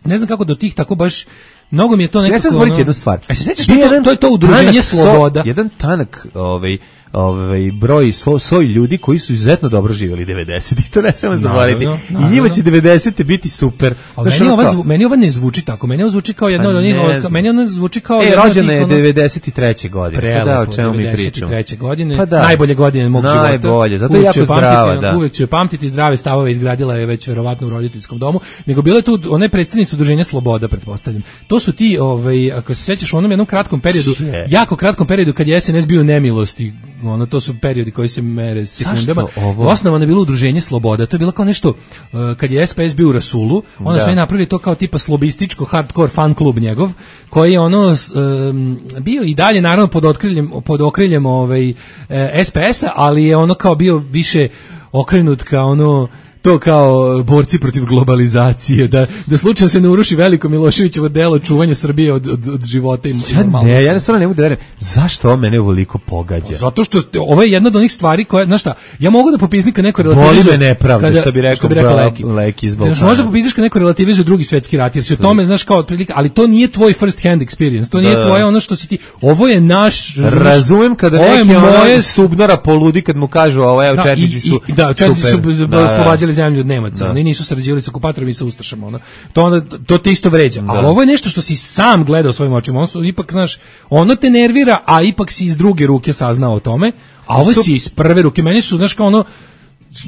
Ne znam kako do tih tako baš mnogo mi je to nekako. Ja sam zvoliti jednu stvar. A se sećaš to, to je to udruženje Sloboda. So, jedan tanak, ovaj ovaj broj so, soj ljudi koji su izuzetno dobro živjeli devedesetih, to ne smemo zaboraviti. I njima će devedesete biti super. Ali meni ova zvu, meni ova ne zvuči tako. Meni ovo zvuči kao jedno od onih, meni ona zvuči kao e, rođena je devedeset treće godine. Prelepo, pa da, o čemu mi pričamo. devedeset treće godine, pa da. Najbolje godine mog života. Najbolje, zato je jako zdrava, da. Uvek će pamtiti zdrave stavove, izgradila je već verovatno u roditeljskom domu. Nego bila je tu ona je predstavnica udruženja Sloboda, pretpostavljam. To to su ti, ovaj, ako se sećaš u onom jednom kratkom periodu, jako kratkom periodu kad je es en es bio u nemilosti, ono, to su periodi koji se mere sekundama. Osnovano je bilo udruženje Sloboda, to je bilo kao nešto, uh, kad je es pe es bio u rasulu, onda su oni napravili to kao tipa slobističko, hardcore fan klub njegov, koji je ono um, bio i dalje naravno pod okriljem, pod okriljem ovaj, es pe esa, ali je ono kao bio više okrenut kao ono, to kao borci protiv globalizacije, da, da slučajno se ne uruši veliko Miloševićevo delo čuvanja Srbije od, od, od života i normalnosti. Ja ne, ja ne stvarno ne mogu da verujem. Zašto ovo mene ovoliko pogađa? Zato što ovo je jedna od onih stvari koje, znaš šta, ja mogu da popiznim kad neko relativizuje... Boli me nepravda, kada, što bi rekao, što bi rekao Leki. Leki iz Balkana. Znaš, možda popizniš kad neko relativizuje drugi svetski rat, jer si o tome, znaš, kao otprilike, ali to nije tvoj first hand experience, to nije da. Tvoje ono što si ti... Ovo je naš... Razumem kada neki moje... ono subnora poludi kad mu kažu, ovo je, četnici su i, da, četnici su oslobađali zemlju od Nemaca. Oni nisu sarađivali sa okupatorom i sa ustašama, ono. To onda to te isto vređa. Da. Ali ovo je nešto što si sam gledao svojim očima. On su ipak, znaš, ono te nervira, a ipak si iz druge ruke saznao o tome, a ovo si iz prve ruke. Meni su, znaš, kao ono,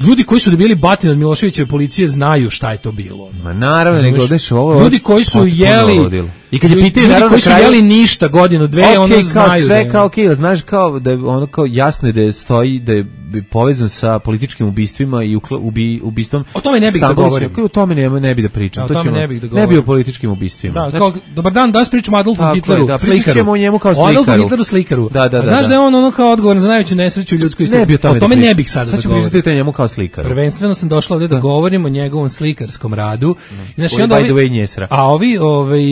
ljudi koji su dobili batine od Miloševićeve policije znaju šta je to bilo. Ma naravno, nego odeš ovo. Ljudi koji su jeli i kad je pitaju ljudi koji su kraju, jeli ništa godinu, dve, okay, ono znaju. Sve da kao okej, okay, znaš kao da je ono kao jasno je da je stoji da je povezan sa političkim ubistvima i ubi, ubistvom. O tome ne bih da govorim. O tome ne, ne bih da pričam. To ćemo, ne bih da govorim. Ne bi o političkim ubistvima. Da, kao, dobar dan, danas pričamo o Adolfu Hitleru, da, slikaru. Pričamo o njemu kao slikaru. Adolfu Hitleru, slikaru. Da, da, da, znaš da. da je on ono kao odgovoran za najveću nesreću u ljudskoj istoriji. O tome ne bih sada da govorim. Sad ću pričati o njemu kao slikaru. Prvenstveno sam došla ovdje da govorim o njegovom slikarskom radu. Znači, onda ovi, a ovi, ovaj,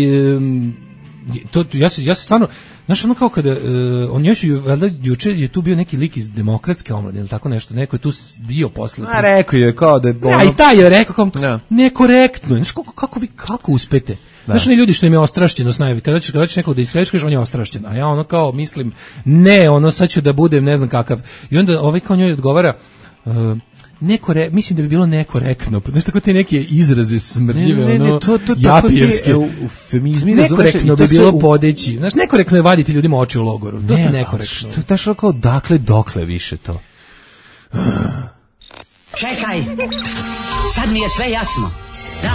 to, ja se, ja se stvarno, znaš, ono kao kada, uh, on još ju, valjda, juče je tu bio neki lik iz demokratske omladine, ili tako nešto, neko je tu bio posle. A rekao je kao da je... Ono... Ja, i taj je rekao kao, ja. Nekorektno, znaš, kako, kako vi, kako uspete? Da. Znaš, oni ljudi što im je ostrašćenost najvi, kada ćeš, kada ćeš nekog da iskrediš, kažeš, on je ostrašćen, a ja ono kao mislim, ne, ono sad ću da budem ne znam kakav. I onda ovaj kao njoj odgovara, uh, nekore, mislim da bi bilo nekorektno. Znaš, tako te neke izraze smrdljive, ne, ne, ne, ono, to, to, japijevske. Eufemizmi, nekorektno bi bilo u... podeći. Znaš, nekorektno je vaditi ljudima oči u logoru. Dosta ne, nekorektno. Što je kao dakle, dokle više to? Čekaj, sad mi je sve jasno. Da,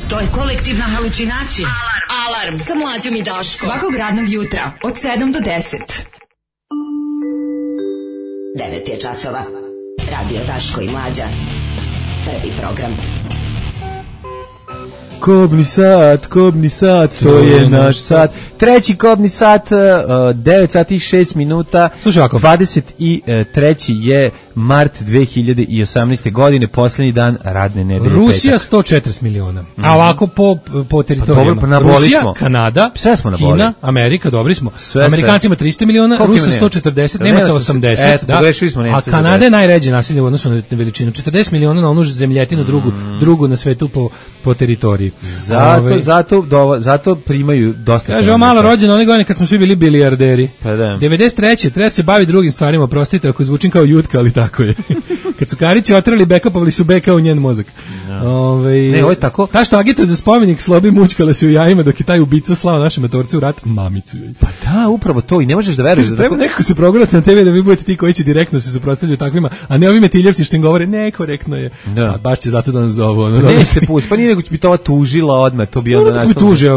to je kolektivna halucinacija. Alarm, alarm, sa Mlađom i Daškom. Svakog radnog jutra, od sedam do deset. devet je časova. Radio Daško i Mlađa. Prvi program. Kobni sat, kobni sat, to je naš sat. Treći kobni sat, devet sati i šest minuta. Slušaj ovako. dvadeset treći je mart dve hiljade osamnaeste. godine, posljednji dan radne nedelje. Rusija sto četrdeset miliona. Mm-hmm. A ovako po, po teritorijama. Pa Rusija, smo. Kanada, sve smo Kina, Amerika, dobri smo. Sve, Amerikancima trista miliona, Rusa sto četrdeset, Nemaca osamdeset. Eto, da. smo a Kanada je najređe nasilje u odnosu na veličinu. četrdeset miliona na onu zemljetinu, mm. drugu, drugu na svetu po, po teritoriji. Zato, Ove, zato, do, zato primaju dosta. Kaže, ovo malo rođeno one godine kad smo svi bili bilijarderi. Pa da. devedeset treće treba se baviti drugim stvarima, prostite ako zvučim kao Jutka, ali tako je. Kad su Karići otrali bekapovali su beka u njen mozak. No. Ove, ne, ovo je tako. Ta što agituje za spomenik slobi mučkala se u jajima dok je taj ubica slao naše matorce u rat, mamicu joj. Pa da, upravo to i ne možeš da veruješ. Da treba nekako se progurati na te ve da vi budete ti koji će direktno se suprotstavljaju takvima, a ne ovi metiljevci što im govore nekorektno je. Da. A baš će zato da nas zovu. Ono, ne se pusti, pa nije nego bi to ova tužila odmah, to bi onda nastavno. Tuže,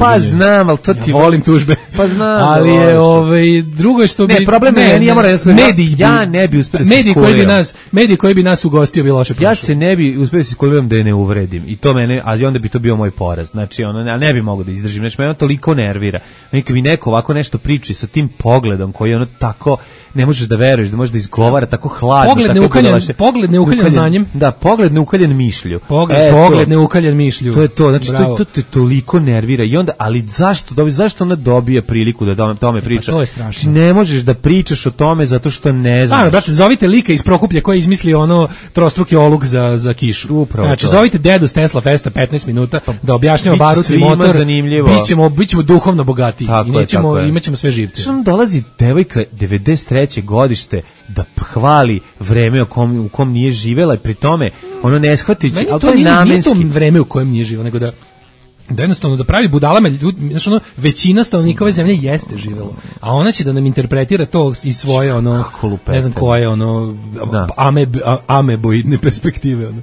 pa znam, ali to ti ja volim tužbe. Pa znam. Ali je ovaj drugo što bi ne, problem ne, ne, ja moram mediji, ja ne bi uspeo da se mediji koji bi nas, mediji koji bi nas ugostio bi loše prošlo. Ja se ne bi uspeo da se iskuliram da je ne uvredim i to mene, ali onda bi to bio moj poraz. Znači ono ne, ne bi mogao da izdržim, znači me ono toliko nervira. Neki mi neko ovako nešto priči sa tim pogledom koji ono tako ne možeš da veruješ, da možeš da izgovara tako hladno, pogled neukaljen, pogled neukaljen znanjem. Da, pogled neukaljen mišlju. Pogled, e, pogled neukaljen mišlju. To je to, znači to, to te toliko nervira i onda, ali zašto, dobi, zašto ona dobije priliku da tome, tome priča? Pa to je strašno. Ne možeš da pričaš o tome zato što ne znaš. Stvarno, brate, zovite lika iz Prokuplja koji je izmislio ono trostruki oluk za, za kišu. Upravo znači, to. zovite dedu s Tesla Festa petnaest minuta da objašnjava barut i motor. Bićemo, bićemo duhovno bogatiji i nećemo, imaćemo sve živce. Što dolazi devojka devedeset treće godište da hvali vreme u kom, u kom nije živela i pri tome ono ne shvatići, ali to, to je namenski. Nije to vreme u kojem nije živela, nego da da jednostavno da pravi budalama ljudi, znači ono, većina stanovnika ove zemlje jeste živelo, a ona će da nam interpretira to iz svoje ono, ne znam koje ono, ameb, ameboidne perspektive ono.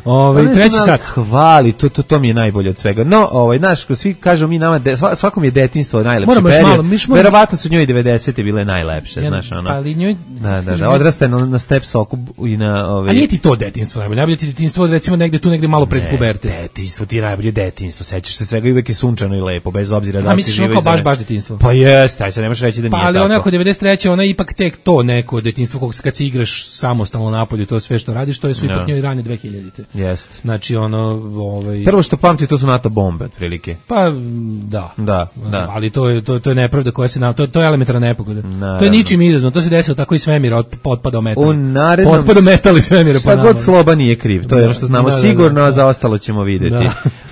Ovaj Pa ne treći znam, sat. Hvali, to, to, to mi je najbolje od svega. No, ovaj, znaš, ko svi kažu mi nama, de, sva- svakom je detinjstvo najlepši Moramo još period. malo, mi još moramo- Verovatno su njoj devedesete bile najlepše, Ja, znaš, ono. ali njoj- Da, da, kažem, da, odraste na, na step soku i na... Ovaj, A nije ti to detinjstvo najbolje, najbolje ti detinjstvo recimo negde tu negde malo pred Ne, pubertet. Detinjstvo ti je najbolje detinjstvo, sećaš se svega i uvek je sunčano i lepo, bez obzira da A li si misliš živo ono kao baš izvan- baš detinjstvo? Pa jeste, aj se nemaš reći da Pa nije ali tako. ona oko devedeset treće ona je ipak tek to neko detinjstvo kog se kad se igraš samostalno napolju, to sve što radiš, to je su ipak Da. njoj rane dve hiljadite. Jeste. Znači ono, ovaj Prvo što pamti to su NATO bombe, otprilike. pa m, da. Da, da. Ali to je to to je nepravda koja se na to to je elementarna nepogoda. To je Naravno. ničim izazvano, to se desilo tako i svemira od otpada metal. U narednom... Otpada metal i svemira Šta god Sloba nije kriv, to je ono što znamo Da, da, sigurno, da. a za ostalo ćemo videti.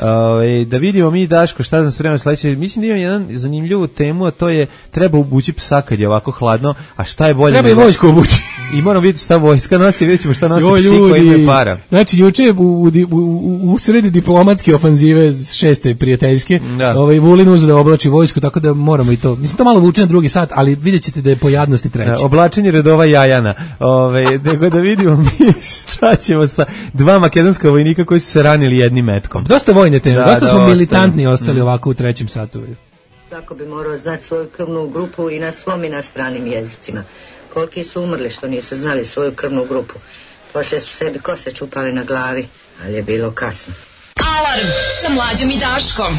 Ovaj, da vidimo mi, Daško, šta nam spremno sledeće. Mislim da imam jedan zanimljivu temu, a to je treba obući psa kad je ovako hladno, a šta je bolje... Treba i nego- vojsku obući. I moramo vidjeti šta vojska nosi, vidjet ćemo šta nosi Joj, psi koji ljudi. imaju para. Znači, juče je u, u, u, u sredi diplomatske ofanzive šeste prijateljske, Da. ovaj, Vulin uzeo da oblači vojsku, tako da moramo i to. Mislim, to malo vuče na drugi sat, ali vidjet ćete da je po jadnosti treći. E, Oblačenje redova jajana. Ove, nego da vidimo mi šta ćemo sa dva makedonska vojnika koji su se ranili jednim metkom. Dosta vojne teme, Da, dosta da, smo ostaje. militantni ostali ovako u trećem satu. Tako bi morao znati svoju krvnu grupu i na svom i na stranim jezicima. Koliki su umrli što nisu znali svoju krvnu grupu. Poslije su sebi kose čupali na glavi, ali je bilo kasno. Alarm sa Mlađom i Daškom.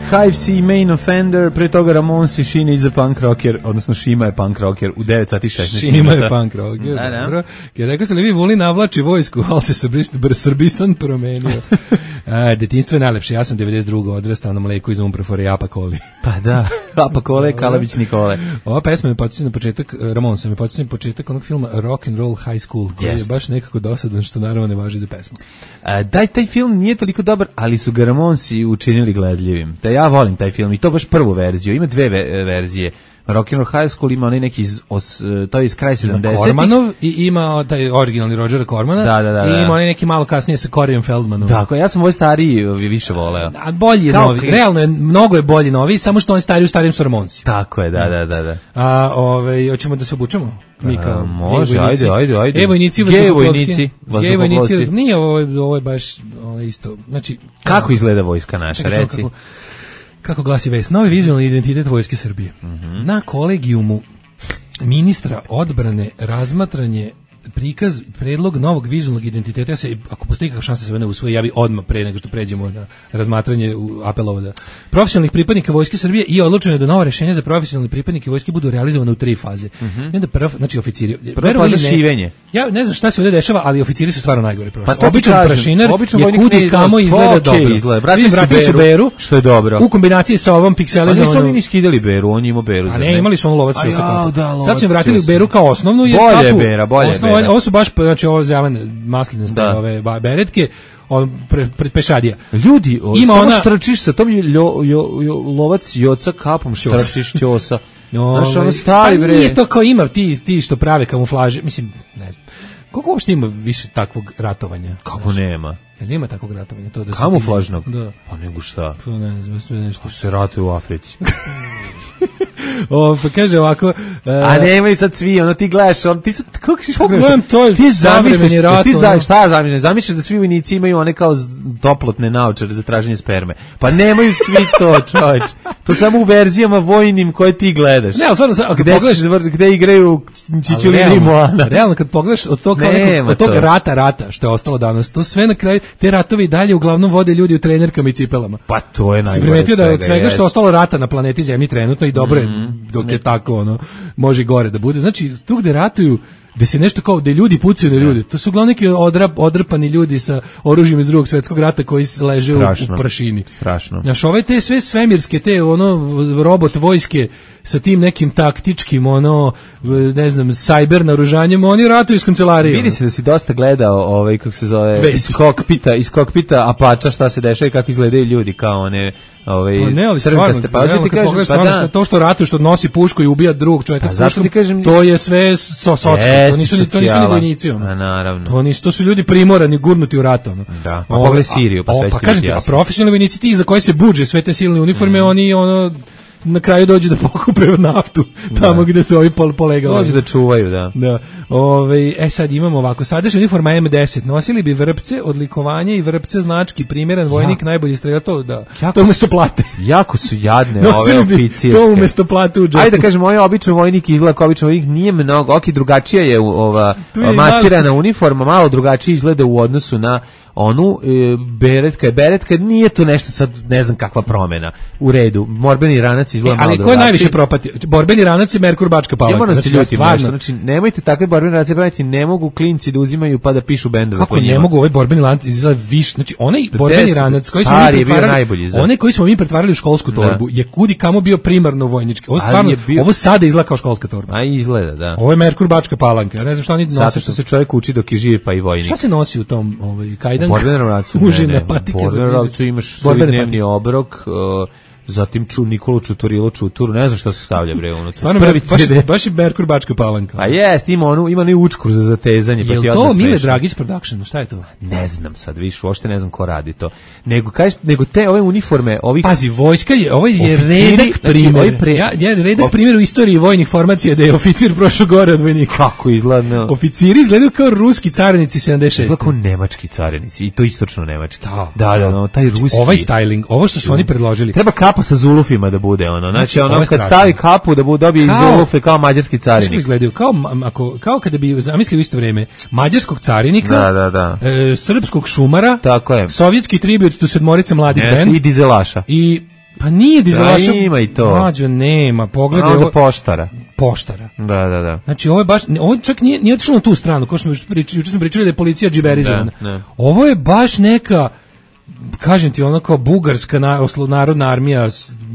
Hive C Main Offender, pre toga Ramonsi, Šine iza punk rocker, odnosno Šima je punk rocker u devet sati i šesnaest Šima minuta. je punk rocker, Da, da. dobro. Jer rekao sam li vi Vulin navlači vojsku, ali se Srbist- br- Srbistan promenio. A, detinjstvo je najlepše, ja sam devedeset drugo odrastao na mleku iz Umprofore i Apakoli. Pa da, Apa Kole, Kalabić Nikole. Ova pesma me podsjeća na početak, Ramon se me podsjeća na početak onog filma Rock and Roll High School, koji Jest. je baš nekako dosadan, što naravno ne važi za pesmu. A, daj, taj film nije toliko dobar, ali su ga Ramonsi učinili gledljivim. Da ja volim taj film i to baš prvu verziju, ima dve ve- verzije. Rock and Roll High School ima onaj neki iz, os, to je iz kraja sedamdesetih. Kormanov i ima taj originalni Rogera Kormana Da, da, da, i da. ima onaj neki malo kasnije sa Coreyem Feldmanom. Tako, ja sam ovaj stariji više voleo. A bolji je Kao novi, klin- realno je, mnogo je bolji novi, samo što on stari u starim su Ramonsi. Tako je, da, da, da. da. A, ovaj, hoćemo da se obučemo? Mi kao A, može, gej vojnici. ajde, ajde, ajde. Gej vojnici, Gej vazduhoplovski. vojnici, Gej vojnici, vazduhoplovci. nije ovo, ovo je baš ovo je isto. Znači, Kako izgleda vojska naša, Čekaj, čekaj, reci? Kako, kako glasi vest? Novi vizualni identitet Vojske Srbije. Mhm. Na kolegijumu ministra odbrane razmatranje prikaz, predlog novog vizualnog identiteta. Ja se, ako postoji kakva šansa da se ovo ne usvoji, ja bi odmah pre nego što pređemo na razmatranje u apelovo da profesionalnih pripadnika Vojske Srbije i odlučeno je da nova rešenja za profesionalne pripadnike Vojske budu realizovane u tri faze. Mhm. I onda prva, znači oficiri. Prva verovali faza ili ne, šivenje. Ja ne znam šta se ovdje dešava, ali oficiri su stvarno najgori prošli. Pa to ti Običan kažem, prašinar običan je vojnik ne kudi izgleda- kamo izgleda okej dobro. izgleda. Vratili Vidim, su vratili su Beru, Beru, što je dobro. u kombinaciji sa ovom A nisu pikselizovanom. oni ni skidali Beru, on je imao Beru. A zar ne, imali su onu lovac A čusa jao, kapu. da, lovac Sad su im vratili u čusa. Beru kao osnovnu. Jer Bolje je kapu, Bera, bolje je osnovno- Bera. Ovo su baš, znači ovo zelene masline Da. ove ba- beretke, on pre, pred pešadija. Ljudi, o, Ima samo ona- štrčiš sa tom ljo, jo, jo, lovac joca kapom štrčiš ćosa. Znaš, ono Ovaj, stari pa bre. nije to kao ima ti, ti što prave kamuflaže, mislim, ne znam. Koliko uopšte ima više takvog ratovanja? Kako nema? Jel ima takvog ratovanja? To da se ti- Kamuflažnog? Da. Pa nego šta? Pa ne znam, sve nešto. Se ratuje u Africi. O, pa kaže ovako... e, A nemaju sad svi, ono ti gledaš, on ti sad kako ćeš Pa gledam, to je ti savremeni zamišljaš, rat, ti za ono. šta zamišljaš? Zamišljaš da svi vojnici imaju one kao z- toplotne naočare za traženje sperme. Pa nemaju svi to, čoveč. To samo u verzijama vojnim koje ti gledaš. Ne, ali stvarno, sad, ako gde, pogledaš- se- gde igraju Ali Čičulina i realno, Moana. realno kad pogledaš od tog, kao Nema nekog, od tog to. rata rata što je ostalo danas, to sve na kraju, te ratovi i dalje uglavnom vode ljudi u trenerkama i cipelama. Pa to je Si najgore primetio da je od svega, svega što jest. je ostalo rata na planeti Zemlji trenutno i dobro je dok je tako ono, može i gore da bude. Znači, tu gde ratuju, gde se nešto kao, gde ljudi pucaju na ljudi, to su uglavnom neki odrap, odrpani ljudi sa oružjem iz drugog svjetskog rata koji se leže u, u Strašno. prašini. Strašno. Znaš, ove te sve svemirske, te ono, robot vojske sa tim nekim taktičkim, ono, ne znam, sajber naoružanjem, oni ratuju iz kancelarije. Vidi se da si dosta gledao ovaj kako se zove Vesti. iz kokpita, iz kokpita Apača šta se dešava i kako izgledaju ljudi kao one ovaj Pa ne, ali crvenkaste. stvarno, Pa hoću realno ti kad kažem, pogledaš pa stvarno da. što- to što ratuje, što nosi pušku i ubija drugog čovjeka Pa s zašto puškom, ti kažem- to je sve so, socko, to Jeste nisu, ni- to nisu ni socijala. vojnici. Ono. A naravno. To nisu, to su ljudi primorani, gurnuti u rat. Ono. Da, pa O, pogledaj Siriju, pa a- sve o, će pa ti kažem biti ti, a jasno. profesionalni vojnici ti za koje se budže sve te silne uniforme, oni ono na kraju dođu da pokupe naftu tamo da. Gde su ovi pol polegali. Dođu da čuvaju, da. Da. Ove, e sad imamo ovako, sadašnja uniforma em deset, nosili bi vrpce, odlikovanje i vrpce znački, primjeren vojnik, ja. Najbolji streljač, to da, jako to umesto plate. Jako su jadne ove oficirske. To umesto plate u džepu. Ajde da kažemo, ovaj običan vojnik izgleda kao običan vojnik, nije mnogo, ok, drugačija je ova je maskirana malo uniforma, malo drugačije izgleda u odnosu na onu e, beretka je beretka, nije to nešto sad ne znam kakva promena. U redu, borbeni ranac izgleda e, malo drugačije. Ali ko je najviše propatio? Borbeni ranac je Merkur Bačka Palanka. Ja moram znači, se ljutim nešto, znači nemojte takve borbene ranace praviti, ne mogu klinci da uzimaju pa da pišu bendove. Kako ne mogu, ovaj borbeni lanac izgleda više, znači onaj borbeni ranac koji smo mi pretvarali, onaj koji smo mi pretvarali u školsku torbu da. Je kudi kamo bio primarno vojnički. Ovo stvarno, bio... ovo sada izgleda kao školska torba. A izgleda, da. Ovo je Merkur Bačka Palanka. Ja ne znam šta oni nose. Zato što se čovjek uči dok je živ pa i vojnik. Šta se nosi u tom ovaj kajdan? Borbenu ranacu. Užine patike. Borbenu ranacu imaš svoj dnevni obrok, uh, zatim ču Nikolu Čuturilo Čuturu, ne znam šta se stavlja bre unutra. Stvarno prvi baš, baš je Merkur Bačka Palanka. A jest, ima onu, ima onu učkur za zatezanje, pa ti odmah to Mile Dragić Production, šta je to? Ne znam sad, više uopšte ne znam ko radi to. Nego kažeš, nego te ove uniforme, ovih pazi, vojska je, ovaj je redak primjer. Znači, pre... Ja, ja redak of... primjer u istoriji vojnih formacija da je oficir prošao gore od vojnika. Kako izgleda? Oficiri izgledaju kao ruski carinici sedamdeset šeste. Izgleda kao nemački carinici i to istočno nemački. Da, da, da, no, taj ruski. Ovaj styling, ovo što su oni predložili. Treba kapa sa zulufima da bude ono. Znači, ono kad stavi kapu da bude dobije iz zulufe kao mađarski carinik. Kako izgledaju? Kao, ako, kao kada bi zamislio u isto vrijeme mađarskog carinika, da, da, da. E, srpskog šumara, tako je. Sovjetski tribut tu sedmorice mladih yes, band i dizelaša. I pa nije dizelaša. Da, ima i to. Mađo, nema. Pogledaj ovo poštara. Poštara. Da, da, da. Znači ovo je baš, ovo čak nije, nije otišlo na tu stranu, kao što smo pričali, juče smo pričali da je policija džiberizovana. Ovo je baš neka, kažem ti, ono kao bugarska na, oslo, narodna armija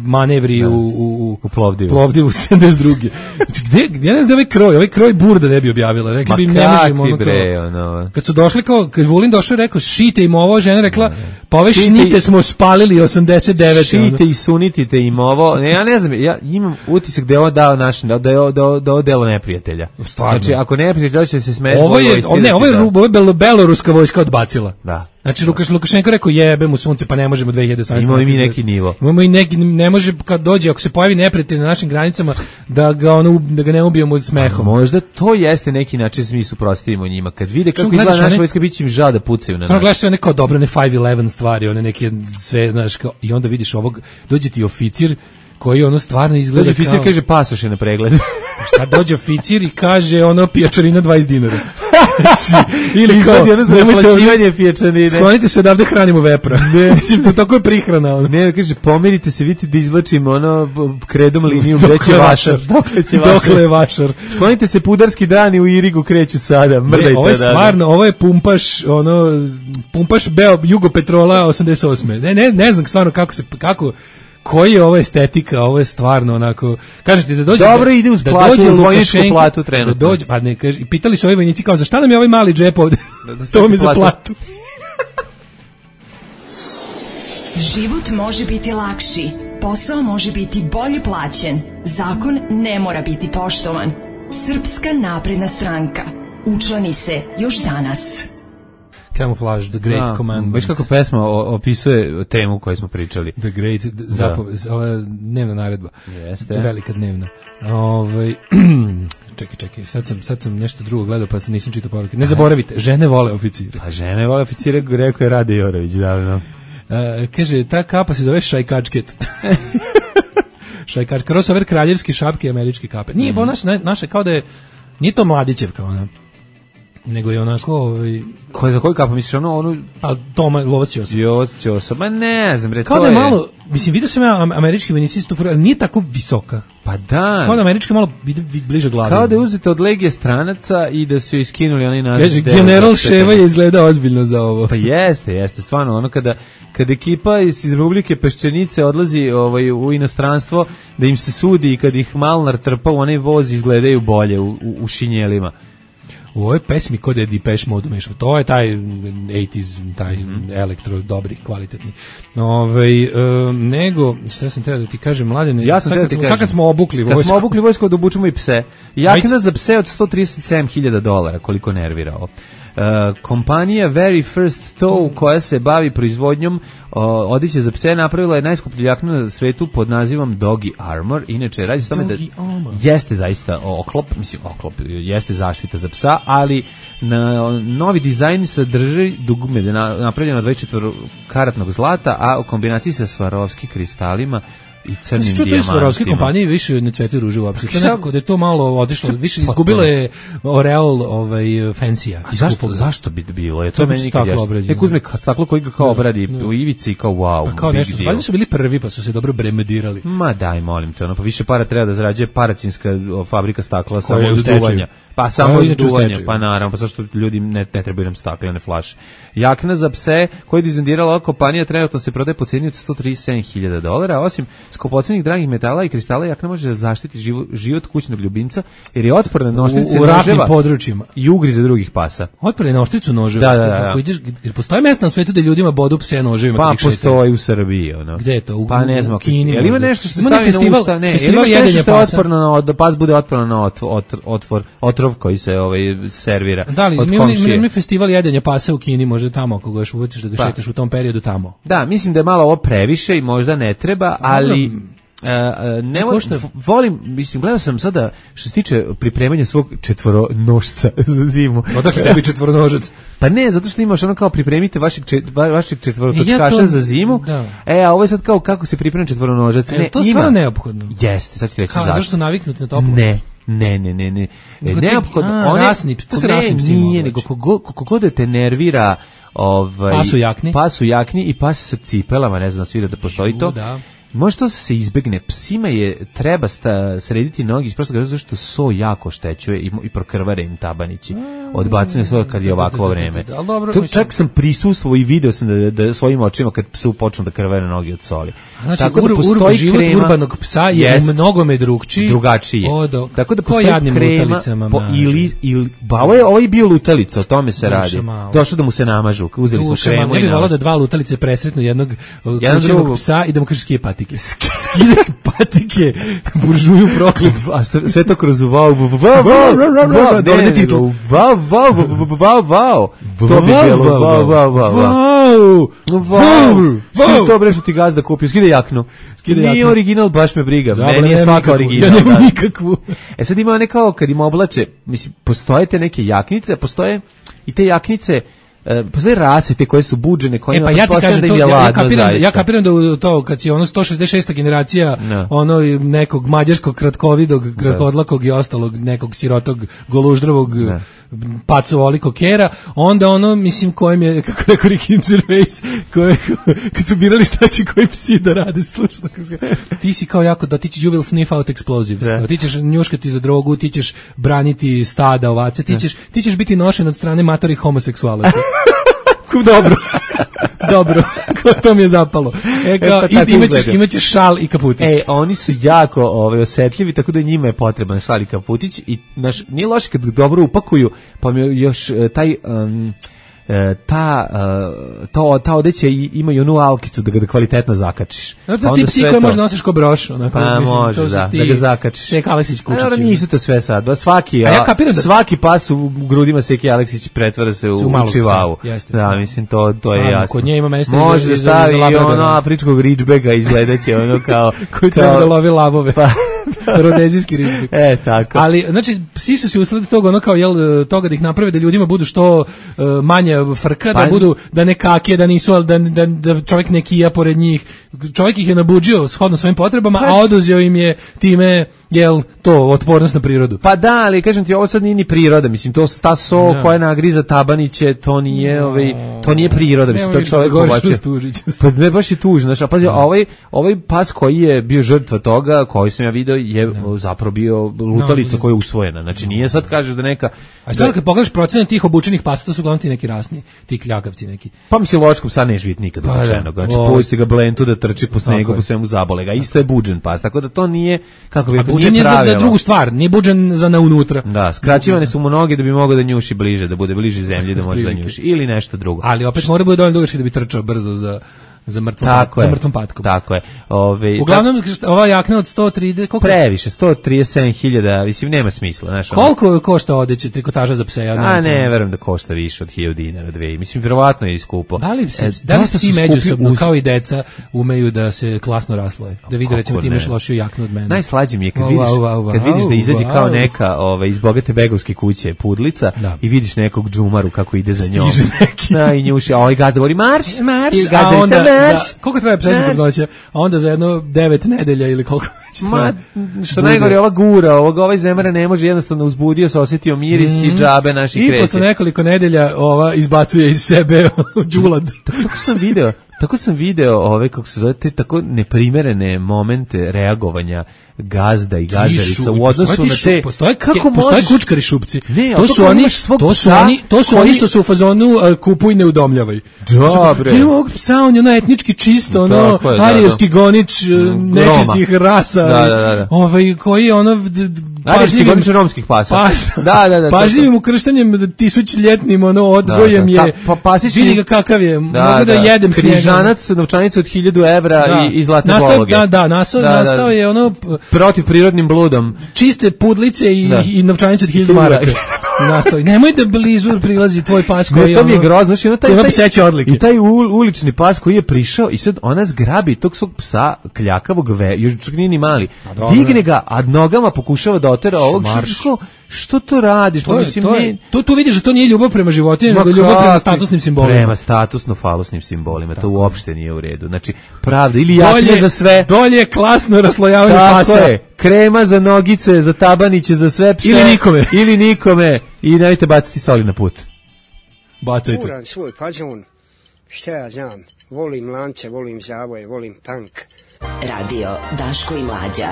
manevri da. u, u, u Plovdivu. Plovdivu sedamdeset druge. Znači, gde, gdje ne znam da ovaj kroj, ovaj kroj Burda ne bi objavila. Rekli ma bi im ne možemo ono bre, ono. Kad su došli kao, kad Vulin došao i rekao, šite im ovo, žena rekla, pa ove šite šnite smo spalili osamdeset devet. Šite ono. I sunitite im ovo. Ne, ja ne znam, ja imam utisak da je ovo dao našim, da je ovo da, da, delo neprijatelja. Stvarno. Znači, ako neprijatelj hoće se smeti, ovo je, o, ne, ovo je, ovo je belo, beloruska vojska odbacila. Da. Znači Lukaš Lukašenko rekao jebe mu sunce pa ne možemo dve hiljade osamnaeste. Imamo i mi neki nivo. Imamo i neki, ne može kad dođe ako se pojavi neprijatelj na našim granicama da ga ono da ga ne ubijemo smehom. A možda to jeste neki način da mi suprotstavimo njima. Kad vide kako izgleda naša vojska biće im žao da pucaju na nas. Samo gledaš sve neko dobro ne five eleven stvari, one neke sve znaš kao i onda vidiš ovog dođe ti oficir koji ono stvarno izgleda dođe oficir kao... kaže pasoš je na pregled. Šta dođe oficir i kaže ono pijačarina dvadeset dinara. Ili kao naplaćivanje pijačarine. Sklonite se odavde hranimo vepra. Ne, mislim to tako je prihrana. Ono. Ne, kaže pomerite se, vidite da izvlačimo ono kredom liniju gde će vašar. Dokle će vašar? Dokle je vašar? Sklonite se pudarski dani u Irigu kreću sada. Mrdajte. Ovo je stvarno, ovo je pumpaš, ono pumpaš Beo Jugopetrola osamdeset osme. Ne, ne, ne znam stvarno kako se kako koji je ovo estetika, ovo je stvarno onako, kažete da dođe dobro da, ide uz da platu, dođe uz vojničku platu trenutno. Da dođe, pa ne, kaže, i pitali su ovi vojnici kao za šta nam je ovaj mali džep ovde? Da, da to mi za platu. Život može biti lakši, posao može biti bolje plaćen, zakon ne mora biti poštovan. Srpska napredna stranka. Učlani se još danas. Camouflage, The Great da, Commandment. Baš kako pesma opisuje temu koju smo pričali. The Great, zapove, da. Ova dnevna naredba. Jeste. Velika dnevna. Ovaj čekaj, čekaj, sad sam, sad sam nešto drugo gledao pa sam nisam čitao poruke. Ne zaboravite, žene vole oficire. Pa žene vole oficire, rekao je Rade Jorović davno. Uh, kaže, ta kapa se zove šajkačket. Šajkačket, crossover kraljevski šapke i američke kape. Nije, mm. bo naše, naše kao da je, nije to Mladićevka ona. Nego je onako ovaj ko za koju kapu misliš ono onu pa Toma Lovac Ćosa. Lovac Ćosa, ma ne znam bre, kao to je malo, mislim vidio sam ja američki vojnici isto, ali nije tako visoka. Pa da. Kao da američka malo bliže glavi. Kao da je uzeta od legije stranaca i da su joj iskinuli onaj naziv. Kaže general Ševa je izgleda ozbiljno za ovo. Pa jeste, jeste stvarno ono kada kad ekipa iz Republike Peščanice odlazi ovaj u inostranstvo da im se sudi i kad ih Malnar trpa u onaj voz izgledaju bolje u, u, u šinjelima. u ovoj pesmi kod je Depeche Mode umešao. To je taj osamdesetih, taj mm. elektro, dobri, kvalitetni. Ove, um, nego, šta sam teo da ti kažem, Mladene, ja sam sad, ti kad, sad kad smo obukli vojsku. Kad smo obukli vojsku, da obučemo i pse. Jakna za pse od sto trideset sedam hiljada dolara, koliko nervira ovo. Uh, kompanija Very First Tow, koja se bavi proizvodnjom uh, odeće za pse, napravila je najskuplju jaknu na svetu pod nazivom Doggy Armor. Inače, radi se tome da jeste zaista oklop, mislim oklop, jeste zaštita za psa, ali na, novi dizajn sadrži dugme, napravljeno od dvadeset četiri karatnog zlata, a u kombinaciji sa Swarovski kristalima i crnim dijamantima. Što to je Swarovski kompanije više ne cvete ruže uopšte. To nekako da je to malo otišlo, više izgubilo je oreol ovaj fancy-a. Zašto, zašto bi bilo? Je to, to meni nikad jasno. Nek uzme staklo koji ga kao obradi u ivici i kao wow. Pa kao nešto, valjda su bili prvi pa su se dobro bremedirali. Ma daj, molim te, ono, pa više para treba da zarađuje Paraćinska fabrika stakla samo od duvanja. Pa samo od duvanja, pa naravno, pa zašto ljudi ne, ne trebaju nam staklene flaše. Jakna za pse koju je dizajnirala ova kompanija trenutno se prodaje po cijeni od sto trideset sedam hiljada dolara, osim skupocenih dragih metala i kristala, jakna može da zaštiti život, život kućnog ljubimca, jer je otporna na oštrice u ratnim područjima i ugrize drugih pasa. Otporna na oštricu noževa. Da, da, da. Ako ideš, jer postoji mjesto na svetu da ljudima bodu pse noževima. Pa postoji u Srbiji, ono. Gde je to? U, pa ne znam, u Kini. Jel ima nešto što ima stavi festival, na usta? Ne, festival ili nešto što je pasa. otporno na, da pas bude otporno na ot, ot, otvor, otrov koji se ovaj, servira da li, od mi komšije. Ima festival jedenja pasa u Kini, možda tamo, ako ga još uvetiš da ga pa. šetaš u tom periodu tamo. Da, mislim da je malo ovo previše i možda ne treba, ali... Uh, uh, ne volim, volim, mislim, gledao sam sada što se tiče pripremanja svog četvoronožca za zimu. Odakle tebi četvoronožac? Pa ne, zato što imaš ono kao pripremite vašeg, čet, vašeg četvorotočkaša ja to, za zimu. Da. E, a ovo je sad kao kako se priprema četvoronožac. E, ne, to je ima. stvarno neophodno. Jeste, sad ću reći zašto. Zašto naviknuti na toplo? Ne. Ne, ne, ne, ne. Neophodno, one rasni, to se rasnim psima. Nije, nego kako god da te nervira ovaj pas u jakni, pas u jakni i pas sa cipelama, ne znam, svi da postoji to. Da. Može to se izbegne. Psima je treba sta, srediti nogi iz prostog razloga što so jako oštećuje i, i prokrvare im tabanići. Odbacene svoje kad je ovakvo vreme. To čak sam prisustvovao i video sam da, da svojim očima kad psu počnu da krvare noge od soli. Znači, tako da postoji život krema, urbanog psa je jest, mnogome drugčiji. Drugačije. Odo, tako da postoji krema po, ili, ili, ba, ovo je, ovo je bio lutalica, o tome se Došo radi. Malo. Došlo da mu se namažu, uzeli Duša, smo kremu. Ne bi volao da dva lutalice presretnu jednog kućnog psa i da mu kaže skije patike. Skide patike, buržuju proklet. A sve to kroz wow, wow, wow, wow, dođe titul. Wow, wow, wow, wow. To bi bilo, wow, wow, wow, wow. Skide to brešu ti gazda kupio, skide jaknu. Nije original, baš me briga. Meni je svaka original. Ja nemam nikakvu. E sad ima one kao kad im oblače, mislim, postoje te neke jaknice, postoje i te jaknice, Uh, postoje rase te koje su buđene, koje e, pa ja ti kažem, da to, ja, ladno, ja, kapiram, ja kapiram da to kad si ono sto šezdeset šesta generacija no. ono nekog mađarskog kratkovidog, kratkodlakog i ostalog nekog sirotog goluždravog no. pacovolikog kera, onda ono, mislim, kojem je, kako rekao Ricky Gervais, koje, kad su birali šta će koji psi da rade, slušno, ti si kao jako, da ti će, you will sniff out explosives, yeah. ti ćeš njuškati za drogu, ti ćeš braniti stada ovace, ti ćeš, ti ćeš biti nošen od strane matorih homoseksualaca. Dobro. Dobro. To mi je zapalo. E, kao, e, pa imaćeš, imaćeš šal i kaputić. E, oni su jako ovaj, osjetljivi, tako da njima je potreban šal i kaputić i naš, nije loše kad dobro upakuju, pa mi još taj... Um, ta to ta odeća ima i onu alkicu da ga da kvalitetno zakačiš. No, to ti psi koje možda nosiš ko broš, onako, pa mislim, može, to da, da ga zakačiš. Sek Aleksić kučići. Naravno nisu to sve sad, svaki, a ja kapiram da svaki pas u grudima Seki Aleksić pretvara se u, u čivavu. Da, mislim to to Stvarno, je jasno. Kod nje ima mesta može da stavi i ono afričkog ridgebacka izgledaće ono kao koji treba da lovi lavove. Pa rodezijski ridgebak. E, tako. Ali znači psi su se usledi toga ono kao jel toga da ih naprave da ljudima budu što uh, manje frka, pa, da budu, da ne kakije, da nisu, da, da, da čovjek ne kija pored njih. Čovjek ih je nabuđio shodno svojim potrebama, pa, a oduzeo im je time, jel, to, otpornost na prirodu. Pa da, ali kažem ti, ovo sad nije ni priroda, mislim, to ta so no. koja nagriza tabaniće, to nije, no. ovaj, to nije priroda, mislim, to čovjek pobačio. Pa ne, baš je tužno, znaš, a pazi, no. ovaj, ovaj pas koji je bio žrtva toga, koji sam ja video, je no. zapravo bio lutalica no. koja je usvojena, znači nije sad kažeš da neka... A sad kad pogledaš procene tih obučenih pasa, to su uglavnom ti neki rasni, ti kljagavci neki. Pa mi se ločkom sad neš vidjeti nikad obučenog, znači pusti ga blentu da trči po snegu, po svemu zabole ga, isto je buđen pas, tako da to nije, kako bi Budžen je za, za drugu stvar, nije budžen za na unutra. Da, skraćivane su mu noge da bi mogao da njuši bliže, da bude bliže zemlji, da može da njuši. Ili nešto drugo. Ali opet mora bude dovoljno dugački da bi trčao brzo za za mrtvom, tako za je, mrtvom patkom. Tako je. Ove, Uglavnom, ova jakna od sto trideset... Koliko? Previše, sto trideset sedam hiljada, mislim, nema smisla. Znaš, koliko ono, košta odeće, trikotaža za pse? Ja a ne, verujem da košta više od hiljadu dinara, dve. Mislim, vjerovatno je iskupo. Da li, se, e, da li svi međusobno, uz... kao i deca, umeju da se klasno rasloje? Da vidi, recimo, ti imaš lošiju jaknu od mene. Najslađe mi je kad, wow, vidiš, wow, wow, kad vidiš da izađe wow. kao neka ove, iz bogate begovske kuće pudlica da. I vidiš nekog džumaru kako ide za njom. Stiže neki. Da, i njuši, a ovaj gazda govori marš, marš, a onda, za, koliko traje psesna trudnoća, a onda za jedno devet nedelja ili koliko već traje. Što najgore, ova gura, ovog, ovaj zemara ne može, jednostavno uzbudio se, osjetio miris mm. i džabe naši kreće. I posle nekoliko nedelja ova izbacuje iz sebe đulad. Tako, tako sam video, tako sam video ove, kako se zove, te tako neprimerene momente reagovanja gazda i gazdarica u odnosu na te postoje kako postoje kučkari šupci. Ne, to su oni to su oni to su oni što su u fazonu uh, kupuj ne udomljavaj. Dobre. Nema ovog psa, on je ono etnički čisto, ono arijevski gonič nečistih rasa. Da, da, da. Ovaj koji je ono arijevski gonič romskih pasa. Pa, da, da, da. Pažljivim ukrštanjem tisućljetnim ono odgojem je. Pa pasić vidi ga kakav je. Mogu da jedem s njega. Križanac, novčanica od hiljadu evra i i zlatne pologe. Da, da, nastao je ono protiv prirodnim bludom. Čiste pudlice i, i novčanice od hiljadu maraka. Nastavi. Nemoj da blizu prilazi tvoj pas koji je... To mi je grozno, znači ono taj... Ima pseće odlike. I taj ulični pas koji je prišao i sad ona zgrabi tog svog psa kljakavog ve, još čak nije ni mali. Digne ga, a nogama pokušava da otera ovog što, što to radiš? To, mislim, to, je, to, tu vidiš da to nije ljubav prema životinji, nego ljubav prema statusnim simbolima. Prema statusno-falosnim simbolima, to uopšte nije u redu. Znači, pravda, ili jakne za sve... Dolje klasno raslojavanje pasa. Tako je, krema za nogice, za tabaniće, za sve pse. Ili nikome. Ili nikome. I nemojte baciti soli na put. Bacajte. Uran svoj fazon, šta ja znam, volim lance, volim zavoje, volim tank. Radio Daško i Mlađa,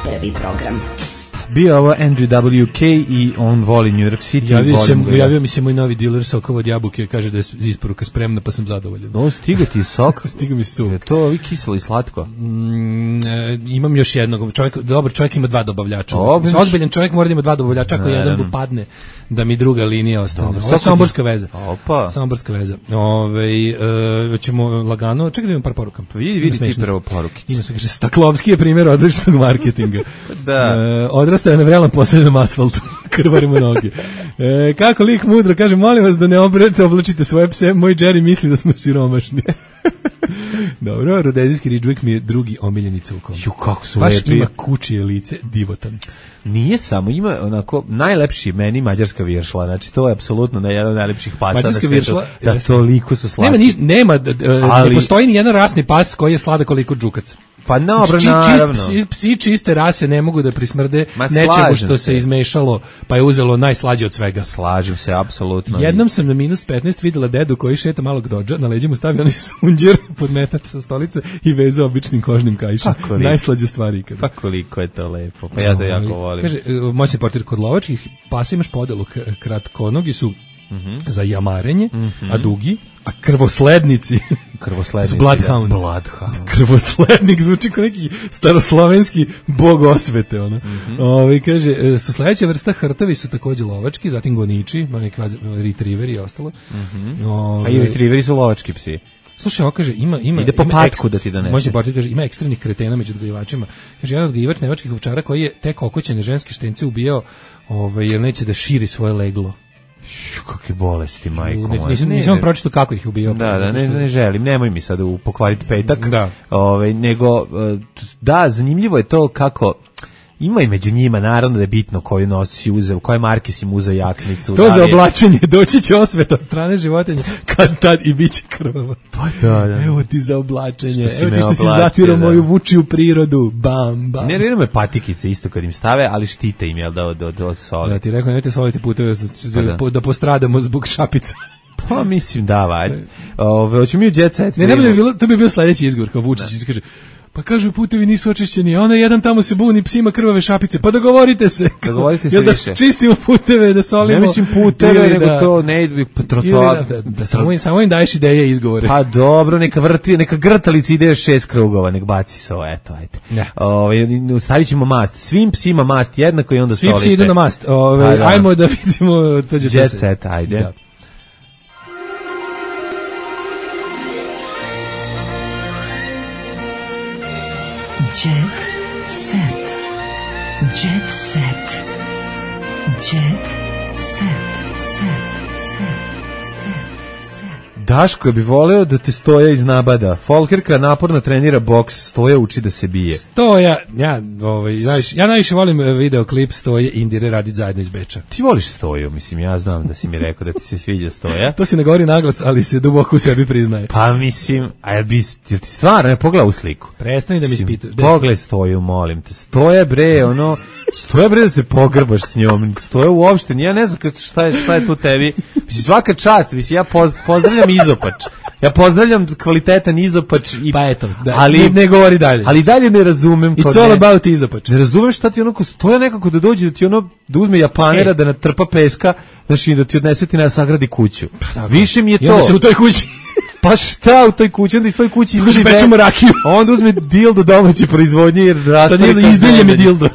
prvi program. Bio ovo Andrew W K i on voli New York City. Javio, sam, javio mi se moj novi diler sokova od jabuke, kaže da je isporuka spremna, pa sam zadovoljan. O, stiga ti sok? Stiga mi sok. Je to i kiselo i slatko? Mm, e, imam još jednog. Čovjek, dobar čovjek ima dva dobavljača. Obič. Ozbiljan čovjek mora da ima dva dobavljača, ako jedan padne, da mi druga linija ostane. Ovo je somborska veza. Opa. Somborska veza. Ove, e, ćemo lagano, čekaj da imam par poruka. Vidi, vidi ti prvo porukice. Ima se, kaže, Staklovski je primjer odličnog marketinga. Da. E, odrastao je na vrelan posljednom asfaltu. Krvarimo noge. E, kako lik mudro, kaže, molim vas da ne obrete, oblačite svoje pse, moj Jerry misli da smo siromašni. Dobro, rodezijski Ridgewick mi je drugi omiljeni cilkom. Ju, kako su baš lepi. Ima kučije lice, divotan. Nije samo, ima onako najlepši meni mađarska viršla, znači to je apsolutno na jedan od najlepših pasa mađarska na svijetu. Viršla, da, toliko su slatki. Nema, niš, nema ali, ne postoji ni jedan rasni pas koji je sladak koliko džukac. Pa dobro, Či, naravno. Psi, psi čiste rase ne mogu da prismrde nečemu što se. se izmešalo, pa je uzelo najslađe od svega. Slažem se, apsolutno. Jednom sam na minus petnaest videla dedu koji šeta malog dodža, na leđima stavio onaj sunđer pod metač sa stolice i vezao običnim kožnim kaišem. Najslađe stvari ikada. Pa koliko je to lepo, pa ja to jako volim. Kaže, moćni portir kod lovačkih pasa imaš podelu, kratkonogi su mm-hmm. za jamarenje, mm-hmm. a dugi, a krvoslednici, krvoslednici bloodhounds. Bloodhounds. Krvoslednik zvuči kao neki staroslovenski bog osvete, ono. Mm-hmm. Ove, kaže, su sledeća vrsta hrtovi su takođe lovački, zatim goniči, neki retrieveri i ostalo. Mm-hmm. Ove, a i retrieveri su lovački psi. Slušaj, ovo kaže, ima ima ide po patku da ti donese. Može portir kaže ima ekstremnih kretena među odgajivačima. Kaže jedan odgajivač nemačkih ovčara koji je tek okoćene ženske štence ubijao, ovaj jer neće da širi svoje leglo. Kakve bolesti, majko moja. Nisam, nisam pročitao kako ih ubio. Da, da, ne, ne želim, nemoj mi sad pokvariti petak. Da. Ove, nego, da, zanimljivo je to kako... Ima i među njima, naravno da je bitno koju nosi uzeo, koje marke si mu uzeo jaknicu. To za oblačenje, doći će osveta od strane životinja, kad tad i bit će krvava. Pa da, da. Evo ti za oblačenje, evo ti što si zatvirao moju vučiju prirodu, bam, bam. Ne, ne, me patikice isto kad im stave, ali štite im, jel da, od, od, od soli. Da, ti rekao, nemojte soliti puteve, pa da. da postradamo zbog šapica. Pa mislim, da, valjda. Ove, hoću mi u jet set. Ne, ne bi bilo, to bi bio sledeći izgovor, kao Vučić, kaže, Pa kažu putevi nisu očišćeni, a ona jedan tamo se buni, psima krvave šapice. Pa dogovorite se. Dogovorite se Jel da više. čistimo puteve, da solimo. Ne mislim puteve, nego da, to ne trotoar. Da, da, da samo, im, samo im daješ ideje i izgovore. Pa dobro, neka vrti, neka grtalica ide šest krugova, nek baci se ovo, eto, ajde. Ja. Ovaj stavit ćemo mast. Svim psima mast jednako i onda svi solite. Svi psi idu na mast. Ovaj da. Ajmo da vidimo to će Jet set, ajde. Da. Jet set. Jet set. Jet set. Set. Daško, bi voleo da te Stoja iznabada. Folkerka naporno trenira boks, Stoja uči da se bije. Stoja, ja, ovaj, najviše, ja najviše volim videoklip Stoje Indire Radić zajedno iz Beča. Ti voliš Stoju, mislim, ja znam da si mi rekao da ti se sviđa Stoja. To se ne govori naglas, ali se duboko u sebi priznaje. Pa mislim, a jel bi, jel ti stvarno, ne pogledaj u sliku. Prestani da mi ispituješ. Pogledaj Stoju, molim te. Stoja bre, ono, Stoja bre da se pogrbaš s njom. Stoja uopšte, ja ne znam šta je, šta je tu tebi. Mislim, svaka čast, mislim, ja poz, pozdravljam izopač. Ja pozdravljam kvalitetan izopač i pa eto, da, ali ne, ne govori dalje. Ali dalje ne razumem. It's all ne, about izopač. Ne razumem šta ti onako Stoja nekako da dođe da ti ono da uzme Japanera e. da natrpa peska, znači da ti odnese ti na sagradi kuću. Pa, više mi je to. I onda se u toj kući pa šta u toj kući, onda iz toj kući izvadi pečemo rakiju. Onda uzme dildo domaće proizvodnje jer raste. Izdelje mi dildo.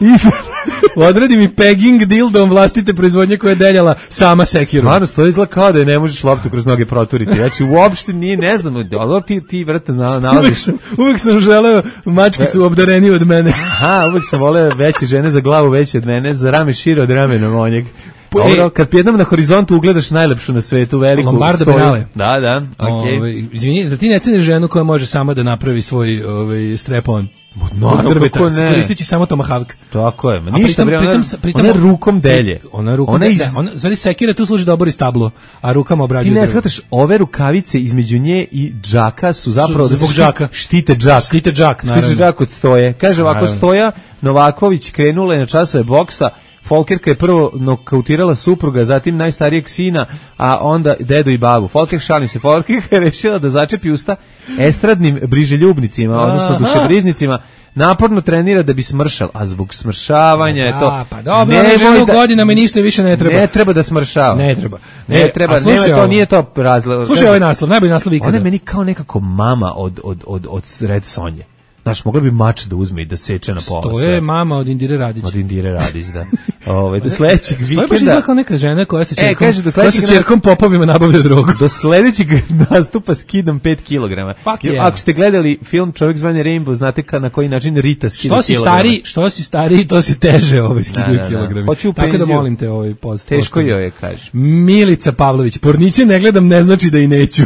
Odredi mi pegging dildom vlastite proizvodnje koja je deljala sama sekirom. Stvarno, to izgleda kao da je ne možeš loptu kroz noge proturiti. Znači, uopšte nije, ne znam, ali ti, ti vrte nalaziš. Uvijek sam, uvijek sam želeo mačkicu obdareniju od mene. Aha, uvijek sam voleo veće žene za glavu veće od mene, za rame šire od ramena monjeg. Dobro, kad jednom na horizontu ugledaš najlepšu na svetu, veliku Lombarda Benale. Da, da, okej. Okay. Ove, izvini, da ti ne ceniš ženu koja može sama da napravi svoj ovaj strep-on. Naravno, kako ne. Koristići samo tomahawk. Tako je, ma ništa, bre, ona, pritom, ona rukom delje. Ona rukom ona delje, iz... ona, zvali sekira, tu služi da obori stablo, a rukama obrađuje. Ti ne shvataš, ove rukavice između nje i džaka su zapravo su, zbog džaka. Štite džak. Štite džak, naravno. Štite džak od Stoje. Kaže ovako, Stoja Novaković krenula je na časove boksa, Folkerka je prvo nokautirala supruga, zatim najstarijeg sina, a onda dedu i babu. Folker, šalim se, Folkerka je rešila da začepi usta estradnim briželjubnicima, odnosno dušebriznicima, naporno trenira da bi smršal, a zbog smršavanja je to. A, pa dobro, ne ženu da, godinama i ništa više ne treba. Ne treba da smršava. Ne treba. Ne, ne treba, ne, to nije to razlog. Slušaj ovaj naslov, najbolji naslov ikada. Ona je meni kao nekako mama od, od, od, od Red Sonje. Znaš, mogla bi mač da uzme i da seče na pola. To je mama od Indire Radić. Od Indire Radić, da. Ove, do sledećeg vikenda... To je baš izgleda kao neka žena koja sa čerkom, e, kaže, do koja sa čerkom popovima nabavlja drogu. Do sledećeg nastupa skidam pet kilograma. Yeah. Ako ste gledali film Čovjek zvani Rainbow, znate ka, na koji način Rita skida što si kilograma. Stari, što si stariji, to si teže ovaj skidaju da, da, kilogrami. Hoću u tako da molim te ovaj post. Teško joj je, kaže. Milica Pavlović, porniće ne gledam, ne znači da i neću.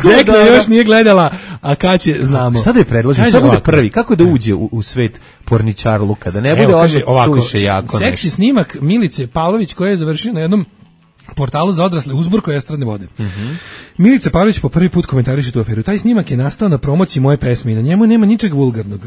Đekna još nije gledala, a kad će znamo. Šta da je predložim? Šta bude prvi? Kako da uđe u, u svet porničarluka? Da ne bude ovako suviše jako. Seksi snimak Milice Pavlović koja je završio na jednom portalu za odrasle uzburko estradne vode. Mm -hmm. Milica Pavlović po prvi put komentariše tu aferu. Taj snimak je nastao na promociji moje pesme i na njemu nema ničeg vulgarnog.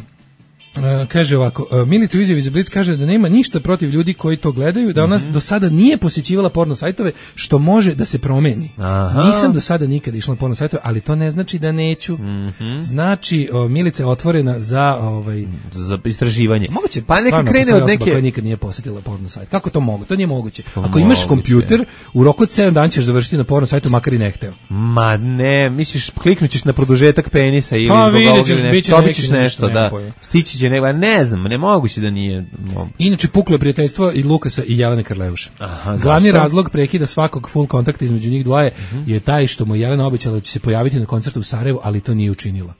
Uh, kaže ovako, uh, Milica u izjavi za Blic kaže da nema ništa protiv ljudi koji to gledaju, da ona mm -hmm. do sada nije posjećivala porno sajtove, što može da se promeni. Aha. Nisam do sada nikada išla na porno sajtove, ali to ne znači da neću. Mm -hmm. Znači, uh, Milica je otvorena za ovaj za istraživanje. Moguće, pa neka krene od neke koja nikad nije posjetila porno sajt. Kako to mogu? To nije moguće. To Ako moguće. Imaš kompjuter, u roku od sedam dana ćeš završiti na porno sajtu, makar i ne hteo. Ma ne, misliš kliknućeš na produžetak penisa ili pa, zbog ovoga nešto, nešto, dobićeš nešto, da. Stići će nego, ne znam, ne moguće da nije. Inače puklo je prijateljstvo i Lukasa i Jelene Karleuše. Aha, glavni razlog prekida svakog full kontakta između njih dvoje uh -huh. je taj što mu Jelena obećala da će se pojaviti na koncertu u Sarajevu, ali to nije učinila.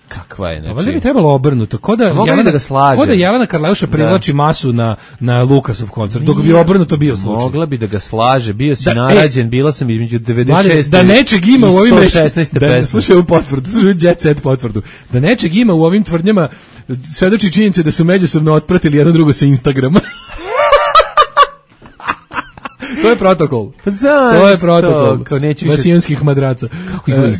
Kakva je, znači. Valjda bi trebalo obrnuto. Ko da Jelena, da ga slaže. Ko da Jelena Karleuša privlači masu na na Lukasov koncert. Dok bi obrnuto bio slučaj. Mogla bi da ga slaže. Bio si da, narađen, e, bila sam između devedeset šeste da nečeg ima u ovim šesnaeste da, slušaj u potvrdu, slušaj Jet Set potvrdu. Da nečeg ima u ovim tvrdnjama svedoči činjenice da su međusobno otpratili jedno drugo sa Instagrama. To je protokol. Pa to je protokol. Vasijanskih madraca.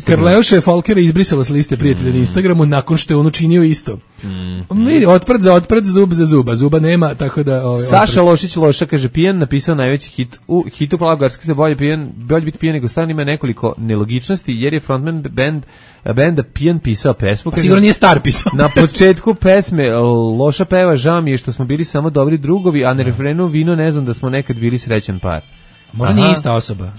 Karleuša je Folkera izbrisala s liste prijatelja mm. na Instagramu nakon što je on učinio isto. Mm. Vidi, otprt za otprt, zub za zuba. Zuba nema, tako da... Ovaj, Saša otprt. Lošić Loša kaže, pijan napisao najveći hit u hitu Plavgarski, bolje pijan, bolje biti pijan nego stan, ima nekoliko nelogičnosti, jer je frontman band, benda Pijan pisao pesmu. Kaže, sigurno nije Star pisao. Na početku pesme Loša peva, žao mi je što smo bili samo dobri drugovi, a na refrenu vino ne znam da smo nekad bili srećan par. Možda nije ista osoba.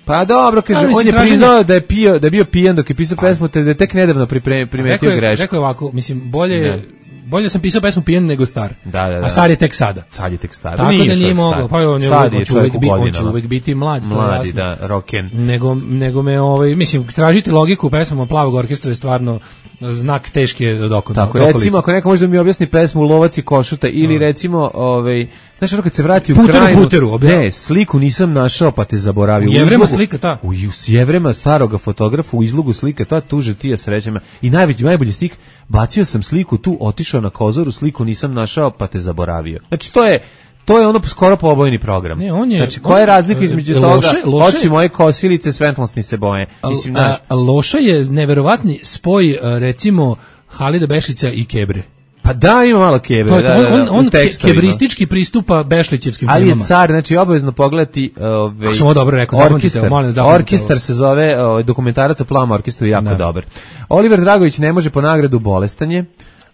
Pa dobro, kaže, ali on je traženje... priznao da je pio, da je bio pijan dok je pisao pesmu, te da je tek nedavno primetio grešku. Rekao je ovako, mislim, bolje, bolje sam pisao pesmu pijan nego Star. Da, da, da. A Star je tek sada. Sad je tek Star. Tako nije da nije moglo. Pa on je, sad je on će uvek, bi, on će godinama. uvek biti mlad. Mladi, da, rocken. Nego, nego me, ovaj, mislim, tražiti logiku u pesmama Plavog orkestra je stvarno znak teške od oko. Tako, recimo, ako neko može da mi objasni pesmu Lovac i košuta, ili recimo, ovaj, znaš, ono kad se vrati u puteru, krajinu, puteru, ne, sliku nisam našao pa te zaboravio. U Jevrema slika ta. U Jevrema staroga fotografa, u izlogu slika ta, tuže ti je srećama. I najbolji, najbolji slik, bacio sam sliku tu, otišao na Kozoru, sliku nisam našao pa te zaboravio. Znači, to je, to je ono skoro pobojni program. Ne, on je, znači, koja je razlika između loše, toga, loše, oči moje kosilice, svetlosni se boje. Mislim, a, a, Loša je neverovatni spoj, recimo, Halida Bešića i Kebre. Pa da, ima malo Kebre. To, da, da, da, on on ke, kebristički pristupa Bešlićevskim ali filmama. Ali je car, znači obavezno pogledati ovaj, Kako sam ovo dobro rekao, orkestar, molim, orkestar se zove ovaj, dokumentarac o Plavom orkestru, jako da. Dobar. Oliver Dragović ne može po nagradu bolestanje.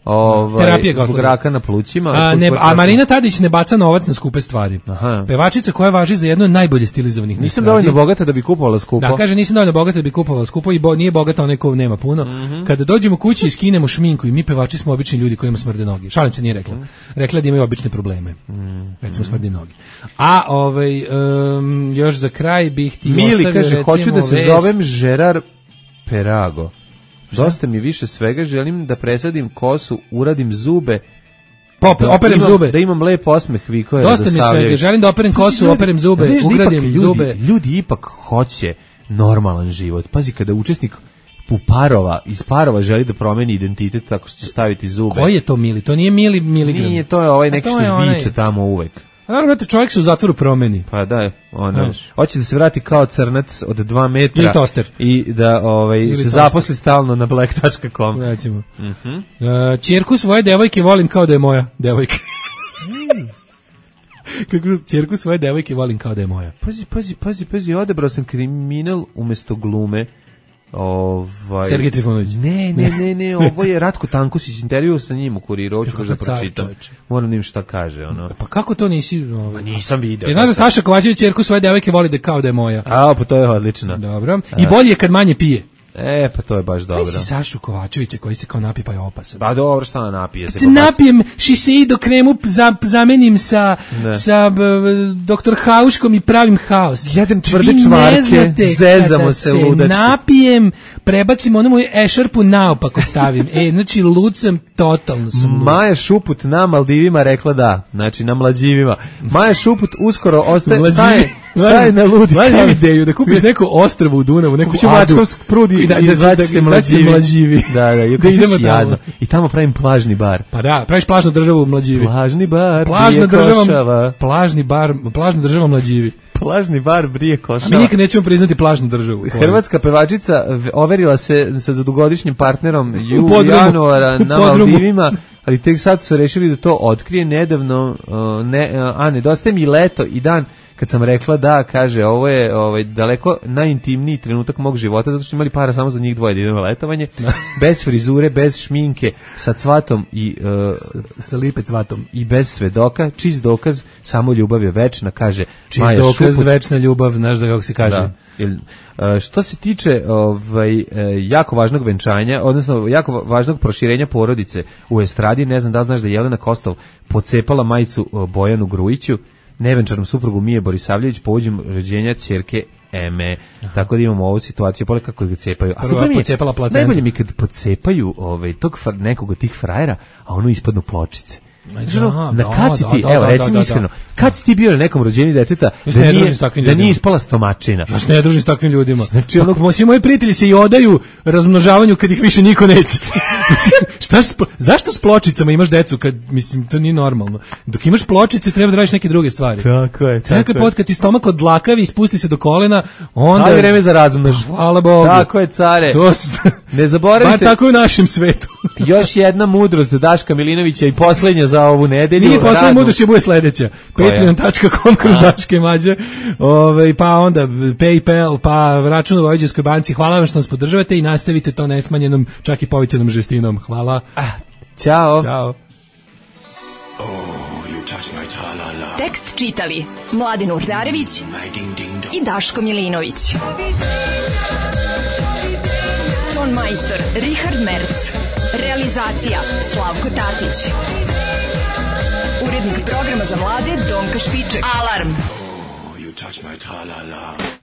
Ovaj, zbog raka na plućima. A, ne, a Marina Tadić ne baca novac na skupe stvari. Aha. Pevačica koja važi za jednu od najbolje stilizovanih. Nisam dovoljno bogata da bi kupovala skupo. Da, kaže nisam dovoljno bogata da bi kupovala skupo i bo, nije bogata onaj ko nema puno. Mm-hmm. Kada dođemo kući i skinemo šminku i mi pevači smo obični ljudi koji imamo smrde noge. Šalim se, nije rekla. Rekla da imaju obične probleme. Mm-hmm. Recimo smrde noge. A ovaj um, još za kraj bih ti Mili ostavio, kaže, recimo, hoću da se vest. zovem Gerard Perago. Dosta mi više svega, želim da presadim kosu, uradim zube, Pop, da operem imam, zube. Da imam lep osmeh, Viko je Dosta mi svega, želim da operem kosu, ljudi, operem zube, da ugradim ljudi, zube. Ljudi ipak hoće normalan život. Pazi, kada učesnik u parova, iz parova želi da promeni identitet tako što će staviti zube. Koji je to Mili? To nije Mili Miligram. Nije, to je ovaj neki što zviče onaj... tamo uvek. Naravno, čovjek se u zatvoru promeni. Pa da, ono, hoće da se vrati kao crnac od dva metra. Ili toster. I da ovaj, Ili se toster. zaposli stalno na black dot com. Recimo. Uh-huh. Uh, ćerku svoje devojke volim kao da je moja devojka. Kako ćerku svoje devojke volim kao da je moja. Pazi, pazi, pazi, pazi, odebrao sam kriminal umjesto glume. Ovaj Sergej Trifunović. Ne, ne, ne, ne, ovo je Ratko Tankusić, intervju sa njim u Kuriru, hoću da pročitam. Moram da im šta kaže, ono. Pa kako to nisi, ovaj? Pa nisam video. Ja znaš da Saša Kovačević ćerku svoje devojke voli da kao da je moja. A, pa to je odlično. Dobro. I bolje je kad manje pije. E, pa to je baš dobro. Kaj si Sašu Kovačevića koji se kao napije pa je opasan? Pa dobro, šta napije se? Kad se napijem šiseido kremu za, zamenim sa, sa b, doktor Hauškom i pravim haos. Jedem tvrde čvarke, zezamo se ludački. Napijem, prebacim onu moju ešarpu naopako stavim. E, znači lud sam, totalno sam lud. Maja Šuput na Maldivima rekla da, znači na Mlađivima. Maja Šuput uskoro ostaje, staje, staje na ludi. Mlađim ideju da kupiš neko ostrvo u Dunavu, neku adu. Prudi, I da, i da, da, da se mlađivi. mlađivi. Da, da, i, da idemo tamo. I tamo pravim plažni bar. Pa da, praviš plažnu državu u Mlađivi. Plažni bar, Plažna Brije država, Košava. Plažni bar, plažna država Mlađivi. Plažni bar Brije Košava. A mi nikad nećemo priznati plažnu državu. Hrvatska pevačica overila se sa dugogodišnjim partnerom ju januara na Maldivima, ali tek sad su rešili da to otkrije nedavno, uh, ne, uh, a nedostaje mi leto i dan kad sam rekla da, kaže, ovo je ovaj, daleko najintimniji trenutak mog života, zato što imali para samo za njih dvoje da idemo na letovanje, bez frizure, bez šminke, sa cvatom i uh, sa, sa lipe cvatom i bez svedoka, čist dokaz, samo ljubav je večna, kaže čist Maja dokaz, Šuput. Večna ljubav, znaš da kako se kaže. Da. Što se tiče ovaj, jako važnog venčanja, odnosno jako važnog proširenja porodice u estradi, ne znam da znaš da je Jelena Kostov pocepala majicu Bojanu Grujiću, nevenčanom suprugu Mije Borisavljević, povođem rođenja ćerke Eme. Aha. Tako da imamo ovu situaciju, pole kako ga cepaju. A super mi je, najbolje mi kad pocepaju ovaj, tog nekog od tih frajera, a ono ispadnu pločice. Da, na kaciti, evo, recimo iskreno, Kad si ti bio na nekom rođenju deteta Ja da se ne nije, družim s takvim da ljudima. nije ispala stomačina? Ja se ne družim s takvim ljudima. Znači, ono- Pa, svi moji prijatelji se i odaju razmnožavanju kad ih više niko neće. Mislim, šta s, zašto s pločicama imaš decu kad, mislim, to nije normalno. Dok imaš pločice treba da radiš neke druge stvari. Tako je, tako Tako je. pod kad ti stomak odlakavi i spusti se do kolena, onda... Ali vreme za razmnož. Hvala Bogu. Tako je, care. To su... Ne zaboravite. Bar tako je u našem svetu. Još jedna mudrost Daška Milinovića i poslednja za ovu nedelju. Nije poslednja radnu. mudrost, je bude sledeća. Koja? patreon tačka com kroz Daške Mlađe. Ove, pa onda PayPal, pa račun u Vojvođanskoj banci. Hvala vam što nas podržavate i nastavite to nesmanjenom, čak i povećanom žestinom. Hvala. Ćao. Ćao. Tekst čitali Mladin Urdarević i Daško Milinović. Ton majstor Richard Merc. Realizacija Slavko Tatić. Urednik programa za mlade Donka Špiček. Alarm! You touch my tra-la-la.